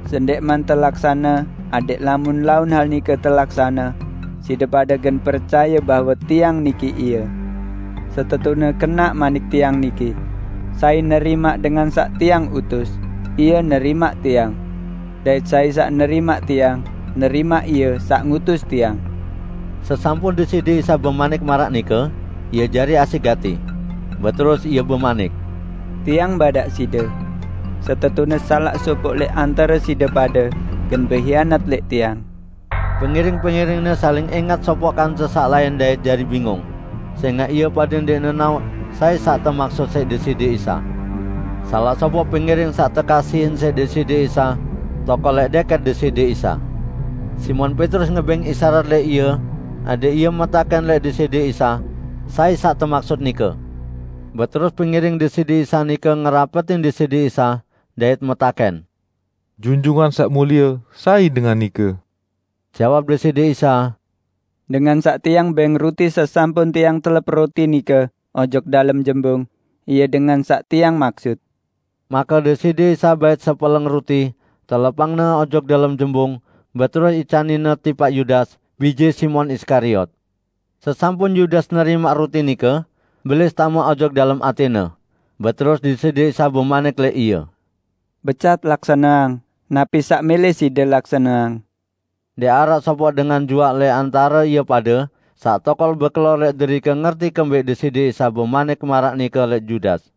Sendeqman telaksane, adeq lamun laun hal nike telaksane, side pade gen percaye bahwe tiang niki ie. Setetune kenaq manik tiang niki, sai nerimaq dengan saq tiang utus, ie nerimaq tiang. Dait sai saq nerimaq tiang, nerimaq ie saq ngutus tiang. Sesampun Deside Isa bemanik maraq nike, ie jari asik gati. Beterus ie bemanik, "Tiang badaq side, setetune salaq sopoq leq antare side pade gen behianat leq tiang." Pengiring-pengiringne saling engat sopoq kance saq lain dait jari bingung, sengaq ie pade ndeq nenaoq sai saq temaksut siq Deside Isa. Salaq sopoq pengiring saq tekasihin siq Deside Isa tokol leq deket Deside Isa. Simon Petrus ngebeng isarat leq ie, adeq ie metaken leq Deside Isa, "Sai saq temaksut nike?" Beterus pengiring Deside Isa nike ngerapetin Deside Isa dait metaken, "Junjungan Saq Mulie, sai dengan nike?" Jawab Deside Isa, "Dengan saq tiang beng ruti sesampun tiang telep ruti nike ojok dalem jembung, ie dengan saq tiang maksut." Make Deside Isa bait sepeleng ruti, telepangne ojok dalem jembung, beterus icaninne tipaq Yudas, bije Simon Iskariot. Sesampun Yudas nerimaq ruti nike, Belis tame ojok dalem atene. Beterus Deside Isa bemanik leq ie, "Becat laksaneang napi saq mele side laksaneang." Ndeq araq sopoq dengan juaq leq antare ie pade saq tokol bekelor leq derike ngerti kembeq Deside Isa bemanik maraq nike leq Yudas.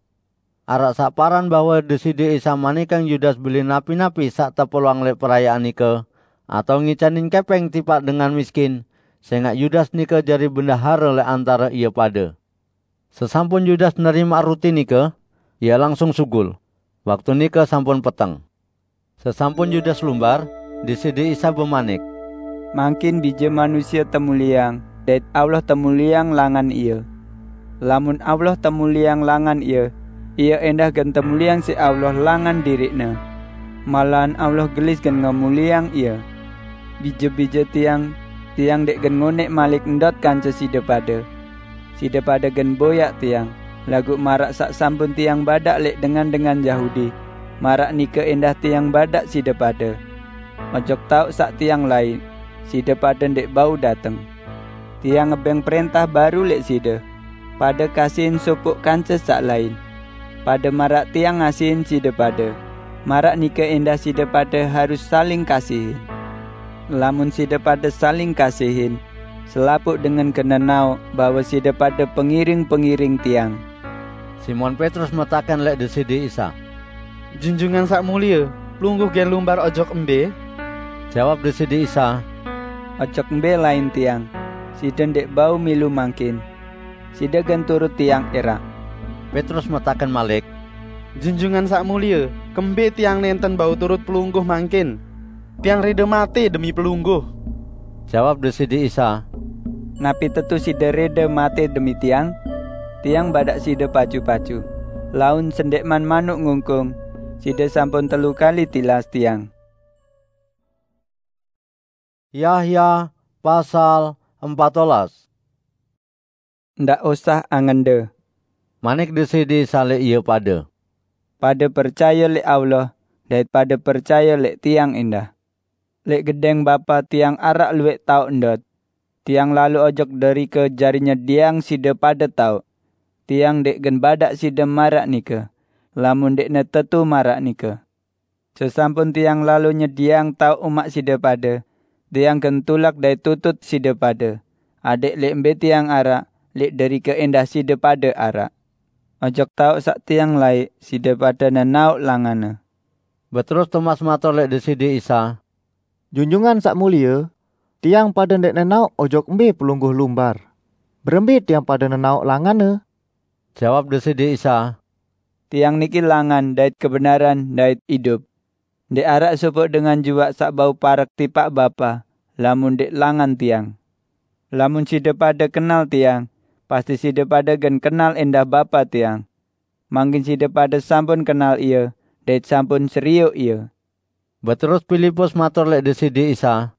Araq saq paran bahwe Deside Isa manikang Yudas beli napi-napi saq tepuluang leq perayaan nike, atao ngicanin kepeng tipaq dengan miskin, sengaq Yudas nike jari bendahare leq antare ie pade. Sesampun Yudas nerimaq ruti nike, ie langsung sugul. Waktu nike sampun peteng. Sesampun Yudas lumbar, Deside Isa bemanik, "Mangkin Bije Manusie temulieang, dait Allah temulieang langan Ie. Lamun Allah temulieang langan Ie, Ie endah gen temulieang siq Allah langan diriq-Ne. Malahan Allah gelis gen ngemulieang Ie. Bije-bije Tiang, Tiang ndeq gen ngoneq malik ndot kance side pade. Side pade gen boyaq Tiang, laguq maraq saq sampun Tiang badaq leq dengan-dengan Yahudi, maraq nike endah Tiang badaq side pade. Ojok taoq saq Tiang laiq, side pade ndeq bau dateng. Tiang ngebeng prentah baru leq side: Pade kasihin sopoq kance saq lain. Pade maraq Tiang ngasihin side pade, maraq nike endah side pade harus saling kasihin. Lamun side pade saling kasihin, selapuq dengan gen nenaoq bahwe side pade pengiring-pengiring Tiang." Simon Petrus metaken leq Deside Isa, "Junjungan Saq Mulie, Pelungguh gen lumbar ojok embe?" Jawab Deside Isa, "Ojok embe lain Tiang, side ndeq bau milu mangkin. Side gen turut Tiang eraq." Petrus metaken malik, "Junjungan Saq Mulie, kembe tiang nenten bau turut Pelungguh mangkin? Tiang rede mate demi Pelungguh." Jawab Deside Isa, "Napi tetu side rede mate demi Tiang? Tiang badaq side pacu-pacu, laun sendeqman manuk ngungkung, side sampun telu kali tilas Tiang." Yahya pasal empat belas. "Ndaq usah angende," manik Deside Isa leq ie pade. "Pade percaye leq Allah dait pade percaye leq Tiang endah. Leq gedeng Bapa Tiang araq luwẽq taoq ndot. Tiang lalo ojok derike jari nyedieang side pade taoq. Tiang ndeq gen badaq side maraq nike, lamun ndeqne tetu maraq nike. Sesampun Tiang lalo nyedieang taoq umaq side pade, Tiang gen tulak dait tutut side pade, adẽq leq mbe Tiang araq, leq derike endah side pade araq. Ojok taoq saq Tiang laiq, side pade nenaoq langanne." Beterus Tomas matur leq Deside Isa, "Junjungan Saq Mulie, tiang pade ndeq nenaoq ojok mbe Pelungguh lumbar. Berembe tiang pade nenaoq langanne?" Jawab Deside Isa, "Tiang niki langan dait kebenaran dait idup. Ndeq araq sopoq dengan juaq saq bau parek tipaq Bapa, lamun ndeq langan Tiang. Lamun side pade kenal Tiang, pasti side pade gen kenal endah Bapa Tiang. Mangkin side pade sampun kenal Ia, dait sampun serioq Ia." Beterus Pilipus matur lek Deside Isa,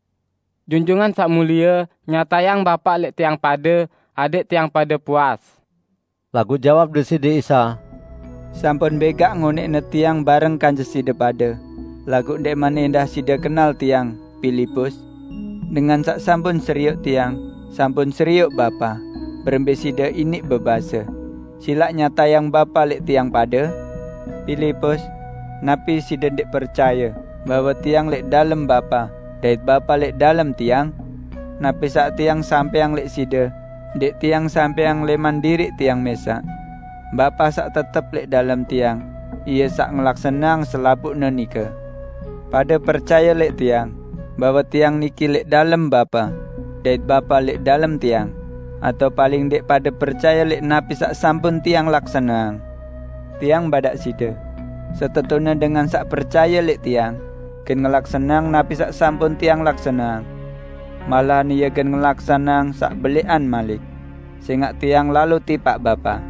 "Junjungan Saq Mulie, nyatayang Bapa lek tiang pade, adeq tiang pade puas." Laguq jawab Deside Isa, "Sampun begaq ngoneqne tiang bareng kance side pade, laguq ndeqman endah side kenal tiang, Pilipus? Dengan saq sampun serioq tiang, sampun serioq Bapa. Berembe side iniq bebase, 'Silaq nyatayang Bapa lek tiang pade'? Pilipus, napi side ndeq percaye bahwe tiang lek dalem Bapa, dait Bapa lek dalem tiang? Napi saq tiang sampeang lek side, ndeq tiang sampeang leman diriq tiang mesaq. Bapa saq tetep lek dalem tiang, Ie saq ngelaksaneang selapuqne nike. Pade percaye lek tiang, bahwe tiang niki lek dalem Bapa, dait Bapa lek dalem tiang, atao paling ndeq pade percaye lek napi saq sampun tiang laksaneang? Tiang badaq side, setetune dengan saq percaye lek tiang, gen ngelaksaneang napi saq sampun tiang laksaneang. Malahan ie gen ngelaksaneang saq beleqan malik, sengaq tiang lalo tipaq Bapa.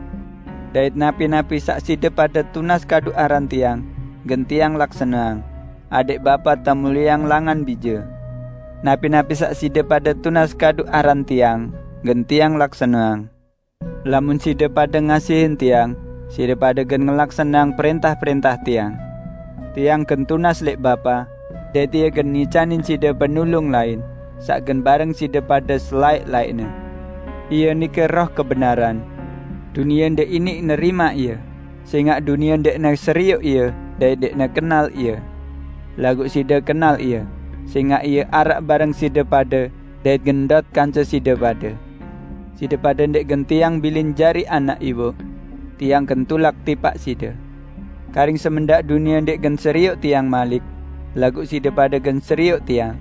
Dait napi-napi saq side pade tunas kadu aran tiang, gen tiang laksaneang, adeq Bapa temulieang langan Bije. Napi-napi saq side pade tunas kadu aran tiang, gen tiang laksaneang. Lamun side pade ngasihin tiang, side pade gen ngelaksaneang prentah-prentah tiang. Tiang gen tunas lek Bapa, dait ie gen ngicanin side Penulung lain, saq gen bareng side pade selaeq-laeqne. Ie nike Roh kebenaran. Dunie ndeq iniq nerimaq ie, sengaq dunie ndeqne serioq ie dait ndeqne kenal ie. Laguq side kenal ie, sengaq ie araq bareng side pade dait gen ndot kance side pade. Side pade ndeq gen tiang bilin jari anak iwoq. Tiang gen tulak tipaq side. Karing semendaq dunie ndeq gen serioq tiang malik, laguq side pade gen serioq tiang.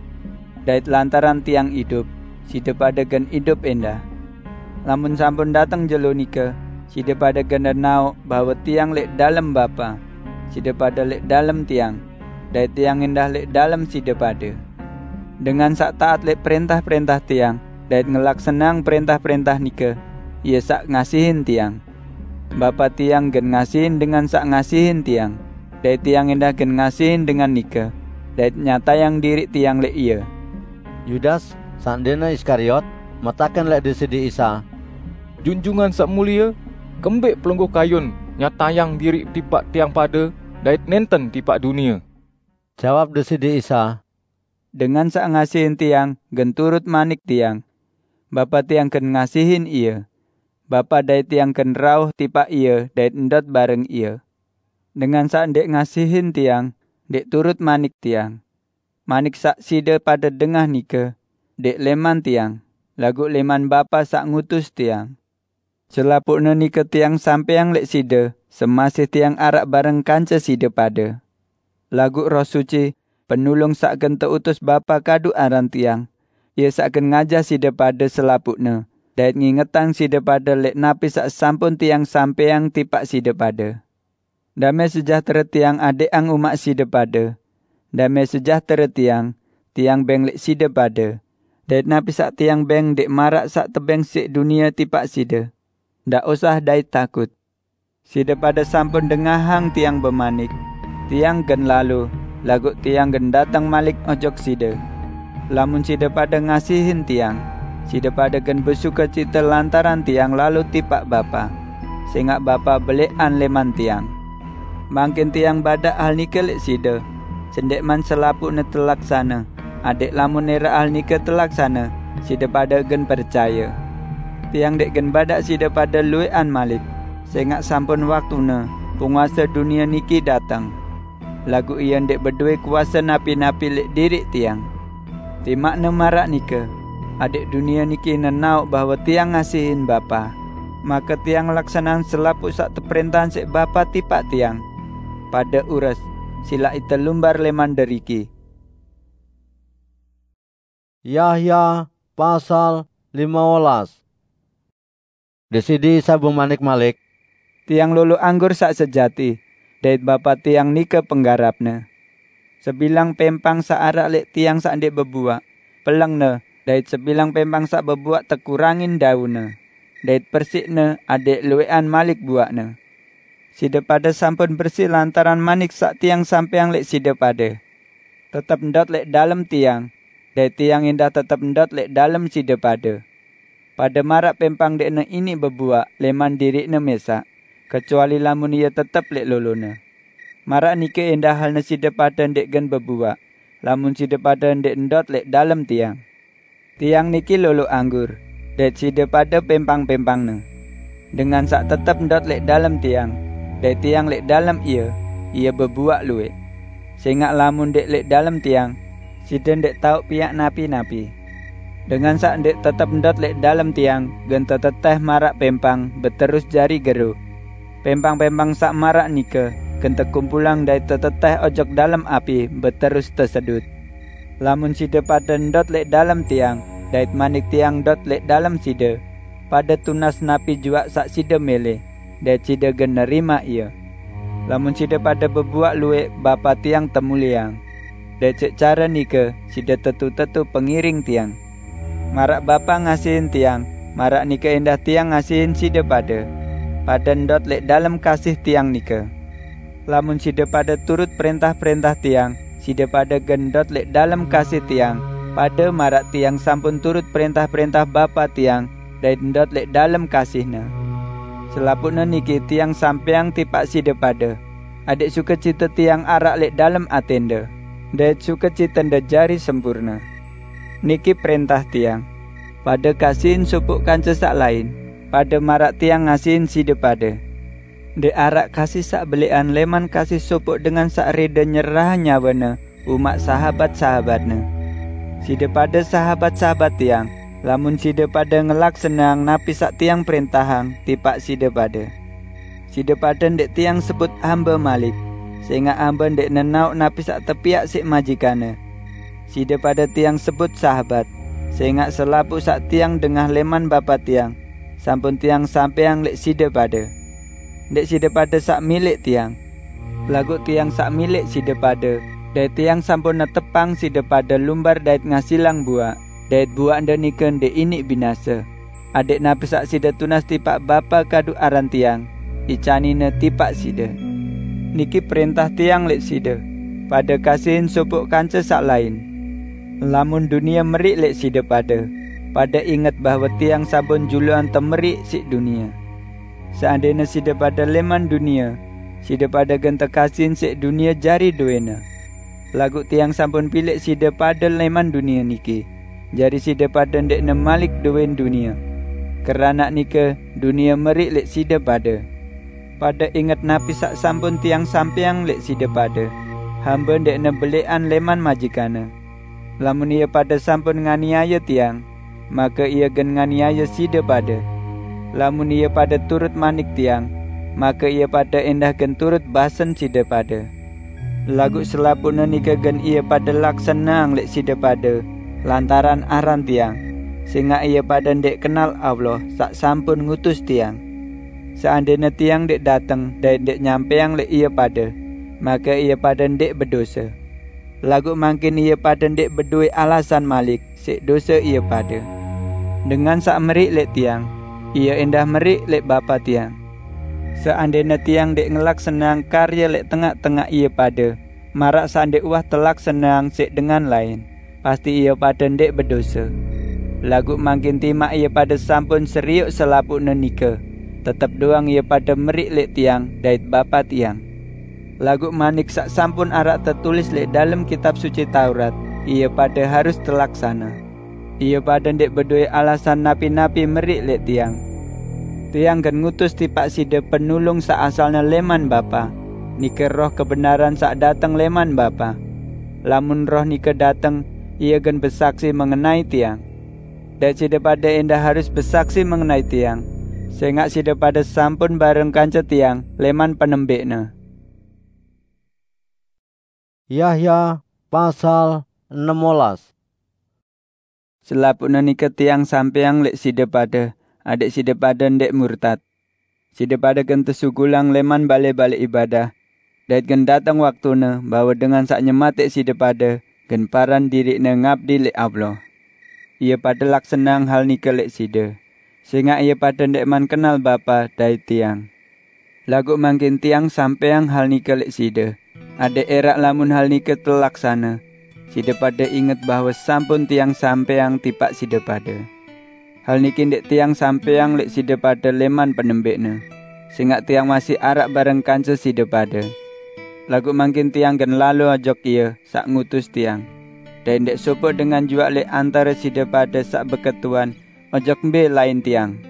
Dait lantaran tiang idup, side pade gen idup endah. Lamun sampun dateng jelo nike, side pade gen nenaoq bahwe tiang lek dalem Bapa, side pade lek dalem tiang, dait tiang endah lek dalem side pade. Dengan saq taat lek prentah-prentah tiang dait ngelaksaneang prentah-prentah nike, ie saq ngasihin tiang. Bapa tiang gen ngasihin dengan saq ngasihin tiang, dait tiang endah gen ngasihin dengan nike, dait nyatayang diriq tiang lek ie." Yudas, saq ndeqne Iskariot, metaken lek Deside Isa, "Junjungan Saq Mulie, kembeq Pelungguh kayun nyatayang diriq tipaq tiang pade dait nenten tipaq dunie?" Jawab Deside Isa, "Dengan saq ngasihin tiang gen turut manik tiang. Bapa tiang gen ngasihin ie. Bapa dait tiang gen rauh tipaq ie dait ndot bareng ie. Dengan saq ndeq ngasihin tiang, ndeq turut manik tiang. Manik saq side pade dengah nike, ndeq leman tiang, laguq leman Bapa saq ngutus tiang. Selapuqne nike tiang sampeang lek side, semasih tiang araq bareng kance side pade. Laguq Roh Suci, Penulung saq gen teutus Bapa kadu aran tiang, ie saq gen ngajah side pade selapuqne, dait ngingetang side pade lek napi saq sampun tiang sampeang tipaq side pade. Dame sejahtere tiang adeqang umaq side pade. Dame sejahtere tiang, tiang beng lek side pade. Dait napi saq tiang beng ndeq maraq saq tebeng siq dunie tipaq side. Ndaq usah dait takut. Side pade sampun dengahang tiang bemanik, 'Tiang gen lalo, laguq tiang gen dateng malik ojok side.' Lamun side pade ngasihin tiang, side pade gen besukecite lantaran tiang lalo tipaq Bapa, sengaq Bapa beleqan leman tiang. Mangkin tiang badaq hal nike lek side, sendeqman selapuqne telaksane, adeq lamun eraq hal nike telaksane, side pade gen percaye. Tiang ndeq gen badaq side pade lueqan malik, sengaq sampun waktune penguase dunie niki dateng. Laguq ie ndeq bedowe kuase napi-napi lek diriq tiang. Timaqne maraq nike, adeq dunie niki nenaoq bahwe tiang ngasihin Bapa, make tiang ngelaksaneang selapuq saq teprentahang siq Bapa tipaq tiang. Pade ures, silaq ite lumbar leman deriki." Yahya pasal lime welas. Deside Isa bemanik malik, "Tiang lolo anggur saq sejati, dait Bapa tiang nike penggarapne. Sebilang pempang saq araq lek tiang saq ndeq bebuaq, pelengne, dait sebilang pempang saq bebuaq tekurangin daunne, dait persiqne adeq lueqan malik buaqne. Side pade sampun bersi lantaran manik saq tiang sampeang leq side pade. Tetep ndot leq dalem tiang, dait tiang endah tetep ndot leq dalem side pade. Pade maraq pempang ndeqne iniq bebuaq leman diriqne mesaq, kecuali lamun ie tetep leq lolone. Maraq nike endah halne side pade ndeq gen bebuaq, lamun side pade ndeq ndot leq dalem tiang. Tiang niki lolo anggur, dait side pade pempang-pempangne. Dengan saq tetep ndot leq dalem tiang, dait tiang leq dalem ie, ie bebuaq lueq. Sengaq lamun ndeq leq dalem tiang, side ndeq tao piaq napi-napi. Dengan saq ndeq tetep ndot leq dalem tiang gen teteteh maraq pempang beterus jari gero. Pempang-pempang saq maraq nike gen tekumpulang dait teteteh ojok dalem api beterus tesedut. Lamun side pade ndot leq dalem tiang, dait manik tiang ndot leq dalem side, pade tunas napi juaq saq side mele, dait side gen nerimaq ie. Lamun side pade bebuaq lueq, Bapa tiang temulieang. Dait siq care nike side tetu-tetu pengiring tiang. Maraq Bapa ngasihin tiang, maraq nike endah tiang ngasihin side pade. Pade ndot leq dalem kasih tiang nike. Lamun side pade turut prentah-prentah tiang, side pade gen ndot leq dalem kasih tiang, pade maraq tiang sampun turut prentah-prentah Bapa tiang dait ndot leq dalem kasihne. Selapuqne niki tiang sampeang tipaq side pade, adeq sukecite tiang araq leq dalem atende, dait sukecitende jari sempurne. Niki prentah tiang: Pade kasihin sopoq kance saq lain, pade maraq tiang ngasihin side pade. Ndeq araq kasih saq beleqan leman kasih sopoq dengan saq rede nyerahang nyawene umaq sahabat-sahabatne. Side pade sahabat-sahabat tiang, lamun side pade ngelaksaneang napi saq tiang prentahang tipaq side pade. Side pade ndeq tiang sebut hambe malik, sengaq hambe ndeq nenaoq napi saq tepiaq siq majikanne. Side pade tiang sebut sahabat, sengaq selapuq saq tiang dengah leman Bapa tiang, sampun tiang sampeang leq side pade. Ndeq side pade saq milik tiang, laguq tiang saq milik side pade, dait tiang sampun netepang side pade lumbar dait ngasilang buaq, dait buaqnde nike ndeq iniq binase, adeq napi saq side tunas tipaq Bapa kadu aran tiang, icanine tipaq side. Niki prentah tiang leq side: Pade kasihin sopoq kance saq lain. Lamun dunie meriq leq side pade, pade inget bahwe tiang sampun juluan temeriq siq dunie. Seandene side pade leman dunie, side pade gen tekasihin siq dunie jari dowene. Laguq tiang sampun pileq side pade leman dunie niki, jari side pade ndeqne malik dowen dunie. Keranaq nike dunie meriq leq side pade. Pade inget napi saq sampun tiang sampeang leq side pade: Hambe ndeqne beleqan leman majikanne. Lamun ie pade sampun nganiaye tiang, make ie gen nganiaye side pade. Lamun ie pade turut manik tiang, make ie pade endah gen turut basen side pade. Laguq selapuqne nike gen ie pade laksaneang leq side pade lantaran aran tiang, sengaq ie pade ndeq kenal Allah saq sampun ngutus tiang. Seandene tiang ndeq dateng dait ndeq nyampeang leq ie pade, make ie pade ndeq bedose. Laguq mangkin ie pade ndeq bedowe alasan malik siq dose ie pade. Dengan saq meriq leq tiang, ie endah meriq leq Bapa tiang. Seandene tiang ndeq ngelaksaneang karye leq tengaq-tengaq ie pade, maraq saq ndeq uwah telaksaneang siq dengan lain, pasti ie pade ndeq bedose. Laguq mangkin timaq ie pade sampun serioq selapuqne nike, tetep doang ie pade meriq leq tiang dait Bapa tiang. Laguq manik saq sampun araq tetulis leq dalem Kitab Suci Taurat, ie pade harus telaksane. Ie pade ndeq bedowe alasan napi-napi meriq leq tiang. Tiang gen ngutus tipaq side Penulung saq asalne leman Bapa, nike Roh kebenaran saq dateng leman Bapa. Lamun Roh nike dateng, ie gen besaksi mengenai tiang. Dait side pade endah harus besaksi mengenai tiang, sengaq side pade sampun bareng kance tiang leman penembekne. Yahya pasal enem belas. Selapuqne nike tiang sampeang leq side pade, adeq side pade ndeq murtad. Side pade gen tesugulang leman bale-bale ibadah, dait gen dateng waktune bahwe dengan saq nyematiq side pade gen paran diriqne ngabdi leq Allah. Ie pade laksaneang hal nike leq side, sengaq ie pade ndeqman kenal Bapa dait tiang. Laguq mangkin tiang sampeyang hal nike leq side, adaq eraq lamun hal nike telaksane, side pade inget bahwe sampun tiang sampeyang tipaq side pade. Hal niki ndeq tiang sampeyang leq side pade leman penembeqne, sengaq tiang masih araq bareng kance side pade. Laguq mangkin tiang gen lalo ojok Ie saq ngutus tiang, dait ndeq sopoq dengan juaq leq antare side pade saq beketuan ojok mbe lain tiang.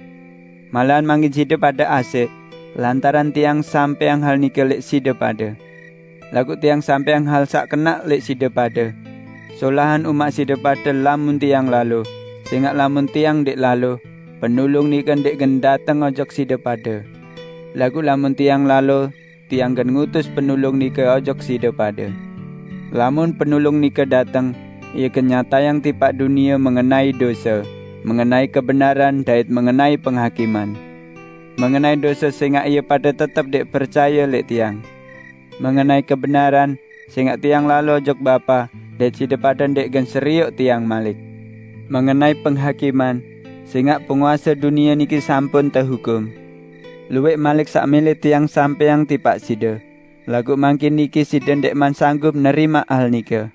Malahan mangkin side pade asek, lantaran tiang sampeyang hal nike leq side pade. Laguq tiang sampeyang hal saq kenaq leq side pade, solahan umaq side pade lamun tiang lalo, sengaq lamun tiang ndeq lalo, Penulung nike ndeq gen dateng ojok side pade. Laguq lamun tiang lalo, tiang gen ngutus Penulung nike ojok side pade. Lamun Penulung nike dateng, Ie gen nyatayang tipaq dunie mengenai dose, mengenai kebenaran dait mengenai penghakiman. Mengenai dose sengaq ie pade tetep ndeq percaye leq tiang. Mengenai kebenaran, sengaq tiang lalo ojok Bapa, dait side pade ndeq gen serioq tiang malik. Mengenai penghakiman, sengaq penguase dunie niki sampun tehukum. Lueq malik saq mele tiang sampeyang tipaq side, laguq mangkin niki side ndekman sanggup nerimaq hal nike.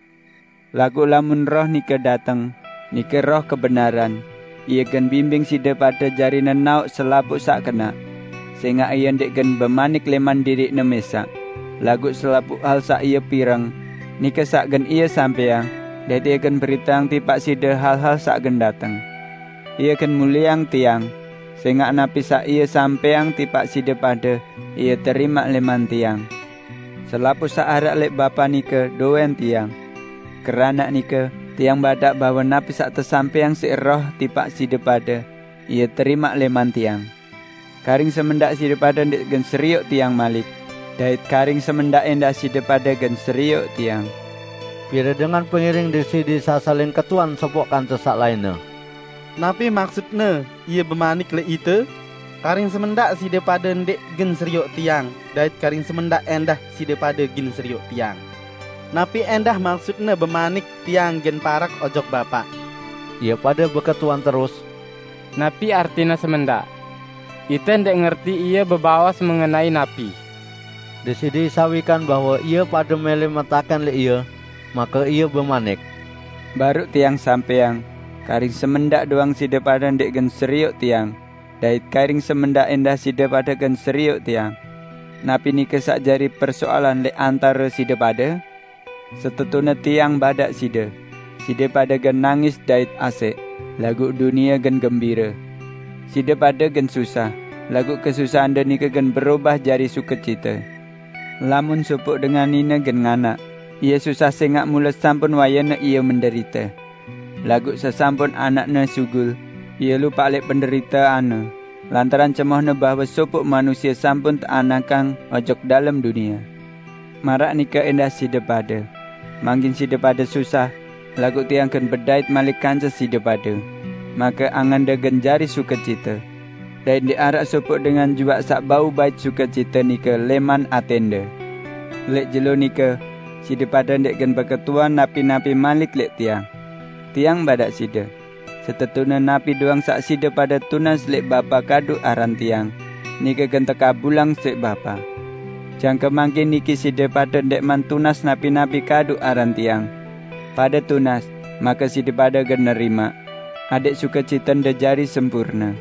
Laguq lamun Roh nike dateng, nike Roh kebenaran, Ie gen bimbing side pade jari nenaoq selapuq saq kenaq, sengaq Ie ndeq gen bemanik leman diriq-Ne mesaq, laguq selapuq hal saq Ie pireng, nike saq gen Ie sampeyang, dait Ie gen beriteang tipaq side hal-hal saq gen dateng. Ie gen mulieang tiang, sengaq napi saq Ie sampeyang tipaq side pade, Ie terimaq leman tiang. Selapuq saq araq leq Bapa nike doen tiang. Keranaq nike, tiang badaq bahwe napi saq tesampeyang siq Roh tipaq side pade, Ie terimaq leman tiang. Karing semendaq side pade ndeq gen serioq tiang malik, dait karing semendaq endah side pade gen serioq tiang. Pire dengan pengiring Deside Isa saling ketuan sopoq kance saq lainne. Napi maksutne Ie bemanik leq ite, "Karing semendaq side pade ndeq gen serioq Tiang, dait karing semendaq endah side pade gen serioq Tiang"? Napi endah maksutne bemanik, "Tiang gen parak ojok Bapa"? Ie pade beketuan terus, "Napi artine semendaq? Ite ndeq ngerti Ie bebaos mengenai napi." Deside Isa wikan bahwe ie pade mele metaken leq Ie, make Ie bemanik, "Baruq Tiang sampeyang, karing semendaq doang side pade ndeq gen serioq Tiang, dait karing semendaq endah side pade gen serioq Tiang. Napi nike saq jari persoalan leq antare side pade? Setetune Tiang badaq side, side pade gen nangis dait asek, laguq dunie gen gembire. Side pade gen susah, laguq kesusahande nike gen berobah jari sukecite. Lamun sopoq dengan nine gen nganak, ie susah sengaq mule sampun wayene ie menderite. Laguq sesampun anakne sugul, ie lupaq leq penderiteanne, lantaran cemohne bahwe sopoq manusie sampun teanakang ojok dalem dunie. Maraq nike endah side pade. Mangkin side pade susah, laguq Tiang gen bedait malik kance side pade, make angende gen jari sukecite. Dait ndeq araq sopoq dengan juaq saq bau bait sukecite nike leman atende. Leq jelo nike, side pade ndeq gen beketuan napi-napi malik leq Tiang. Tiang badaq side, setetune napi doang saq side pade tunas leq Bapa kadu aran Tiang, nike gen tekabulang siq Bapa. Jangke mangkin niki side pade ndeqman tunas napi-napi kadu aran Tiang. Pade tunas, make side pade gen nerimaq, adaq sukecitende jari sempurne.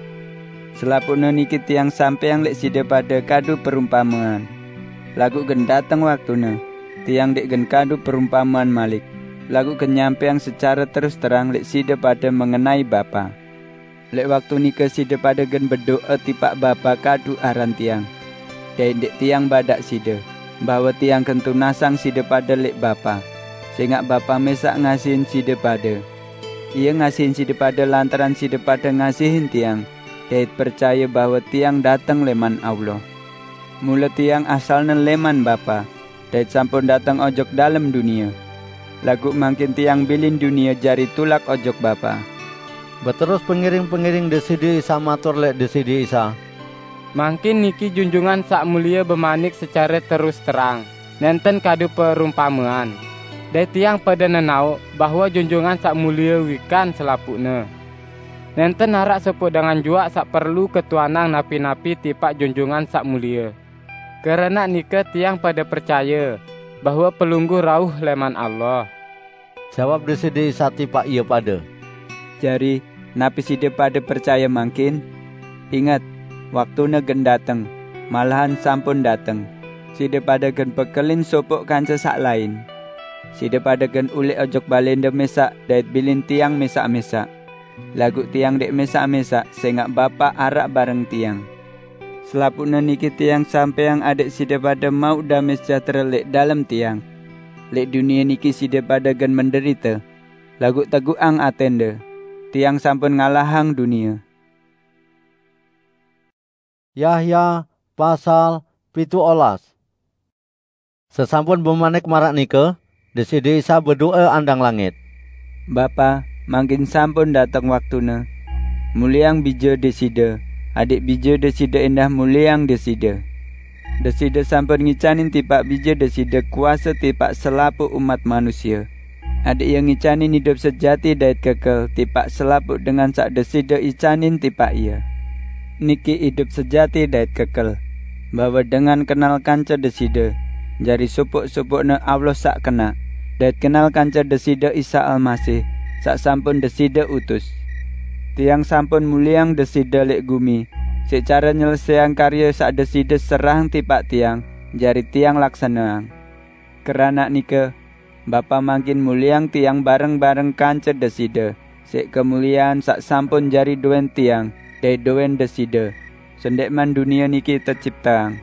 Selapuqne niki Tiang sampeyang leq side pade kadu perumpamean. Laguq gen dateng waktune, Tiang ndeq gen kadu perumpamean malik, laguq gen nyampeyang secare terus terang leq side pade mengenai Bapa. Leq waktu nike side pade gen bedo'e tipaq Bapa kadu aran Tiang. Dait ndeq Tiang badaq side, bahwe Tiang gen tunasang side pade leq Bapa, sengaq Bapa mesaq ngasihin side pade. Ie ngasihin side pade lantaran side pade ngasihin Tiang, dait percaye bahwe Tiang dateng leman Allah. Mule Tiang asalne leman Bapa, dait sampun dateng ojok dalem dunie. Laguq mangkin Tiang bilin dunie jari tulak ojok Bapa." Beterus pengiring-pengiring Deside Isa matur leq Deside Isa, "Mangkin niki Junjungan Saq Mulie bemanik secare terus terang, nenten kadu perumpamean. Dait tiang pade nenaoq bahwe Junjungan Saq Mulie wikan selapuqne. Nenten araq sopoq dengan juaq saq perlu ketuanang napi-napi tipaq Junjungan Saq Mulie. Krana nike tiang pada pracaya bahwa Pelungguh rauh leman Allah." Jawab Deside Isa tipaq ie pade, "Jari, napi side pada pracaya mangkin? Inget, waktune gen dateng, malahan sampun dateng. Side pada gen bekelin sopoq kance saq lain. Side pada gen uleq ojok balende mesaq dait bilin tiang mesaq-mesaq. Laguq tiang ndeq mesaq-mesaq, sengaq Bapa araq bareng tiang. Selapuqne niki tiang sampeang adaq side pada mauq dame sejahtere leq dalem tiang. Leq dunie niki side pada gen menderite, laguq teguqang atende! Tiang sampun ngalahang dunie." Yahya pasal pitu olas. Sesampun bemanik maraq nike, Deside Isa bedoe andang langit, "Bapa, mangkin sampun dateng waktune. Mulieang Bije Deside, adaq Bije Deside endah mulieang Deside. Deside sampun ngicanin tipaq Bije Deside kuase tipaq selapuq umat manusie. Adaq Ie ngicanin idup sejati dait kekel tipaq selapuq dengan saq Deside icanin tipaq Ie. Niki idup sejati dait kekel, bahwe dengan kenal kance Deside, jari sopoq-sopoqne Allah saq kenaq, dait kenal kance Deside Isa Almasih, saq sampun Deside utus. Tiang sampun mulieang Deside leq gumi, siq care nyelesaiang karye saq Deside serahang tipaq tiang, jari tiang laksaneang. Keranaq nike, Bapa mangkin mulieang tiang bareng-bareng kance Deside, siq kemuliean saq sampun jari doen tiang dait doen Deside, sendeqman dunie niki tecipteang.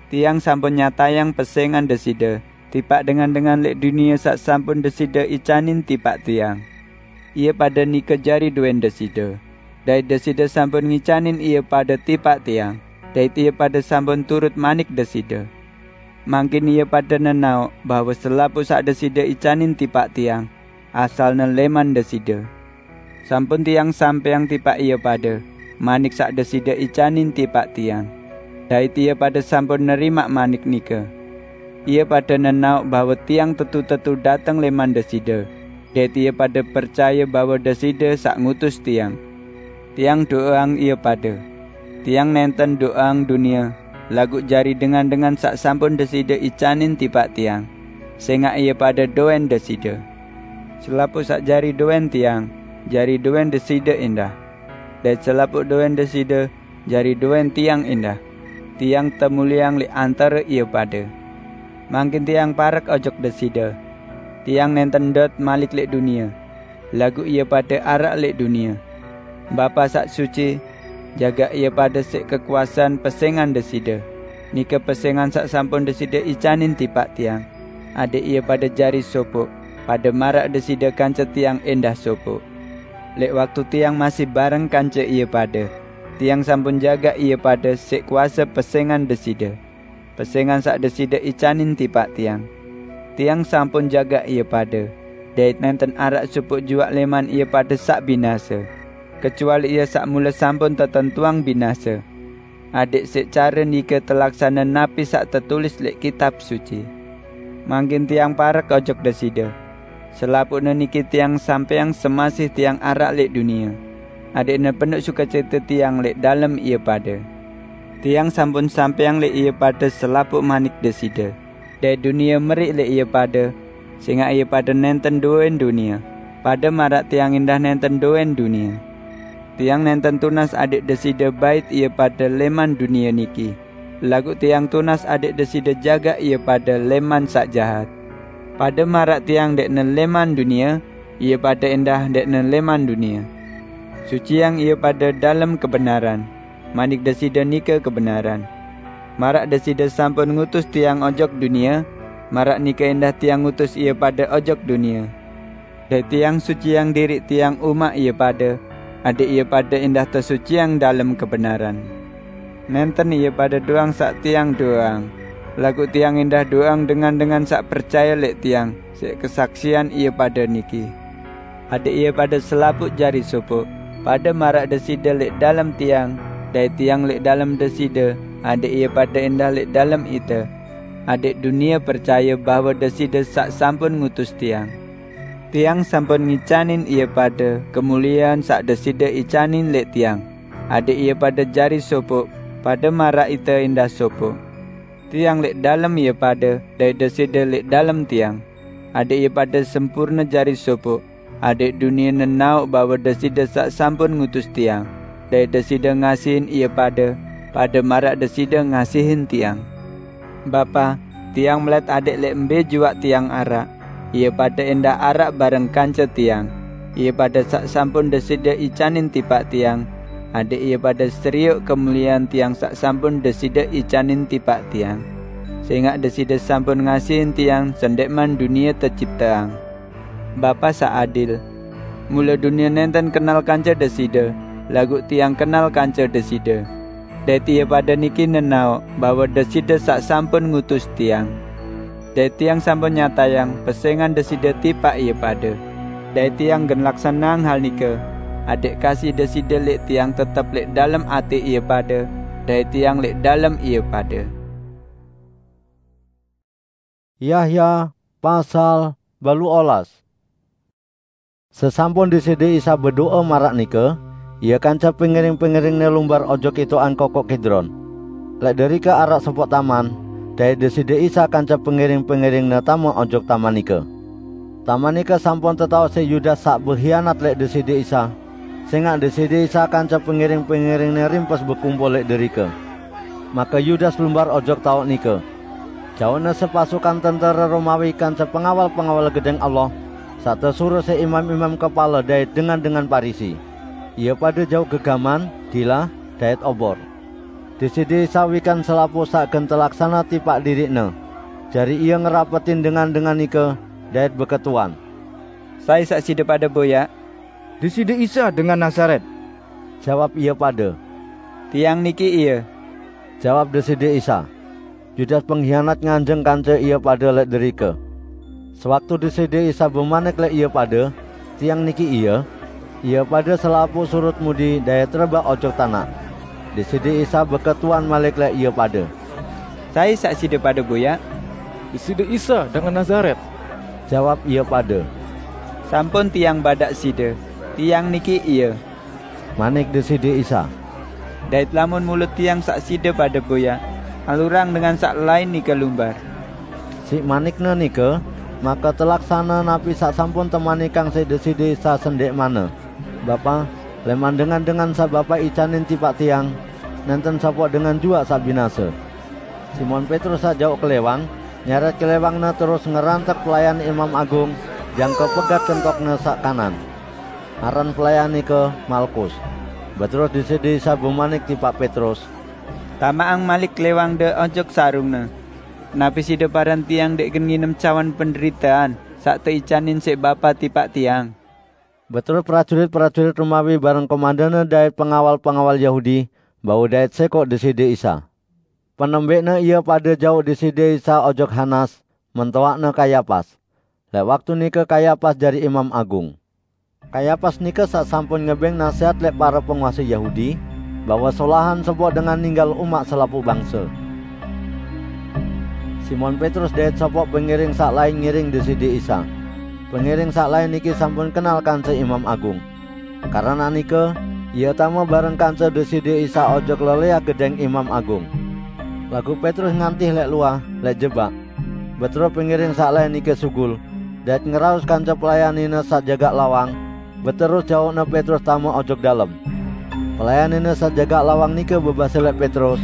Tiang sampun nyatayang pesengan Deside tipaq dengan-dengan leq dunie saq sampun Deside icanin tipaq tiang. Ie pade nike jari doen Deside, dait Deside sampun ngicanin ie pade tipaq tiang, dait ie pade sampun turut manik Deside. Mangkin ie pade nenaoq bahwe selapuq saq Deside icanin tipaq tiang, asalne leman Deside. Sampun tiang sampeang tipaq ie pade manik saq Deside icanin tipaq tiang, dait ie pade sampun nerimaq manik nike. Ie pade nenaoq bahwe tiang tetu-tetu dateng leman Deside, dait ie pade percaye bahwe Deside saq ngutus tiang. Tiang do'eang ie pade. Tiang nenten do'eang dunie, laguq jari dengan-dengan saq sampun Deside icanin tipaq tiang, sengaq ie pade doen Deside. Selapuq saq jari doen tiang, jari doen Deside endah. Dait selapuq doen Deside, jari doen tiang endah. Tiang temulieang leq antare ie pade. Mangkin tiang parek ojok Deside. Tiang nenten ndot malik leq dunie, laguq ie pade araq leq dunie. Bapa saq suci, jagaq ie pade siq kekuasean pesengan Deside, nike pesengan saq sampun Deside icanin tipaq tiang, adaq ie pade jari sopoq, pade maraq Deside kance tiang endah sopoq. Leq waktu tiang masih bareng kance ie pade, tiang sampun jagaq ie pade siq kuase pesengan Deside, pesengan saq Deside icanin tipaq tiang. Tiang sampun jagaq ie pade, dait nenten araq sopoq juaq leman ie pade saq binase, kecuali ie saq mule sampun tetentuang binase, adaq siq care nike telaksane napi saq tetulis leq Kitab Suci. Mangkin tiang parek ojok Deside. Selapuqne niki tiang sampeang semasih tiang araq leq dunie, adaqne penuq sukecite tiang leq dalem ie pade. Tiang sampun sampeang leq ie pade selapuq manik Deside, dait dunie meriq leq ie pade, sengaq ie pade nenten doen dunie, pade maraq tiang endah nenten doen dunie. Tiang nenten tunas adaq Deside bait ie pade leman dunie niki, laguq tiang tunas adaq Deside jagaq ie pade leman saq jahat. Pade maraq tiang ndeqne leman dunie, ie pade endah ndeqne leman dunie. Suciang ie pade dalem kebenaran, manik Deside nike kebenaran. Maraq Deside sampun ngutus tiang ojok dunie, maraq nike endah tiang ngutus ie pade ojok dunie. Dait tiang suciang diriq tiang umaq ie pade, adaq ie pade endah tesuciang dalem kebenaran. Nenten ie pade doang saq tiang do'eang, laguq tiang endah do'eang dengan-dengan saq percaye leq tiang siq kesaksian ie pade niki. Adaq ie pade selapuq jari sopoq, pade maraq Deside leq dalem tiang, dait tiang leq dalem Deside, adaq ie pade endah leq dalem ite, adaq dunie percaye bahwe Deside saq sampun ngutus tiang. Tiang sampun ngicanin ie pade kemuliean saq Deside icanin leq tiang, adaq ie pade jari sopoq, pade maraq ite endah sopoq. Tiang lẽq dalem ie pade, dait Deside lẽq dalem Tiang, adẽq ie pade sempurne jari sopoq, adẽq dunie nenaoq bahwe Deside saq sampun ngutus Tiang, dait Deside ngasihin ie pade, pade maraq Deside ngasihin Tiang. Bapa, Tiang melet adẽq lẽq mbe juaq Tiang araq, ie pade ẽndah araq bareng kance Tiang, ie pade saq sampun Deside icanin tipaq Tiang, adẽq ie pade serioq kemuliean Tiang saq sampun Deside icanin tipaq Tiang. Sẽngaq Deside sampun ngasihin Tiang sendẽqman dunie tecipteang. Bapa saq adil! Mule dunie nenten kenal kance Deside, laguq Tiang kenal kance Deside, dait ie pade niki nenaoq bahwe Deside saq sampun ngutus Tiang. Dait Tiang sampun nyatayang pesẽngan Deside tipaq ie pade. Dait Tiang gen laksaneang hal nike, adẽq kasih Deside lẽq Tiang tetep lẽq dalem atẽ ie pade, dait Tiang lẽq dalem ie pade. Yahya pasal baluq olas. Sesampun Deside Isa bedoe maraq nike, Ie kance pengiring-pengiring-Ne lumbar ojok itoqan Kokoq Kidron. Lẽq derike araq sopoq taman, dait Deside Isa kance pengiring-pengiring-Ne tame ojok taman nike. Taman nike sampun tetaoq siq Yudas saq behianat lẽq Deside Isa, sẽngaq Deside Isa kance pengiring-pengiring-Ne rimpes bekumpul lẽq derike. Make Yudas lumbar ojok taoq nike. Jauqne sepasukan tentere Romawi kance pengawal-pengawal Gedẽng Allah, saq tesuruh siq imam-imam kepale dait dengan-dengan Parisi. Ie pade jauq gegaman, dilah, dait obor. Deside Isa wikan selapuq saq gen telaksane tipaq diriq-Ne. Jari Ie ngerapetin dengan-dengan nike, dait beketuan, "Sai saq side pade boyaq?" "Deside Isa dengan Nazaret," jawab ie pade. "Tiang niki Ie," jawab Deside Isa. Yudas penghianat nganjeng kance ie pade lẽq derike. Sewaktu Deside Isa bemanik lẽq ie pade, "Tiang niki Ie," ie pade selapuq surut mudi dait rebaq ojok tanaq. Deside Isa beketuan malik lẽq ie pade, "Sai saq side pade boyaq?" "Deside Isa dengan Nazaret," jawab ie pade. "Sampun Tiang badaq side, Tiang niki Ie," manik Deside Isa. "Dait lamun mule Tiang saq side pade boyaq, alurang dengan saq lain nike lumbar." Siq manik-Ne nike, make telaksane napi saq sampun temanikang siq Deside Isa sendẽqmanne, "Bapa, lẽman dengan-dengan saq Bapa icanin tipaq Tiang, nenten sopoq dengan juaq saq binase." Simon Petrus saq jauq kelẽwang, nyeret kelẽwangne terus ngerantek pelayan imam agung, jangke pegat kentokne saq kanan. Aran pelayan nike Malkus. Beterus Deside Isa bemanik tipaq Petrus, "Tamaqang malik kelẽwangde ojok sarungne. Napi side paran Tiang ndeq gen nginem cawan penderitean saq teicanin siq Bapa tipaq Tiang?" Beterus prajurit-prajurit Romawi bareng komandanne dait pengawal-pengawal Yahudi bau dait sẽkoq Deside Isa. Penembeqne ie pade jauq Deside Isa ojok Hanas, mentoaqne Kayapas. Lẽq waktu nike Kayapas jari imam agung. Kayapas nike saq sampun ngebeng nasehat lẽq pare penguase Yahudi, bahwe solahan sopoq dengan ninggal umaq selapuq bangse. Simon Petrus dait sopoq pengiring saq lain ngiring Deside Isa. Pengiring saq lain niki sampun kenal kance imam agung. Karena nike, ie tame bareng kance Deside Isa ojok lelẽah gedẽng imam agung. Laguq Petrus ngantih lẽq luah, lẽq jebak. Beterus pengiring saq lain nike sugul, dait ngeraos kance pelayan nine saq jagaq lawang, beterus jauqne Petrus tame ojok dalem. Pelayan nine saq jagaq lawang nike bebase lẽq Petrus,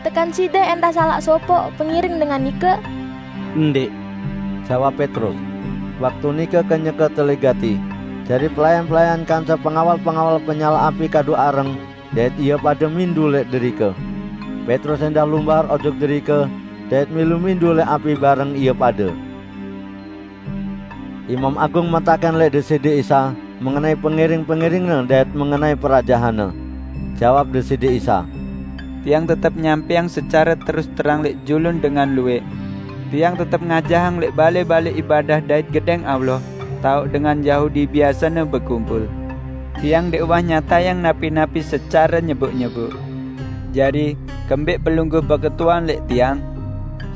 "Tekan side ẽndah salaq sopoq pengiring dengan nike?" "Ndẽq," jawab Petrus. Waktu nike kenyeke teligati, jari pelayan-pelayan kance pengawal-pengawal penyalaq api kadu areng, dait ie pade mindu lẽq derike. Petrus ẽndah lumbar ojok derike, dait milu mindu lẽq api bareng ie pade. Imam agung metakẽn lẽq Deside Isa mengenai pengiring-pengiring-Ne dait mengenai perajahanne. Jawab Deside Isa, "Tiang tetep nyampẽang secare terus terang lẽq julun dengan luwẽq. Tiang tetep ngajahang lẽq balẽ-balẽ ibadah dait gedẽng Allah, taoq dengan Yahudi biasene bekumpul. Tiang ndeq uwah nyatayang napi-napi secare nyeboq-nyeboq. Jari, kembẽq pelungguh beketuan lẽq tiang?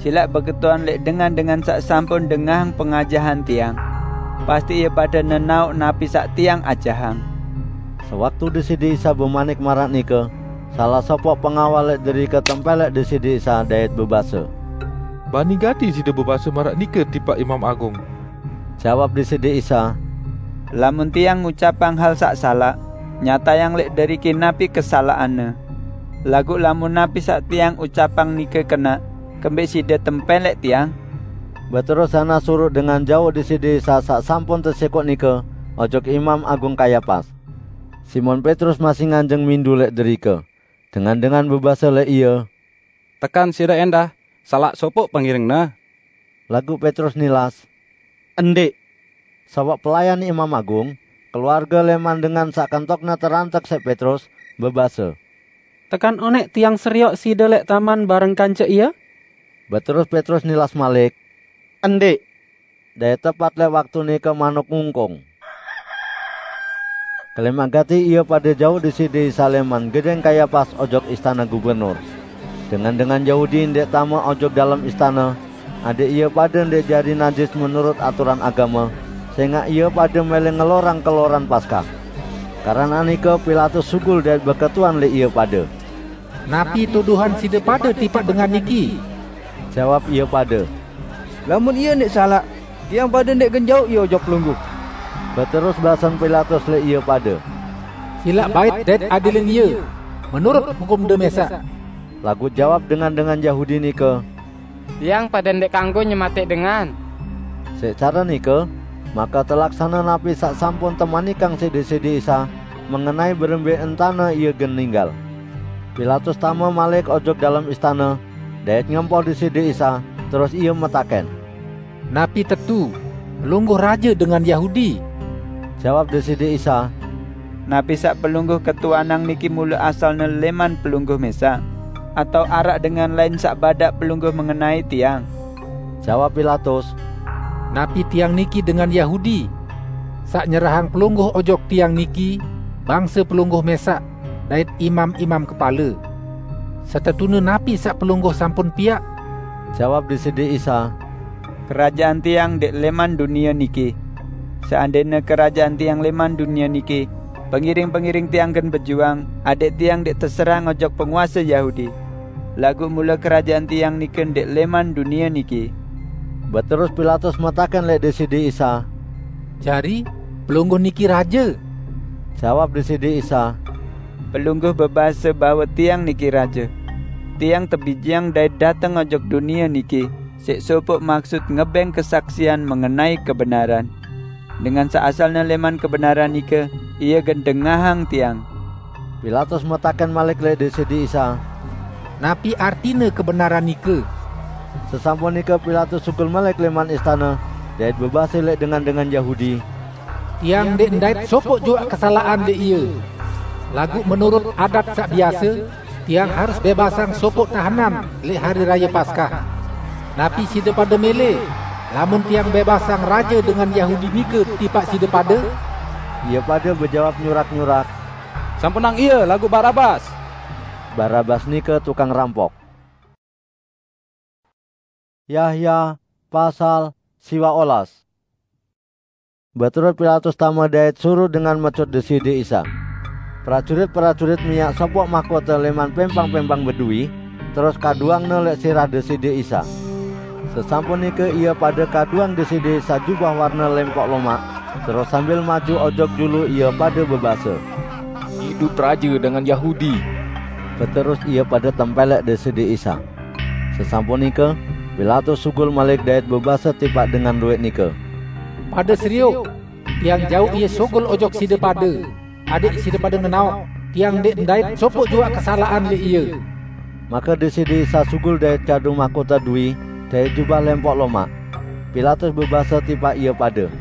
Silaq beketuan lẽq dengan-dengan saq sampun dengahang pengajahan tiang. Pasti ie pade nenaoq napi saq tiang ajahang." Sewaktu Deside Isa bemanik maraq nike, Salah sopoq pengawal leq derike tempelleq Deside Isa dait bebase, "Bani gati side bebase maraq nike tipaq Imam Agung?" Jawab Deside Isa, "Lamun Tiang ngucapang hal saq salaq, nyatayang leq deriki napi kesalaqanne. Laguq lamun napi saq Tiang ucapang nike kenaq, kembeq side tempelleq Tiang?" Beterus Hanas suruq dengan jauq Deside Isa saq sampun tesekoq nike ojok Imam Agung Kayapas. Simon Petrus masih nganjeng mindu leq derike. Dengan-dengan bebase leq ie, "Tekan side endah salaq sopoq pengiringne?" Laguq Petrus nilas, "Ndeq." Sawaq pelayan Imam Agung, keluarge leman dengan saq kentokne terantek siq Petrus, bebase, "Tekan oneq tiang serioq side leq taman bareng kance ie?" Beterus Petrus nilas malik, "Ndeq." Dait tepat leq waktu nike manuk ngungkung. Kelemaq gati ie pade jauq Deside Isa leman gedeng Kayapas ojok istane gubernur. Dengan-dengan Yahudi ndeq tame ojok dalem istane, adeq ie pade ndeq jari najis menurut aturan agame, sengaq ie pade mele ngelorang keloran Paskah. Keranaq nike Pilatus sugul dait beketuan leq ie pade, "Napi tuduhan side pade tipaq dengan niki?" Jawab ie pade, "Lamun ie ndeq salaq, tiang pade ndeq gen jauq ie ojok pelungguh." Beterus basen Pilatus leq ie pade, "Silaq bait dait adilin ie menurut hukumde mesaq." Laguq jawab dengan-dengan Yahudi nike, "Tiang pade ndeq kanggo nyematẽq dengan." Siq care nike, make telaksane napi saq sampun temanikang siq Deside Isa mengenai berembe entane ie gen ninggal. Pilatus tame malik ojok dalem istane, dait ngempoh Deside Isa, terus ie metaken, "Napi tetu Pelungguh raje dengan Yahudi?" Jawab Deside Isa, "Napi saq Pelungguh ketuanang niki mule asalne leman Pelungguh mesaq, atao araq dengan lain saq badaq pelungguh mengenai Tiang?" Jawab Pilatus, "Napi Tiang niki dengan Yahudi? Saq nyerahang pelungguh ojok Tiang niki bangse pelungguh mesaq dait imam-imam kepale. Setetune napi saq pelungguh sampun piaq?" Jawab Deside Isa, "Kerajaan Tiang ndeq leman dunie niki. Seandene kerajaan Tiang leman dunie niki, pengiring-pengiring Tiang gen bejuang adeq Tiang ndeq teserang ojok penguase Yahudi. Laguq mule kerajaan Tiang nike ndeq leman dunie niki." Beterus Pilatus metaken leq Deside Isa, "Jari, Pelungguh niki raje?" Jawab Deside Isa, "Pelungguh bebase bahwe Tiang niki raje. Tiang tebijeang dait dateng ojok dunie niki siq sopoq maksut ngebeng kesaksian mengenai kebenaran. Dengan saq asalne leman kebenaran nike, ie gen dengahang Tiang." Pilatus metaken malik leq Deside Isa, "Napi artine kebenaran nike?" Sesampun nike Pilatus sugul malik leman istane dait bebase leq dengan-dengan Yahudi, "Tiang ndeq ndait sopoq juaq kesalaqan leq ie. Laguq menurut adat saq biase, tiang harus bebasang sopoq tahenan leq Hari Raye Paskah. Napi side pade mele, lamun tiang bebasang raje dengan Yahudi nike tipaq side pade?" Ie pade bejawab nyurak-nyurak, "Sampunang ie laguq Barabas!" Barabas nike tukang rampok. Yahya pasal siwaq olas. Beterus Pilatus tame dait suruq dengan mecut Deside Isa. Prajurit-prajurit miaq sopoq mahkote leman pempang-pempang beduwi, terus kaduangne leq sirah Deside Isa. Sesampun nike ie pade kaduang Deside Isa jubah warne lempoq lomaq, terus sambil maju ojok julu ie pade bebase, "Idup Raje dengan Yahudi!" Beterus ie pade tempelleq Deside Isa. Sesampun nike, Pilatus sugul malik dait bebase tipaq dengan lueq nike, "Pade serioq! Tiang jauq ie sugul ojok side pade, adeq side pade nenaoq tiang ndeq ndait sopoq juaq kesalaqan leq ie." Make Deside Isa sugul dait kadu mahkota dui dait jubah lempoq lomaq. Pilatus bebase tipaq ie pade,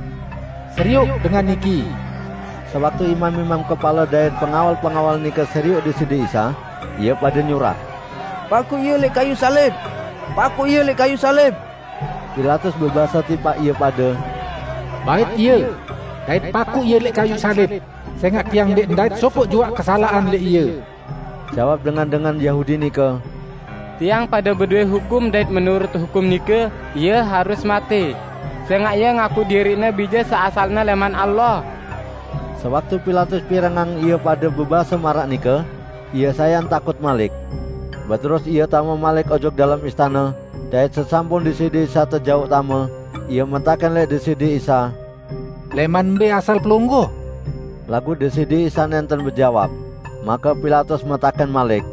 "Serioq dengan niki!" Sewaktu imam-imam kepale dait pengawal-pengawal nike serioq Deside Isa, ie pade nyurak, "Pakuq ie leq kayuq salib! Pakuq ie leq kayuq salib!" Pilatus bebase tipaq ie pade, "Bait ie, dait pakuq ie leq kayuq salib, sengaq tiang ndeq ndait sopoq juaq kesalaqan leq ie." Jawab dengan-dengan Yahudi nike, "Tiang pade bedoe hukum dait menurut hukum nike, ie harus mate, sengaq ie ngaku diriqne bije saq asalne leman Allah." Sewaktu Pilatus pirengang ie pade bebase maraq nike, Ia sayan takut malik. Beterus ia tame malik ojok dalem istana, dait sesampun Deside Isa tejauq tame, ia metaken leq Deside Isa, "Leman mbe asal Pelungguh?" Laguq Deside Isa nenten bejawab. Make Pilatus metaken malik,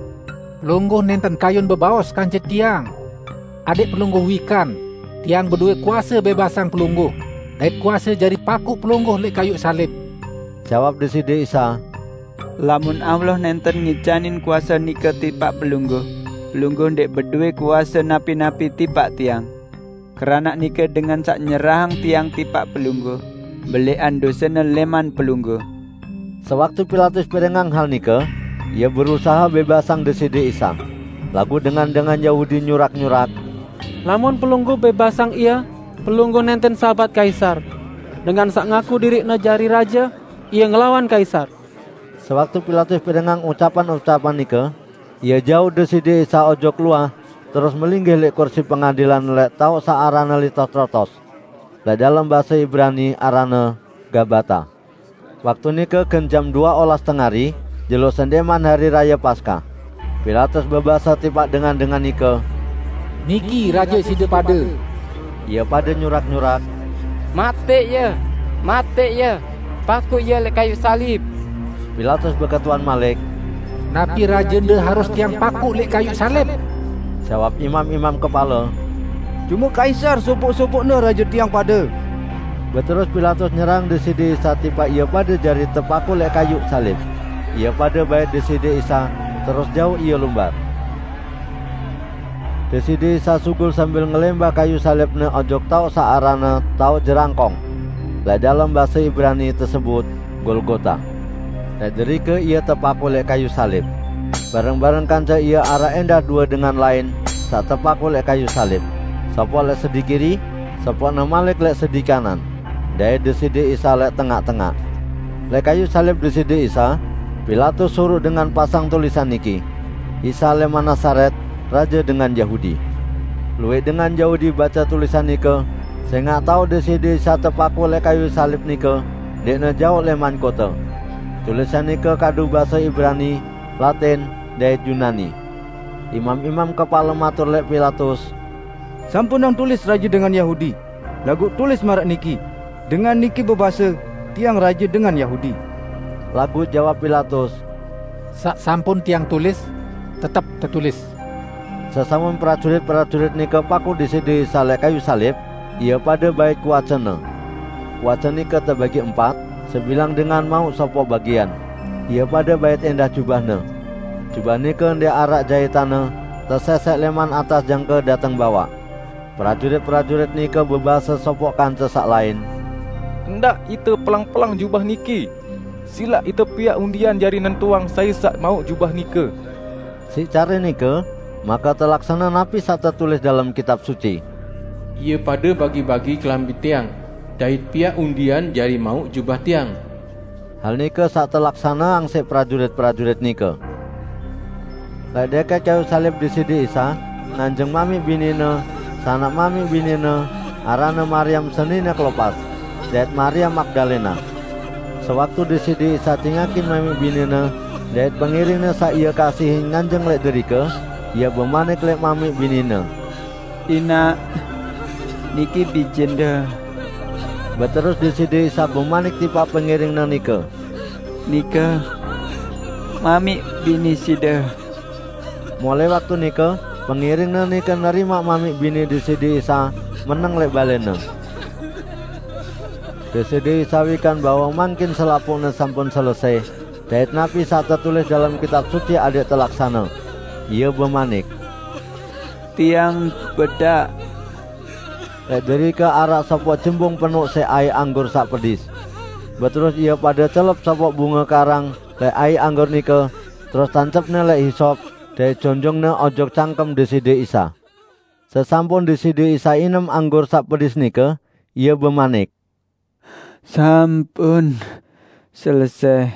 "Pelungguh nenten kayun bebaos kance tiang? Adeq Pelungguh wikan, tiang bedowe kuase bebasang Pelungguh, dait kuase jari pakuq Pelungguh leq kayuq salib." Jawab Deside Isa, "Lamun Allah nenten ngicanin kuase nike tipaq Pelungguh, Pelungguh ndeq bedowe kuase napi-napi tipaq tiang. Keranaq nike dengan saq nyerahang tiang tipaq Pelungguh, beleqan dosene leman Pelungguh." Sewaktu Pilatus pirengang hal nike, ie berusahe bebasang Deside Isa. Laguq dengan-dengan Yahudi nyurak-nyurak, "Lamun Pelungguh bebasang Ie, Pelungguh nenten sahabat Kaisar. Dengan saq ngaku diriqne jari raje, ie ngelawan Kaisar." Sewaktu Pilatus pirengang ucapan-ucapan nike, ie jauq Deside Isa ojok luah, terus melinggih leq kursi pengadilan leq taoq saq aranne Litotrotos. Leq dalem base Ibrani aranne Gabata. Waktu nike gen jam due olas tengari, jelo sendeqman Hari Raye Paskah. Pilatus bebase tipaq dengan-dengan nike, "Niki raje side pade!" Ie pade nyurak-nyurak, "Mataq Ie! Mataq Ie! Pakuq Ie leq kayuq salib!" Pilatus beketuan malik, "Napi rajende harus tiang pakuq leq kayuq salib?" Jawab imam-imam kepale, "Cume Kaisar sopoq-sopoqne raje tiang pade." Beterus Pilatus nyerahang Deside Isa tipaq ie pade jari tepakuq leq kayuq salib. Ie pade bait Deside Isa, terus jauq Ie lumbar. Deside Isa sugul sambil ngelembah kayuq salib-Ne ojok taoq saq aranne Taoq Jerangkong. Leq dalem base Ibrani tesebut Golgota. Leq derike Ie tepakuq leq kayuq salib. Bareng-bareng kance Ie araq endah due dengan lain saq tepakuq leq kayuq salib, sopoq leq sedi kiri, sopoqne malik leq sedi kanan, dait Deside Isa leq tengaq-tengaq. Leq kayuq salib Deside Isa, Pilatus suruq dengan pasang tulisan niki, "Isa leman Nasaret, Raje dengan Yahudi." Lueq dengan Yahudi bace tulisan nike, sengaq taoq Deside Isa tepakuq leq kayuq salib nike ndeqne jaoq leman kote. Tulisan nike kadu base Ibrani, Latin, dait Yunani. Imam-imam kepale matur leq Pilatus, "Sampunang tulis 'Raje dengan Yahudi', laguq tulis maraq niki, 'Dengan niki bebase, Tiang Raje dengan Yahudi.'" Laguq jawab Pilatus, "Saq sampun tiang tulis, tetep tetulis." Sesampun prajurit-prajurit nike pakuq Deside Isa leq kayuq salib, ie pade bait kuace-Ne. Kuace nike tebagi empat, sebilang dengan mauq sopoq bagian. Ie pade bait endah jubah-Ne. Jubah nike ndeq araq jaitanne, teseseq leman atas jangke dateng bawaq. Prajurit-prajurit nike bebase sopoq kance saq lain, "Ndaq ite pelang-pelang jubah niki. Silaq ite piaq undian jari nentuang sai saq mauq jubah nike." Siq care nike, make telaksane napi saq tetulis dalem Kitab Suci, "Ie pade bagi-bagi kelambi tiang, dait piaq undian jari mauq jubah tiang." Hal nike saq telaksaneang siq prajurit-prajurit nike. Leq deket kayuq salib Deside Isa, nganjeng mamiq binine, sanak mamiq binine, aranne Mariam senine Klopas, dait Mariam Magdalena. Sewaktu Deside Isa cingakin mamiq binine dait pengiringne saq Ie kasihin nganjeng leq derike, Ie bemanik leq mamiq binine, "Inaq, niki bijende." Beterus Deside Isa bemanik tipaq pengiring-Ne nike, "Nike mamiq bini side." Mulai waktu nike, pengiring-Ne nike nerimaq mamiq bini Deside Isa meneng leq balene. Deside Isa wikan bahwe mangkin selapuqne sampun selese, dait napi saq tetulis dalem Kitab Suci adeq telaksane. Ie bemanik, "Tiang bedaq." Leq derike araq sopoq jembung penuq siq aiq anggur saq pedis. Beterus ie pade celep sopoq bunge karang leq aiq anggur nike, terus tancepne leq hisop, dait jonjongne ojok cangkem Deside Isa. Sesampun Deside Isa inem anggur saq pedis nike, Ie bemanik, "Sampun selese."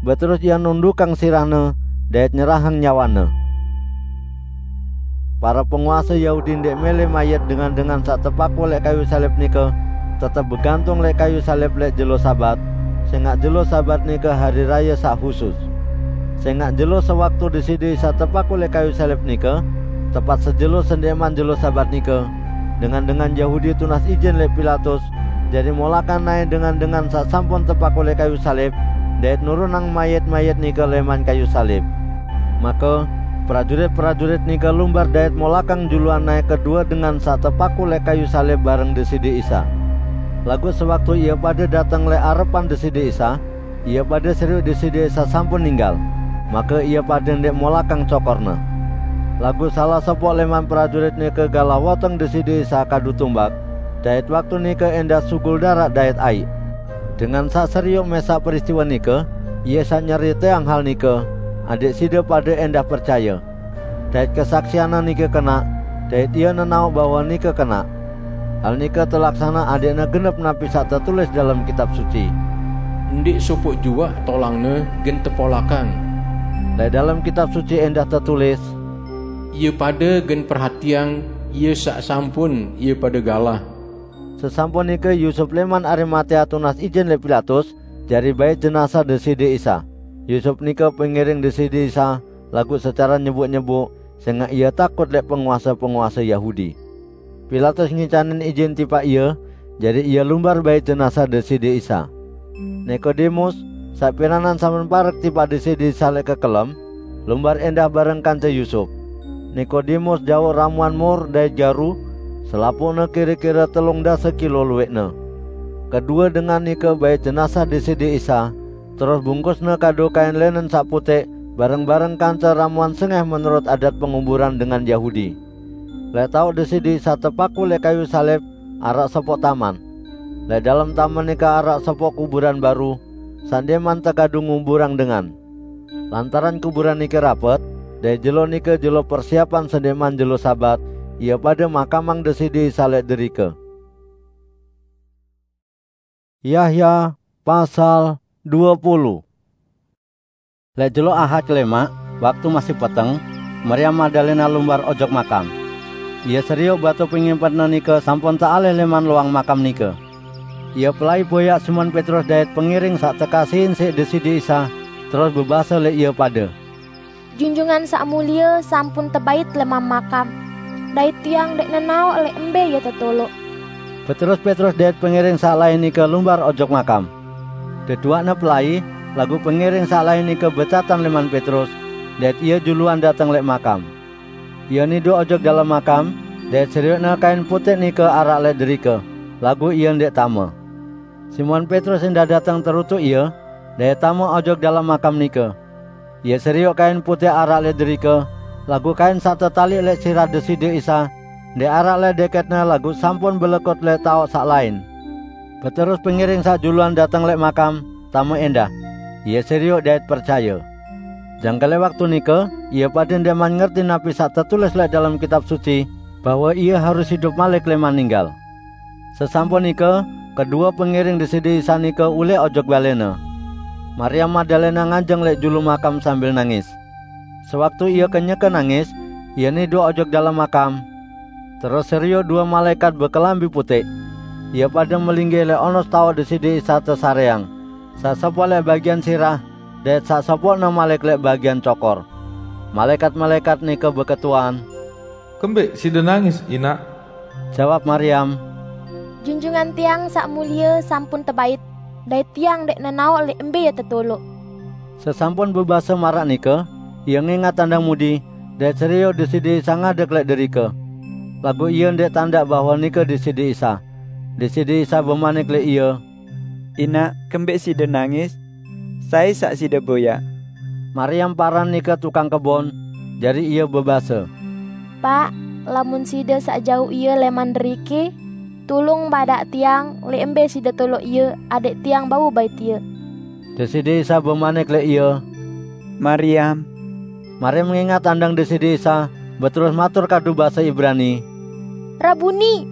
Beterus Ie nundukang sirah-Ne dait nyerahang nyawane. Pare penguase Yahudi ndeq mele mayit dengan-dengan saq tepakuq leq kayuq salib nike tetep begantung leq kayuq salib leq jelo Sabat, sengaq jelo Sabat nike hari raye saq husus. Sengaq jelo sewaktu Deside Isa tepaku leq kayu salib nike, tepat sejelo sendeqman jelo Sabat nike, dengan-dengan Yahudi tunas ijin leq Pilatus, jari molakang nae dengan-dengan saq sampun tepaku leq kayu salib, dait nurunang mayit-mayit nike leman kayu salib. Make, prajurit-prajurit nike lumbar dait molakang juluan nae kedue dengan saq tepaku leq kayu salib bareng Deside Isa. Laguq sewaktu ie pade dateng leq arepan Deside Isa, ie pade serioq Deside Isa sampun ninggal, make ie pade ndeq molakang cokor-Ne. Laguq salah sopoq leman prajurit nike galah woteng Deside Isa kadu tumbak, dait waktu nike endah sugul daraq dait aiq. Dengan saq serioq mesaq peristiwe nike, ie saq nyeriteang hal nike, adẽq side pade endah percaye. Dait kesaksianne nike kenaq, dait ie nenaoq bahwe nike kenaq. Hal nike telaksane adẽqne genep napi saq tetulis dalem Kitab Suci. "Ndeq sopoq juaq tolangne gen tepolakang." Leq dalem Kitab Suci endah tetulis, "Ie pade gen perhatiang Ie saq sampun ie pade galah." Sesampun nike Yusup leman Arimatea tunas ijin leq Pilatus, jari bait jenazah Deside Isa. Yusup nike pengiring Deside Isa, laguq secare nyebuk-nyebuk, sengaq ie takut leq penguase-penguase Yahudi. Pilatus ngicanin ijin tipaq ie, jari ie lumbar bait jenazah Deside Isa. Nikodemus, saq piranan sampun parek tipaq Deside Isa leq kekelem, lumbar endah bareng kance Yusup. Nikodemus jauq ramuan mur dait garu, selapuqne kire-kire telung dase kilo lueqne. Kedue dengan nike bait jenazah Deside Isa, terus bungkusne kadu kain linen saq puteq, bareng-bareng kance ramuan sengeh menurut adat penguburan dengan Yahudi. Leq taoq Deside Isa tepaku leq kayu salib, araq sopoq taman. Leq dalem taman nike araq sopoq kuburan baru, saq ndeqman tekadu nguburang dengan. Lantaran kuburan nike rapet, dait jelo nike jelo persiapan sendeqman jelo Sabat, ie pade makamang Deside Isa leq derike. Yahya pasal due puluh. Leq jelo Ahad kelemaq, waktu masih peteng, Maryam Magdalena lumbar ojok makam. Ie serioq batu pengimpetne nike sampun tealih leman loang makam nike. Ie pelai boyaq Simon Petrus dait pengiring saq tekasihin siq Deside Isa, terus bebase leq ie pade, "Junjungan Saq Mulie sampun tebait leman makam, dait tiang ndeq nenaoq leq embe Ie tetoloq." Beterus Petrus dait pengiring saq lain nike lumbar ojok makam. Deduaqne pelai, laguq pengiring saq lain nike becatan leman Petrus, dait ie juluan dateng leq makam. Ie niduq ojok dalem makam, dait serioqne kain puteq nike araq leq derike, laguq ie ndeq tame. Simon Petrus endah dateng terutuk ie, dait tame ojok dalem makam nike. Ie serioq kain puteq araq leq derike, laguq kain saq tetaliq leq sirah Deside Isa, ndeq araq leq deketne laguq sampun belekut leq taoq saq lain. Beterus pengiring saq juluan dateng leq makam, tame endah. Ie serioq dait percaye. Jangke leq waktu nike, ie pade ndeqman ngerti napi saq tetulis leq dalem Kitab Suci, bahwe Ie harus idup malik leman ninggal. Sesampun nike, kedue pengiring Deside Isa nike ulih ojok balene. Maryam Magdalena nganjeng leq julu makam sambil nangis. Sewaktu ie kenyeke nangis, ie niduq ojok dalem makam. Terus serioq due malaekat bekelambi puteq. Ie pade melinggih leq onos taoq Deside Isa tesareang, saq sopoq leq bagian sirah, dait saq sopoqne malik leq bagian cokor. Malaekat-malaekat nike beketuan, "Kembeq side nangis, Inaq?" Jawab Maryam, "Junjungan tiang Saq Mulie sampun tebait, dait tiang ndeq nenaoq leq embe Ie tetoloq." Sesampun bebase maraq nike, ie ngingat tandang mudi, dait serioq Deside Isa ngadek leq derike. Laguq ie ndeq tandaq bahwe nike Deside Isa. Deside Isa bemanik leq ie, "Inaq, kembeq side nangis? Sai saq side boyaq?" Maryam paran nike tukang kebon, jari ie bebase, "Paq, lamun Side saq jauq Ie leman derike, tulung badaq tiang leq embe Side toloq Ie, adẽq tiang bau bait Ie." Deside Isa bemanik leq ie, "Maryam." Maryam ngingat tandang Deside Isa, beterus matur kadu base Ibrani, "Rabuni!"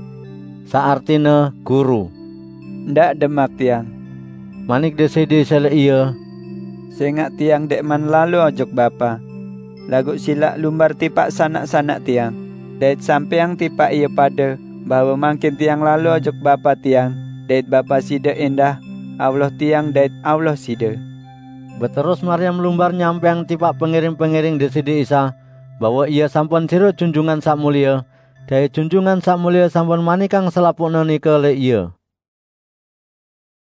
saq artine Guru. "Ndaq demaq tiang," manik Deside Isa leq ie, "sengaq tiang ndeqman lalo ojok Bapa. Laguq silaq lumbar tipaq sanak-sanak tiang, dait sampeang tipaq ie pade bahwe mangkin tiang lalo ojok Bapa tiang dait Bapa side endah, Allah tiang dait Allah side." Beterus Maryam lumbar nyampèang tipaq pengiring-pengiring Deside Isa bahwa ia sampun siruq Junjungan Saq Mulie, dait Junjungan Saq Mulie sampun manikang selapuqna nika leq ia.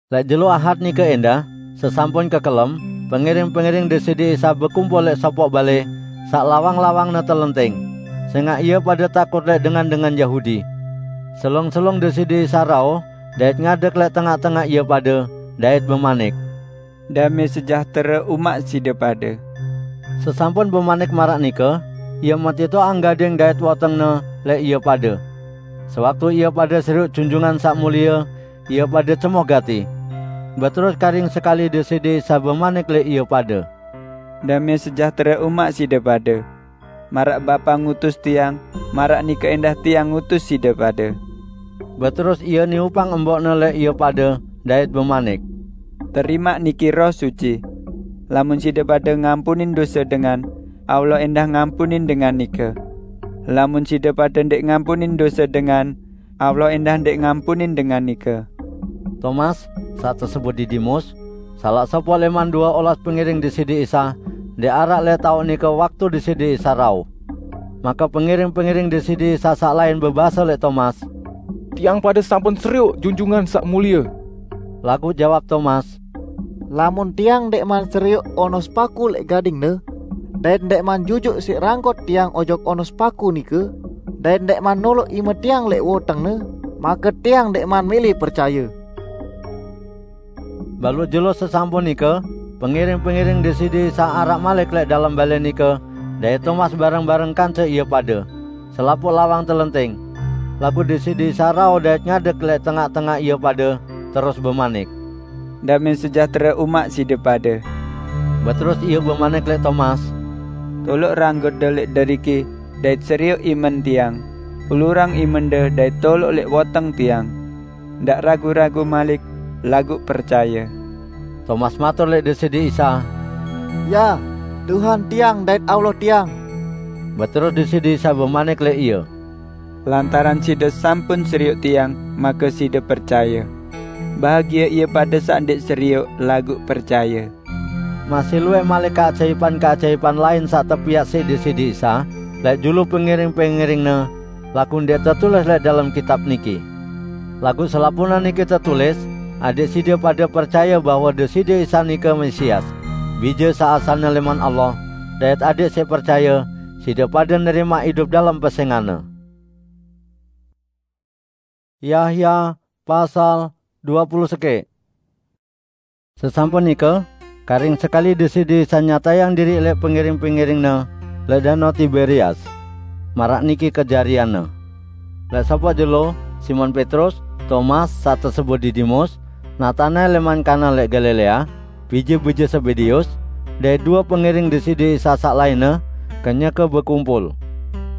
Leq jelo Ahad nika endah, sesampun kekelem, pengiring-pengiring Deside Isa bekumpul leq sopoq bale, saq lawang-lawangne telenting, sengaq ie pade takut leq dengan-dengan Yahudi. Selung-selung Deside Isa rauh, dait ngadeg leq tengaq-tengaq ie pade, dait bemanik, "Dame sejahtere umaq side pade." Sesampun bemanik maraq nika, ie metitoqang gading dait wotengne leq ie pade. Sewaktu ie pade siruq Junjungan Saq Mulie, ie pade cemoh gati. Beterus karing sekali Deside Isa bemanik leq ie pade, "Dame sejahtere umaq side pade. Maraq Bapa ngutus Tiang, maraq nike endah Tiang ngutus side pade." Beterus ie niupang embokne leq ie pade, dait bemanik, "Terimaq niki Roh Suci. Lamun side pade ngampunin dose dengan, Allah endah ngampunin dengan nike. Lamun side pade ndeq ngampunin dose dengan, Allah endah ndeq ngampunin dengan nike." Tomas, saq tesebut Didimus, salaq sopoq leman due olas pengiring Deside Isa, ndeq araq leq taoq nike waktu Deside Isa rauh. Make pengiring-pengiring Deside Isa saq lain bebase leq Tomas, "Tiang pade sampun serioq Junjungan Saq Mulie." Laguq jawab Tomas, "Lamun tiang ndeqman serioq onos paku leq gadingne, dait ndeqman jujuk siq rangkot tiang ojok onos paku nike, dait ndeqman noloq ime tiang leq wotengne, make tiang ndeqman mele percaye." Baluq jelo sesampun nike, pengiring-pengiring Deside Isa araq malik leq dalem bale nike, dait Tomas bareng-bareng kance ie pade. Selapuq lawang telenting. Laguq Deside Isa rauh dait ngadeg leq tengaq-tengaq ie pade, terus bemanik, "Dame sejahtere umaq side pade." Beterus ie bemanik leq Tomas, "Toloq ranggotde leq deriki dait serioq imen tiang. Ulurang imende dait toloq leq woteng tiang. Ndaq ragu-ragu malik, laguq percaye." Tomas matur leq Deside Isa, "Ya, Tuhan tiang dait Allah tiang." Beterus Deside Isa bemanik leq ie, "Lantaran side sampun serioq Tiang, make side percaye. Bahagie ie pade saq ndeq serioq, laguq percaye." Masih luwih malik keajaipan-keajaipan lain saq tepiaq siq Deside Isa leq julu pengiring-pengiring-Ne, laguq ndeq tetulis leq dalem kitab niki. Laguq selapuqne niki tetulis, adẽq side pade percaye bahwe Deside Isa nike Mesias, Bije saq asalne lẽman Allah, dait adẽq siq percaye, side pade nerimaq idup dalem pesẽngan-Ne. Yahya pasal due puluh sekeq. Sesampun nike, karing sekali Deside Isa nyatayang diriq leq pengiring-pengiring-Ne leq Danau Tiberias. Maraq niki kejarianne. Leq sopoq jelo, Simon Petrus, Tomas, saq tesebut Didimus, Natanael lẽman Kana leq Galilea, bije-bije Sebedeus, dait due pengiring Deside Isa saq lainne, kenyeke bekumpul.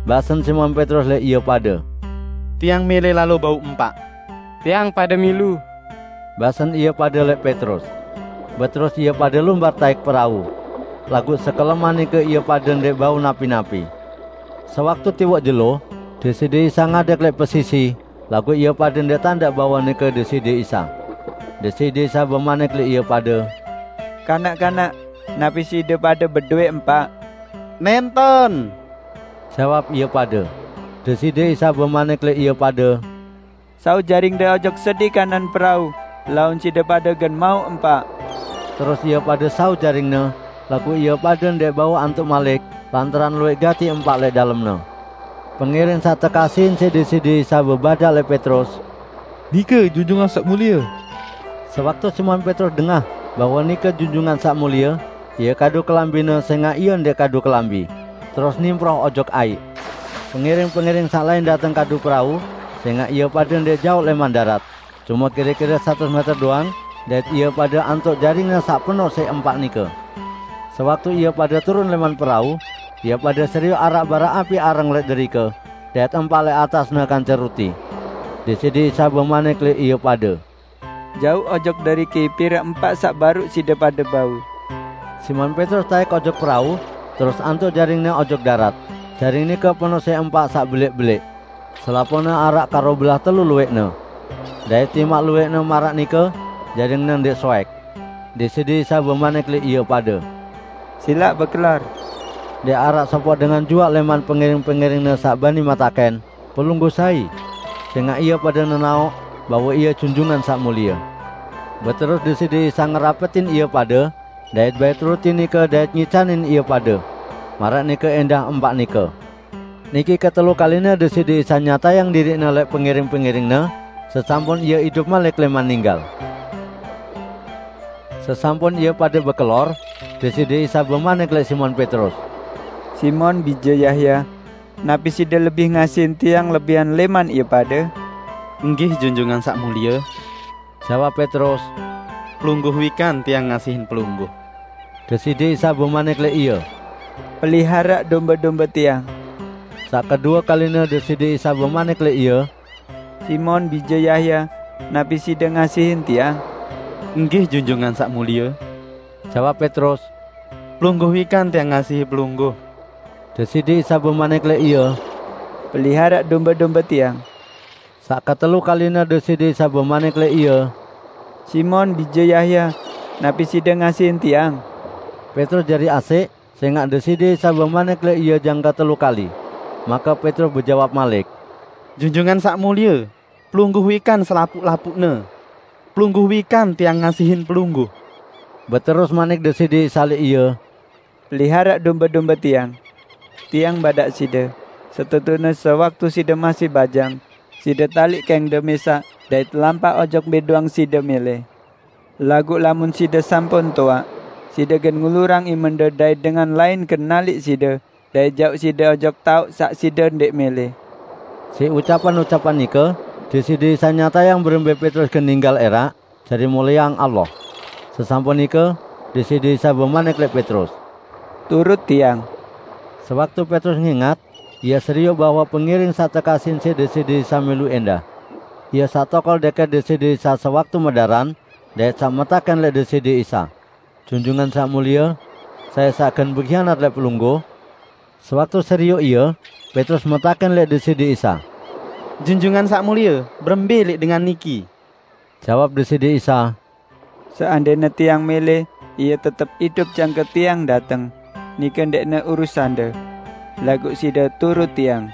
Basen Simon Petrus leq ie pade, "Tiang mele lalo bau empaq." "Tiang pade milu," basen ie pade leq Petrus. Beterus ie pade lumbar taek perau. Laguq sekeleman nike ie pade ndeq bau napi-napi. Sewaktu tiwoq jelo, Deside Isa ngadeg leq pesisi, laguq ie pade ndeq tandaq bahwe nike Deside Isa. Deside Isa bemanik leq ie pade, "Kanak-kanak, napi side pade bedowe empaq?" "Nenten," jawab ie pade. Deside Isa bemanik leq ie pade, "Sau jaringde ojok sedi kanan perau, laun side pade gen mauq empaq." Terus ie pade sau jaringne, laguq ie pade ndeq bau antuk malik, lantaran lueq gati empaq leq dalemne. Pengiring saq tekasihin siq Deside Isa bebadaq leq Petrus, "Nike Junjungan Saq Mulie." Sewaktu Simon Petrus dengah bahwe nike Junjungan Saq Mulie, ie kadu kelambine sengaq ie ndeq kadu kelambi, terus nimproh ojok aiq. Pengiring-pengiring saq lain dateng kadu perau, sengaq ie pade ndeq jaoq lẽman darat, cume kire-kire satus meter doang, dait ie pade antuk jaringne saq penoq siq empaq nike. Sewaktu ie pade turun lẽman perau, ie pade serioq araq bara api areng leq derike, dait empaq leq atasne kance ruti. Deside Isa bemanik leq ie pade, "Jauq ojok deriki pire empaq saq baruq side pade bau." Simon Petrus taek ojok perau, terus antuk jaringne ojok darat. Jaring nike penoq siq empaq saq beleq-beleq. Selapuqne araq karo belah telu lueqne. Dait timaq lueqne maraq nike, jaringne ndeq soek. Deside Isa bemanik lek ie pade, "Silaq bekelor." Ndeq araq sopoq dengan juaq leman pengiring-pengiring-Ne saq bani metaken, "Pelungguh sai?" Sengaq ie pade nenaoq bahwe Ie Junjungan Saq Mulie. Beterus Deside Isa ngerapetin ie pade, dait bait ruti nike dait ngicanin ie pade, maraq nike endah empaq nike. Niki ketelu kaline Deside Isa nyatayang diriq-Ne lek pengiring-pengiring-Ne, sesampun Ie idup malik leman ninggal. Sesampun ie pade bekelor, Deside Isa bemanik lek Simon Petrus, "Simon, bije Yahya, napi side lebih ngasihin Tiang lebihan leman ie pade?" "Enggih, Junjungan Saq Mulie," jawab Petrus, "pelungguh wikan tiang ngasihin pelungguh." Deside Isa bemanik lek ie, "Peliharaq dombe-dombe Tiang." Saq kedue kaline Deside Isa bemanik lek ie, "Simon, bije Yahya, napi side ngasihin Tiang?" "Enggih, Junjungan Saq Mulie," jawab Petrus, "pelungguh wikan tiang ngasihi pelungguh." Deside Isa bemanik lek ie, "Peliharaq dombe-dombe Tiang." Saq ketelu kaline Deside Isa bemanik lek ie, "Simon, bije Yahya, napi side ngasihin Tiang?" Petrus jari asik, sengaq Deside Isa bemanik lek ie jangke telu kali. Make Petrus bejawab malik, "Junjungan Saq Mulie, pelungguh wikan selapuq-lapuqne. Pelungguh wikan tiang ngasihin pelungguh." Beterus manik Deside Isa lek ie, "Peliharaq dombe-dombe Tiang. Tiang badaq side, setetune sewaktu side masih bajang, side taliq kengde mesaq dait lampaq ojok mbe doang side mele. Laguq lamun side sampun toaq, side gen ngulurang imende dait dengan lain gen naliq side dait jauq side ojok taoq saq side ndeq mele." Siq ucapan-ucapan nike, Deside Isa nyatayang berembe Petrus gen ninggal eraq, jari mulieang Allah. Sesampun nike, Deside Isa bemanik lek Petrus, "Turut Tiang." Sewaktu Petrus ngingat, ie serioq bahwe pengiring saq tekasihin siq Deside Isa milu endah. Ie saq tokol deket Deside Isa sewaktu medaran, dait saq metaken lek Deside Isa, "Junjungan Saq Mulie, sai saq gen bekhianat lek pelungguh?" Sewaktu serioq ie, Petrus metaken lek Deside Isa, "Junjungan Saq Mulie, berembe lek dengan niki?" Jawab Deside Isa, "Seandene Tiang mele ie tetep idup jangke Tiang dateng, nike ndeqne urusande. Laguq side turut Tiang."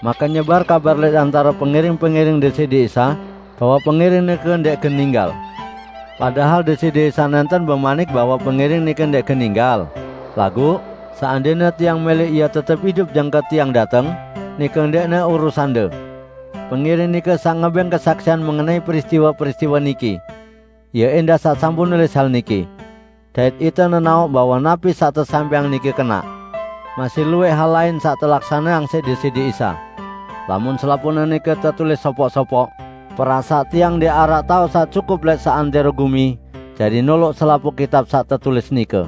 Make nyebar kabar lek antare pengiring-pengiring Deside Isa, bahwe pengiring nike ndeq gen ninggal. Padahal Deside Isa nenten bemanik bahwe pengiring nike ndeq gen ninggal. Laguq, "Seandene Tiang mele ie tetep idup jangke Tiang dateng, nike ndeqne urusande." Pengiring nike saq ngebeng kesaksian mengenai peristiwe-peristiwe niki. Ie endah saq sampun nulis hal niki. Dait ite nenaoq bahwe napi saq tesampaiang niki kenaq. Masih luwih hal lain saq telaksaneang siq Deside Isa. Lamun selapuqne nike tetulis sopoq-sopoq, perasaq tiang ndeq araq taoq saq cukup lek seantero gumi jari noloq selapuq kitab saq tetulis nike.